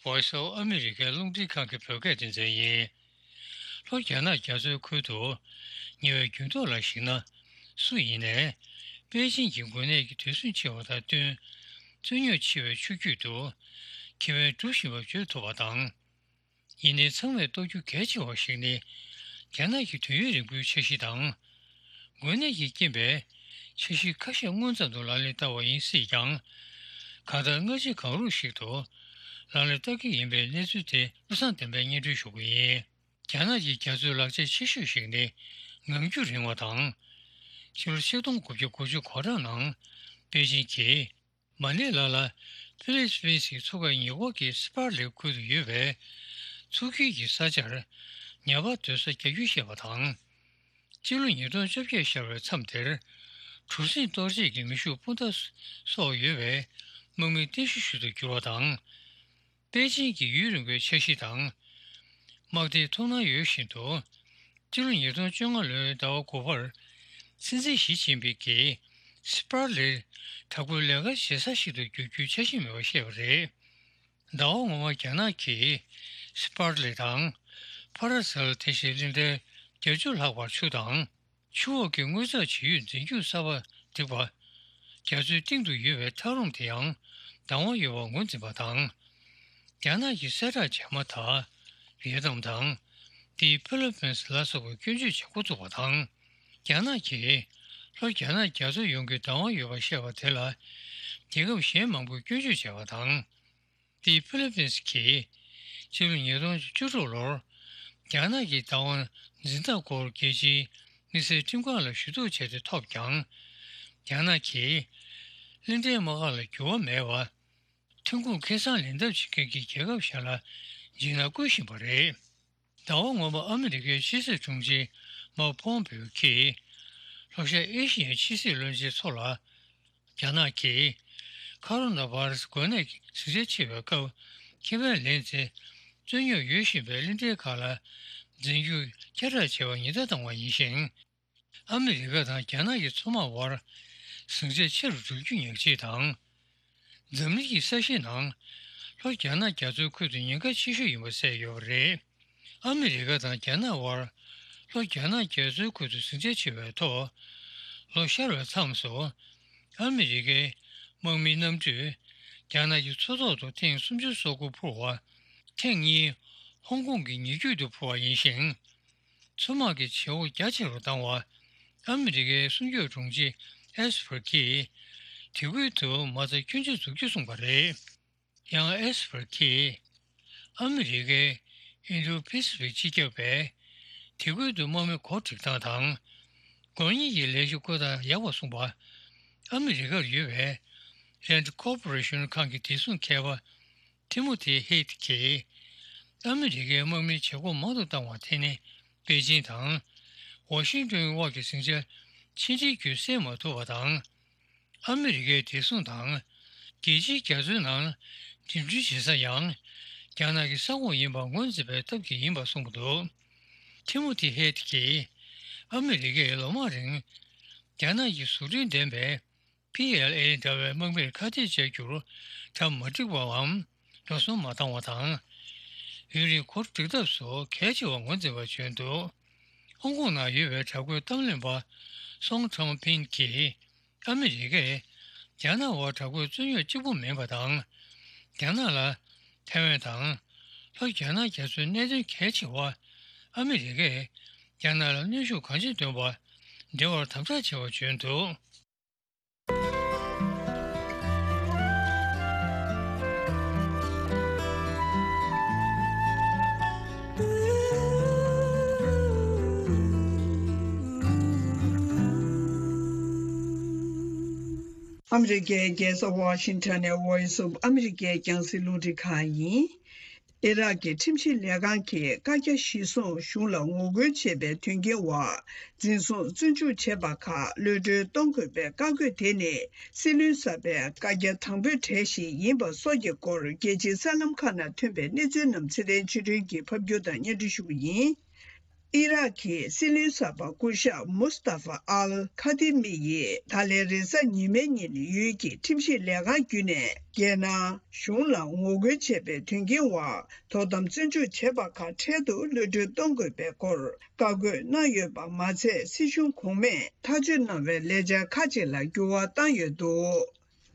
Voice of America རླུང་འཕྲིན་ཁང་གི་བོད་སྐད་སྡེ་ཚན་ཡིན། ལྷོ་རྒྱ་ནག་རྒྱ་མཚོའི་ཁུལ་དུ་ཉེ་བའི་འགྱུར་ལྡོག་ལ་གཞིགས་ན། སུ་ཡིན་ནའི་པེ་ཅིང་གི་འགོས་ནད་ཀྱི་དུས་ཟིང་ཆེ་བ་དང་བསྟུན། རྩོད་རྙོག་ཆེ་བའི་ཆུ་རྒྱུད་དུ་ཁེ་ཕན་སྒྲུབ་བཞིན་པ་བརྗོད་ཐུབ་པ་དང་། ཡིན་ནའི་ཚང་མས་རྟོགས་རྒྱུ་གལ་ཆེ་བ་ཞིག་ནི། རྒྱ་ནག་གི་དུས་ཡུན་རིང་པོའི་འཆར་གཞི་དང་། འགོས་ནད་ཀྱི་རྐྱེན་པས་འཆར་གཞི་ཁ་ཤས་སྔོན་ཙམ་དུ་ལག་ལེན་བསྟར་བ་ཡིན་སྲིད་ཀྱང་། གང་ལྟར་སྔ་ཕྱི་གང་རུང་ཞིག་ཏུ་ལག་ལེན་བསྟར་གྱི་ཡིན་པའི་གནས་ཚུལ་དེ་བློ་བཟང་བསྟན་པས་སྙན་སྒྲོན་ཞུ་གི་ཡིན། རྒྱ་ནག་གི་རྒྱ་མཚོའི་ལག་ཆ་ཆེ་ཤོས་ཤིག་ནི་ངང་རྒྱུད་རིང་བ་དང་། ཕྱི་ལོ་ཆིག་སྟོང་དགུ་བརྒྱ་དགུ་བཅུ་གོ་གྲངས་ནང་པེ་ཅིང་གིས་མ་ནེ་ལ་ལ་ཕི་ལིབ་པིན་སི་མཚོ་ཁ་ཉེ་འཁོར་གྱི་སི་པར་ལེ་ཁུལ་དུ་ཡོད་པའི་མཚོ་ཁུལ་གྱི་ས་ཆར་ཉ་པ་སྡོད་ས་རྒྱག་རྒྱུ་བཤད་པ་དང་། སྤྱི་ལོ་ཉིས་སྟོང་བཅོ་བརྒྱད་ཤར་བའི་མཚམས་དེར་གྲུ་གཟིངས་གཏོར་བྱེད་ཀྱི་མེ་ཤུགས་སྤུངས་ཐག་སོགས་ཡོད་པའི་དམག་མི་རྟེན་གཞི་ཞིག་ཏུ་གྱུར་བ་དང་། པེ་ཅིང་གི་ཡུན་རིང་པོའི་འཆར་གཞི་དང་། དམག་སྡེའི་ཐུགས་སྣང་ཡོད་བཞིན་དུ། སྤྱི་ལོ་ཉིས་སྟོང་བཅོ་ལྔ་ལོའི་ཟླ་བ་དགུ་པར་སྲིད་འཛིན་ཞི་ཅིན་ཕིང་གིས་སི་པར་ལེར་དྲག་པོའི་ལས་ཀ་བྱེད་ས་ཞིག་ཏུ་འགྱུར་རྒྱུའི་འཆར་གཞི་མེད་པ་བཤད་པ་རེད། ཟླ་བ་སྔོན་མ་རྒྱ་ནག་གིས་སི་པར་ལེ་དང་། ཕ་ར་སེལ་དེ་བཞིན་གླིང་ཕྲན་བརྒྱད་ཅུ་ལྷག་བར་ཆུ་དང་། ཆུ་འོག་གི་དངོས་རྫས་བྱེད་ཡུལ་འཛིན་སྐྱོང་གསར་པ་འགྲིག་པ། རྒྱ་མཚོའི་གཏིང་དུ་ཡོད་པའི་ཐག་རོང་དེ་ཡང་དང་བ་ཡོད་པར་ངོས་འཛིན་པ་དང་། རྒྱ་ནག་གི་གསལ་བསྒྲགས་རྗེས་མ་དག་ཝི་ཡེ་ནམ་དང་། དེའི་ཕི་ལི་པིན་སི་ལ་སོགས་པའི་སྐྱོན་བརྗོད་བྱེད་འགོ་བཙུགས་པ་དང་། རྒྱ་ནག་གིས་ལྷོ་རྒྱ་ནག་རྒྱ་མཚོ་ཡོངས་ཀྱི་བདག་དབང་ཡོད་པར་བཤད་པ་དེ་ལ། རྒྱལ་ཁབ་གཞན་མང་པོས་སྐྱོན་བརྗོད་བྱས་པ་དང་། དེས་ཕི་ལི་པིན་སི་གིས་ཕྱི་ལོ་ཉིས་སྟོང་བཅུ་དྲུག་ལོར་རྒྱ་ནག་གི་བདག་དབང་འཛིན་སྟངས་སྐོར་རྒྱལ་སྤྱིའི་དམིགས་བསལ་ཁྲིམས་ཁང་ལ་ཞུ་གཏུག་བྱས་ཏེ་ཐོབ་ཀྱང་། རྒྱ་ནག་གིས་ གླིང་ཕྲན་དམག་སྒར་ལ་འགྱུར་བ་མེད་པར། ཐོན་ཁུངས་ཁེ་བཟང་ལེན་ཐབས་བྱེད་མཁན་གྱི་རྒྱལ་ཁབ་གཞན་ལ་འཇིགས་སྣང་བསྐུལ་བཞིན་པ་རེད། ཟླ་བ་སྔོན་མ་ཨ་མི་རི་ཀའི་ཕྱི་སྲིད་དྲུང་ཆེ་མཱིག་པོམ་པེའོ་གིས། ལྷོ་ཤར་ཨེ་ཤི་ཡའི་ཕྱི་སྲིད་བློན་ཆེན་ཚོ་ལ། རྒྱ་ནག་གིས་ཁ་རོ་ན་བྷ་ར་སི་འགོས་ནད་ཟིང་ཆ་ཆེ་བའི་སྐབས་ཁེ་ཕན་ལེན་ཚེ། རྩོད་རྙོག་ཡོད་བཞིན་པའི་གླིང་ཕྲན་ཁག་ལ་འཛིན་སྐྱོང་བསྐྱར་གྲགས་བྱས་པ་ཉེན་བརྡ་བཏང་བ་ཡིན་ཞིང་། ཨ་མི་རི་ཀ་དང་རྒྱ་ནག་གི་མཚོ་དམག་དབར་ཟིང་ཆ་ཆེ་རུ་འགྲོ་རྒྱུ་ཉག་གཅིག་དང་། འཛམ་གླིང་གི་ས་གཞིའི་ནང་ལྷོ་རྒྱ་ནག་རྒྱ་མཚོའི་ཁུལ་དུ་ཉེན་ཁ་ཆེ་ཤོས་ཡིན་པ་གསལ་ཡོད་པ་རེད། ཨ་མི་རི་ཀ་དང་རྒྱ་ནག་དབར་ལྷོ་རྒྱ་ནག་རྒྱ་མཚོའི་ཁུལ་དུ་ཟིང་ཆ་ཆེ་བའི་ཐོག་ལོ་ཤར་བའི་མཚམས་སུ། ཨ་མི་རི་ཀའི་དམག་མིའི་གནམ་གྲུས་རྒྱ་ནག་གི་མཚོ་ཐོག་ཏུ་ཐེངས་སུམ་ཅུ་སོ་དགུ་འཕུར་བ། ཐེངས་གཉིས་ཧོང་ཀོང་གི་ཉེ་རྒྱུད་དུ་འཕུར་བ་ཡིན་ཞིང་། མཚོ་དམག་གི་བྱེད་སྒོ་རྒྱ་ཆེ་རུ་བཏང་བ། ཨ་མི་རི་ཀའི་སྲུང་སྐྱོབ་དྲུང་ཆེ་ཨེས་པར་གྱིས། དེ་ཁུལ་དུ་མ་རྩ་སྐྱོན་ཆ་འཛུགས་རྒྱུ་གསུངས་པ་རེད། ཡང་ཨེས་པར་གྱིས། ཨ་མི་རི་ཀའི་ཨིན་ཌོ་པེ་སི་ཕིག་སྤྱི་ཁྱབ་པས། དེ་ཁུལ་དུ་དམག་མི་གོ་སྒྲིག་སྟངས་དང་། དགོས་ངེས་ཀྱི་ལས་གཞི་བཀོད་སྟངས་ཡག་པ་གསུངས་པ། ཨ་མི་རི་ཀར་ཡོད་པའི་རེན་ཌི་ཀོར་པོ་རེ་ཤོན་ཁང་གི་བདེ་སྲུང་མཁས་པ། ཐི་མོ་ཐི་ཧེད་ཀྱིས། ཨ་མི་རི་ཀའི་དམག་མིའི་བྱེད་སྒོ་མང་དུ་བཏང་བར་བརྟེན་ནས། པེ་ཅིན་དང་ཝ་ཤིང་ཏོན་དབར་གྱི་ཟིང་ཆ་ཕྱི་འབྲེལ་བརྒྱུད་སེལ་མ་ཐུབ་པ་དང་། ཨ་མི་རི་ཀའི་བདེ་སྲུང་དང་། རྒྱལ་སྤྱིའི་རྒྱ་མཚོའི་ནང་འགྲིམ་འགྲུལ་བྱེད་ས་ཡང་རྒྱ་ནག་གི་ས་ཁོངས་ཡིན་པ་ངོས་འཛིན་པའི་སྟབས་ཀྱིས་ཡིན་པ་གསུངས་པ་འདུག་ཐི་མོ་ཐི་ཧེད་ཀྱིས། ཨ་མི་རི་ཀས་ལོ་མང་རིང་རྒྱ་ནག་གི་བཟོ་སྐྲུན་ལྡན་པའི། པི་ཨེལ་ཨེ་འདྲ་བའི་དམག་མིར་ཁ་གཏད་བཅག་རྒྱུར་གྲ་མ་འགྲིག་པའམ་འགྲོ་སོང་མ་བཏང་བ་དང་། ཡུན་རིང་གོ་སྒྲིག་ཐབས་སུ་གལ་ཆེ་བ་ངོས་འཛིན་པ་བྱོན་འདུག་ཧོང་ཀོང་ནང་ཡོད་པའི་དྲག་པོའི་གཏམ་གླེང་པ་སོང་ཁྲང་ཕིན་གྱིས། ཨ་མི་རི་ཀས་རྒྱ་ནག་བར་དྲག་པོའི་རྩོད་རྙོག་གཅིག་པུ་མིན་པ་དང་། རྒྱ་ནག་ལ་ཐའེ་ཝན་དང་ལྷོ་རྒྱ་ནག་རྒྱ་མཚོའི་གནད་དོན་གལ་ཆེ་བ། ཨ་མི་རི་ཀས་རྒྱ་ནག་ལ་གནོན་ཤུགས་གང་ཆེ་འདོན་པ་འབྲེལ་བར་དམ་དྲག་བྱས་པ་བྱོན་འདུག་ཨ་མི་རི་ཀའི་རྒྱལ་ས་ཝ་ཤིང་ཊོན་ནས་Voice of America་རྒྱང་སྲིང་རླུང་འཕྲིན་ཁང་ཡིན། ཨི་རག་གི་ཁྲིམས་ཞིབ་ལས་ཁང་གིས་བཀའ་རྒྱ་གཞིར་བཟུང་གཞུང་ལ་ངོ་རྒོལ་བྱས་པའི་དོན་རྐྱེན་འོག་འཛིན་བཟུང་བཙོན་འཇུག་བྱས་པ་ཁག་གློད་གྲོལ་གཏོང་དགོས་པའི་བཀའ་བཀོད་དེ་ནི་སྲིད་བློན་གསར་པའི་བཀའ་རྒྱ་དང་པོའི་གྲས་ཤིག་ཡིན་པ་སོགས་ཀྱི་སྐོར་རྒྱལ་སྤྱིའི་གསར་ལམ་ཁག་ནང་ཐོན་པའི་གནས་ཚུལ་རྣམས་ཚེ་བརྟན་ཆོས་སྒྲོན་གྱིས་ཕབ་སྒྱུར་དང་སྙན་སྒྲོན་ཞུ་རྒྱུ་ཡིན། ཨི་རག་གི་སྲིད་བློན་གསར་པ་སྐུ་ཞབས་མུས་ཏཱ་ཧྥ་ཨལ་ཁ་ཏི་མི་ཡིས་ད་ལན་རེས་གཟའ་ཉི་མའི་ཉིན་ཡུལ་གྱི་ཁྲིམས་ཞིབ་ལས་ཁང་བརྒྱུད་ནས་རྒྱལ་ནང་གཞུང་ལ་ངོ་རྒོལ་བྱས་པའི་དོན་རྐྱེན་འོག་དོ་དམ་བཙོན་འཇུག་བྱས་པ་ཁག་འཕྲལ་དུ་གློད་གྲོལ་གཏོང་དགོས་པའི་སྐོར་བཀའ་བཀོད་གནང་ཡོད་པ་མ་ཚད། སྲིད་གཞུང་གོང་མས་ཐག་གཅོད་གནང་བའི་ལས་འཆར་ཁག་ཅིག་ལ་འགྱུར་བ་བཏང་ཡོད་འདུག་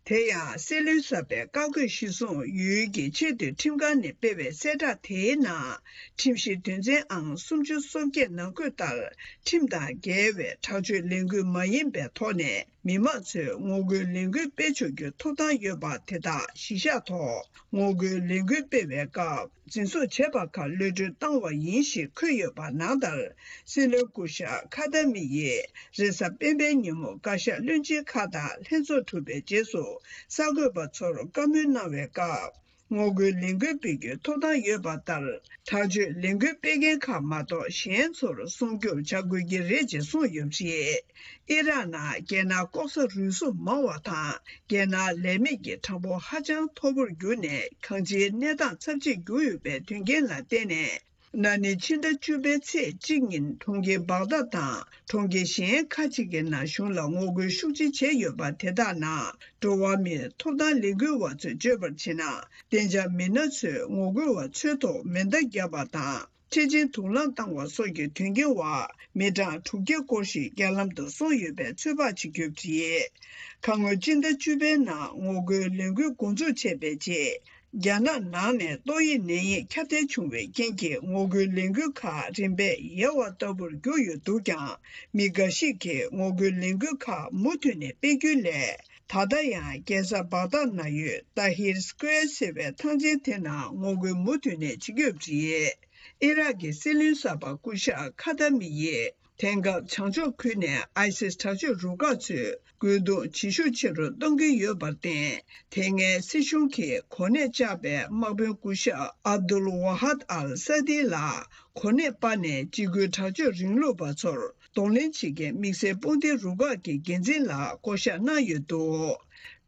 དེ་ཡང་སྲིད་བློན་གསར་པའི་བཀའ་བཀོད་གཞིར་བཟུང་ཡུལ་གྱི་ཆེས་མཐོའི་ཁྲིམས་ཁང་ནས་སྤེལ་བའི་གསལ་བསྒྲགས་དེའི་ནང་། ཁྲིམས་གཞིའི་དོན་ཚན་ཨང་སུམ་ཅུ་སོ་བརྒྱད་ནང་འཁོད་ལྟར། ཁྲིམས་དང་འགལ་བའི་དྲག་སྤྱོད་ལས་འགུལ་མ་ཡིན་པའི་ཐོག་ནས་མི་མང་ཚོས་ངོ་རྒོལ་ལས་འགུལ་སྤེལ་ཆོག་རྒྱུའི་ཐོབ་ཐང་ཡོད་པ་དེ་དག་གཞི་བཞག་ཐོག་ངོ་རྒོལ་ལས་འགུལ་སྤེལ་བའི་སྐབས། འཛིན་བཟུང་བྱས་པ་ཁག་གློད་གྲོལ་བཏང་བ་ཡིན་ཞེས་འཁོད་ཡོད་པ་ནང་ལྟར། སྲིད་བློན་སྐུ་ཞབས་ཁ་ཏ་མི་ཡིས་རེས་གཟའ་སྤེན་པའི་ཉིན་མོ་བཀའ་ཤག་བློན་ཆེན་ཁག་དང་ལྷན་ཚོགས་གྲུབ་པའི་རྗེས་སུ་གསར་འགོད་པ་ཚོར་བཀའ་མོལ་གནང་བའི་སྐབས། ངོ་རྒོལ་ལས་འགུལ་སྤེལ་རྒྱུའི་ཐོབ་ཐང་ཡོད་པ་ལྟར། དྲག་སྤྱོད་ལས་འགུལ་སྤེལ་མཁན་ཁག་མ་གཏོགས་གཞན་ཚོར་སྲུང་སྐྱོབ་བྱ་དགོས་ཀྱི་རེད་ཅེས་གསུངས་ཡོད་པ་རེད། ཨི་རག་ནང་རྒྱལ་ནང་ལྐོག་ཟ་རུལ་སུངས་མང་བ་དང་། རྒྱལ་ནང་ལས་མེད་ཀྱི་གྲངས་འབོར་ཧ་ཅང་མཐོ་པོར་གྱུར་ནས། གང་ཅིའི་གནས་སྟངས་ཚབས་ཆེར་གྱུར་ཡོད་པའི་དོན་རྐྱེན་ལ་བརྟེན་ནས། ན་ནིང་ཕྱི་ཟླ་བཅུ་པའི་ཚེས་གཅིག་ཉིན་གྲོང་ཁྱེར་བག་དྷ་དང་གྲོང་ཁྱེར་གཞན་ཁག་ཅིག་གི་ནང་གཞུང་ལ་ངོ་རྒོལ་ཤུགས་ཆེ་བྱས་ཡོད་པ་དེ་དག་ནང་། འགྲོ་བ་མིའི་ཐོབ་ཐང་ལས་འགུལ་བ་ཚོས་བརྗོད་པར་བྱས་ན། གཏན་འཇགས་མི་སྣ་ཚོས་ངོ་རྒོལ་བ་ཚོའི་ཐོག་མེ་མདའ་བརྒྱབ་པ་དང་། འཕྲལ་ཆེན་དུག་རླངས་བཏང་བ་སོགས་ཀྱི་དོན་རྐྱེན་འོག་མི་གྲངས་དྲུག་བརྒྱ་སྐོར་ཞིག་རྐྱེན་ལམ་དུ་སོང་ཡོད་པའི་ཚོད་དཔག་བྱེད་ཐུབ་ཀྱི་ཡོད། ཁ་སྔོན་སྤྱི་ཟླ་བཅུ་པའི་ནང་ངོ་རྒོལ་ལས་འགུལ་འགོ་འཛུགས་བྱས་པའི་རྗེས། རྒྱ་ནག་ནང་ནས་ཏོག་དབྱིབས་ནད་ཡམས་ཁྱབ་གདལ་བྱུང་བའི་རྐྱེན་གྱིས། ངོ་རྒོལ་ལས་འགུལ་ཁག་རིམ་པས་ཡལ་བ་ལྟ་བུར་གྱུར་ཡོད་འདུག་ཀྱང་། མི་འགའ་ཞིག་གིས་ངོ་རྒོལ་ལས་འགུལ་ཁག་མུ་མཐུད་ནས་སྤེལ་རྒྱུའི་སླད། ད་ལྟ་ཡང་རྒྱལ་ས་བག་དྷ་ན་ཡོད་ཏཱ་ཧིར་སི་ཀོ་ཡར་ཟེར་བའི་ཐང་ཆེན་དེ་ནང་ངོ་རྒོལ་མུ་མཐུད་ནས་བྱེད་ཀྱི་ཡོད་པ་རེད། ཨི་རག་གི་སྲིད་བློན་གསར་པ་སྐུ་ཞབས་ཁ་ཏ་མི་ཡིས། དེང་སྐབས་བྱང་ཕྱོགས་ཁུལ་ནས་ཨའི་སིས་དྲག་སྤྱོད་རུ་ཁག་ཚོས་ རྒོལ་རྡུང་བྱེད་ཤུགས་ཆེ་རུ་གཏོང་གི་ཡོད་པར་བརྟེན། དེ་སྔའི་སྲིད་གཞུང་གིས་གོ་གནས་བཅག་པའི་དམག་དཔོན་སྐུ་ཞབས་ཨབ་དུལ་ཝ་ཧད་ཨལ་ས་དི་ལ་གོ་གནས་སྤར་ནས་འཇིགས་སྐུལ་དྲག་སྤྱོད་རིང་ལུགས་པ་ཚོར་གདོང་ལེན་བྱེད་མཁན་དམིགས་བསལ་དཔུང་སྡེ་རུ་ཁག་གི་འགན་འཛིན་ལ་བསྐོ་གཞག་གནང་ཡོད་འདུག་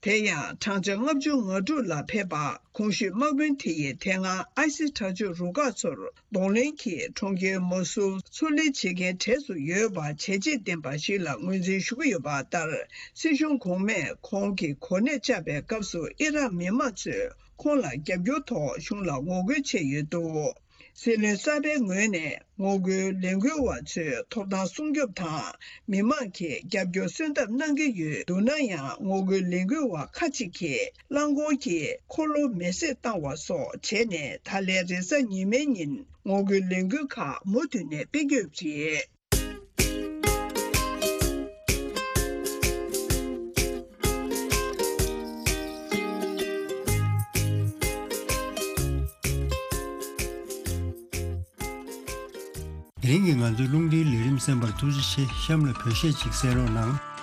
དེ་ཡང་བགྲང་བྱ་ལྔ་བཅུ་ང་དྲུག་ལ་ཕེབས་པ། གོང་ཞུས་དམག་དཔོན་དེ་ཡིས་དེ་སྔ་ཨའི་སི་དྲག་སྤྱོད་རུ་ཁག་ཚོར་གདོང་ལེན་གྱིས་གྲོང་ཁྱེར་མོ་སུལ་ཚུར་ལེན་བྱེད་མཁན་གྲས་སུ་ཡོད་པ་བྱས་རྗེས་ལྡན་པ་ཞིག་ལ་ངོས་འཛིན་ཞུ་གི་ཡོད་པ་ལྟར། སྲིད་གཞུང་གོང་མས་ཁོང་གི་གོ་གནས་བཅག་པའི་སྐབས་སུ་ཨི་རག་མི་མང་ཚོས་ཁོང་ལ་རྒྱབ་སྐྱོར་ཐོག་གཞུང་ལ་ངོ་རྒོལ་བྱས་ཡོད་འདུག་སྲིད་བློན་གསར་པའི་ངོས་ནས་ངོ་རྒོལ་ལས་འགུལ་བ་ཚོའི་ཐོབ་ཐང་སྲུང་སྐྱོབ་དང་མི་མང་གི་རྒྱབ་སྐྱོར་གསོལ་འདེབས་གནང་གི་ཡོད་འདུག་ན་ཡང་། ངོ་རྒོལ་ལས་འགུལ་བ་ཁ་ཅིག་གིས་རླངས་འཁོར་གྱི་འཁོར་ལོ་མེ་བསྲེགས་བཏང་བ་སོགས་བྱས་ནས། ད་ལན་རེས་གཟའ་ཉི་མའི་ཉིན་ངོ་རྒོལ་ལས་འགུལ་ཁག་མུ་མཐུད་ནས་སྤེལ་གྱི་ཡོད་པ་རེད། དེ་རིང་གི་ང་ཚོའི་རླུང་འཕྲིན་ལས་རིམ་གསན་པར་ཐུགས་རྗེ་ཆེ། གཤམ་ལ་བོད་གཞས་ཅིག་གསན་རོགས་གནང་།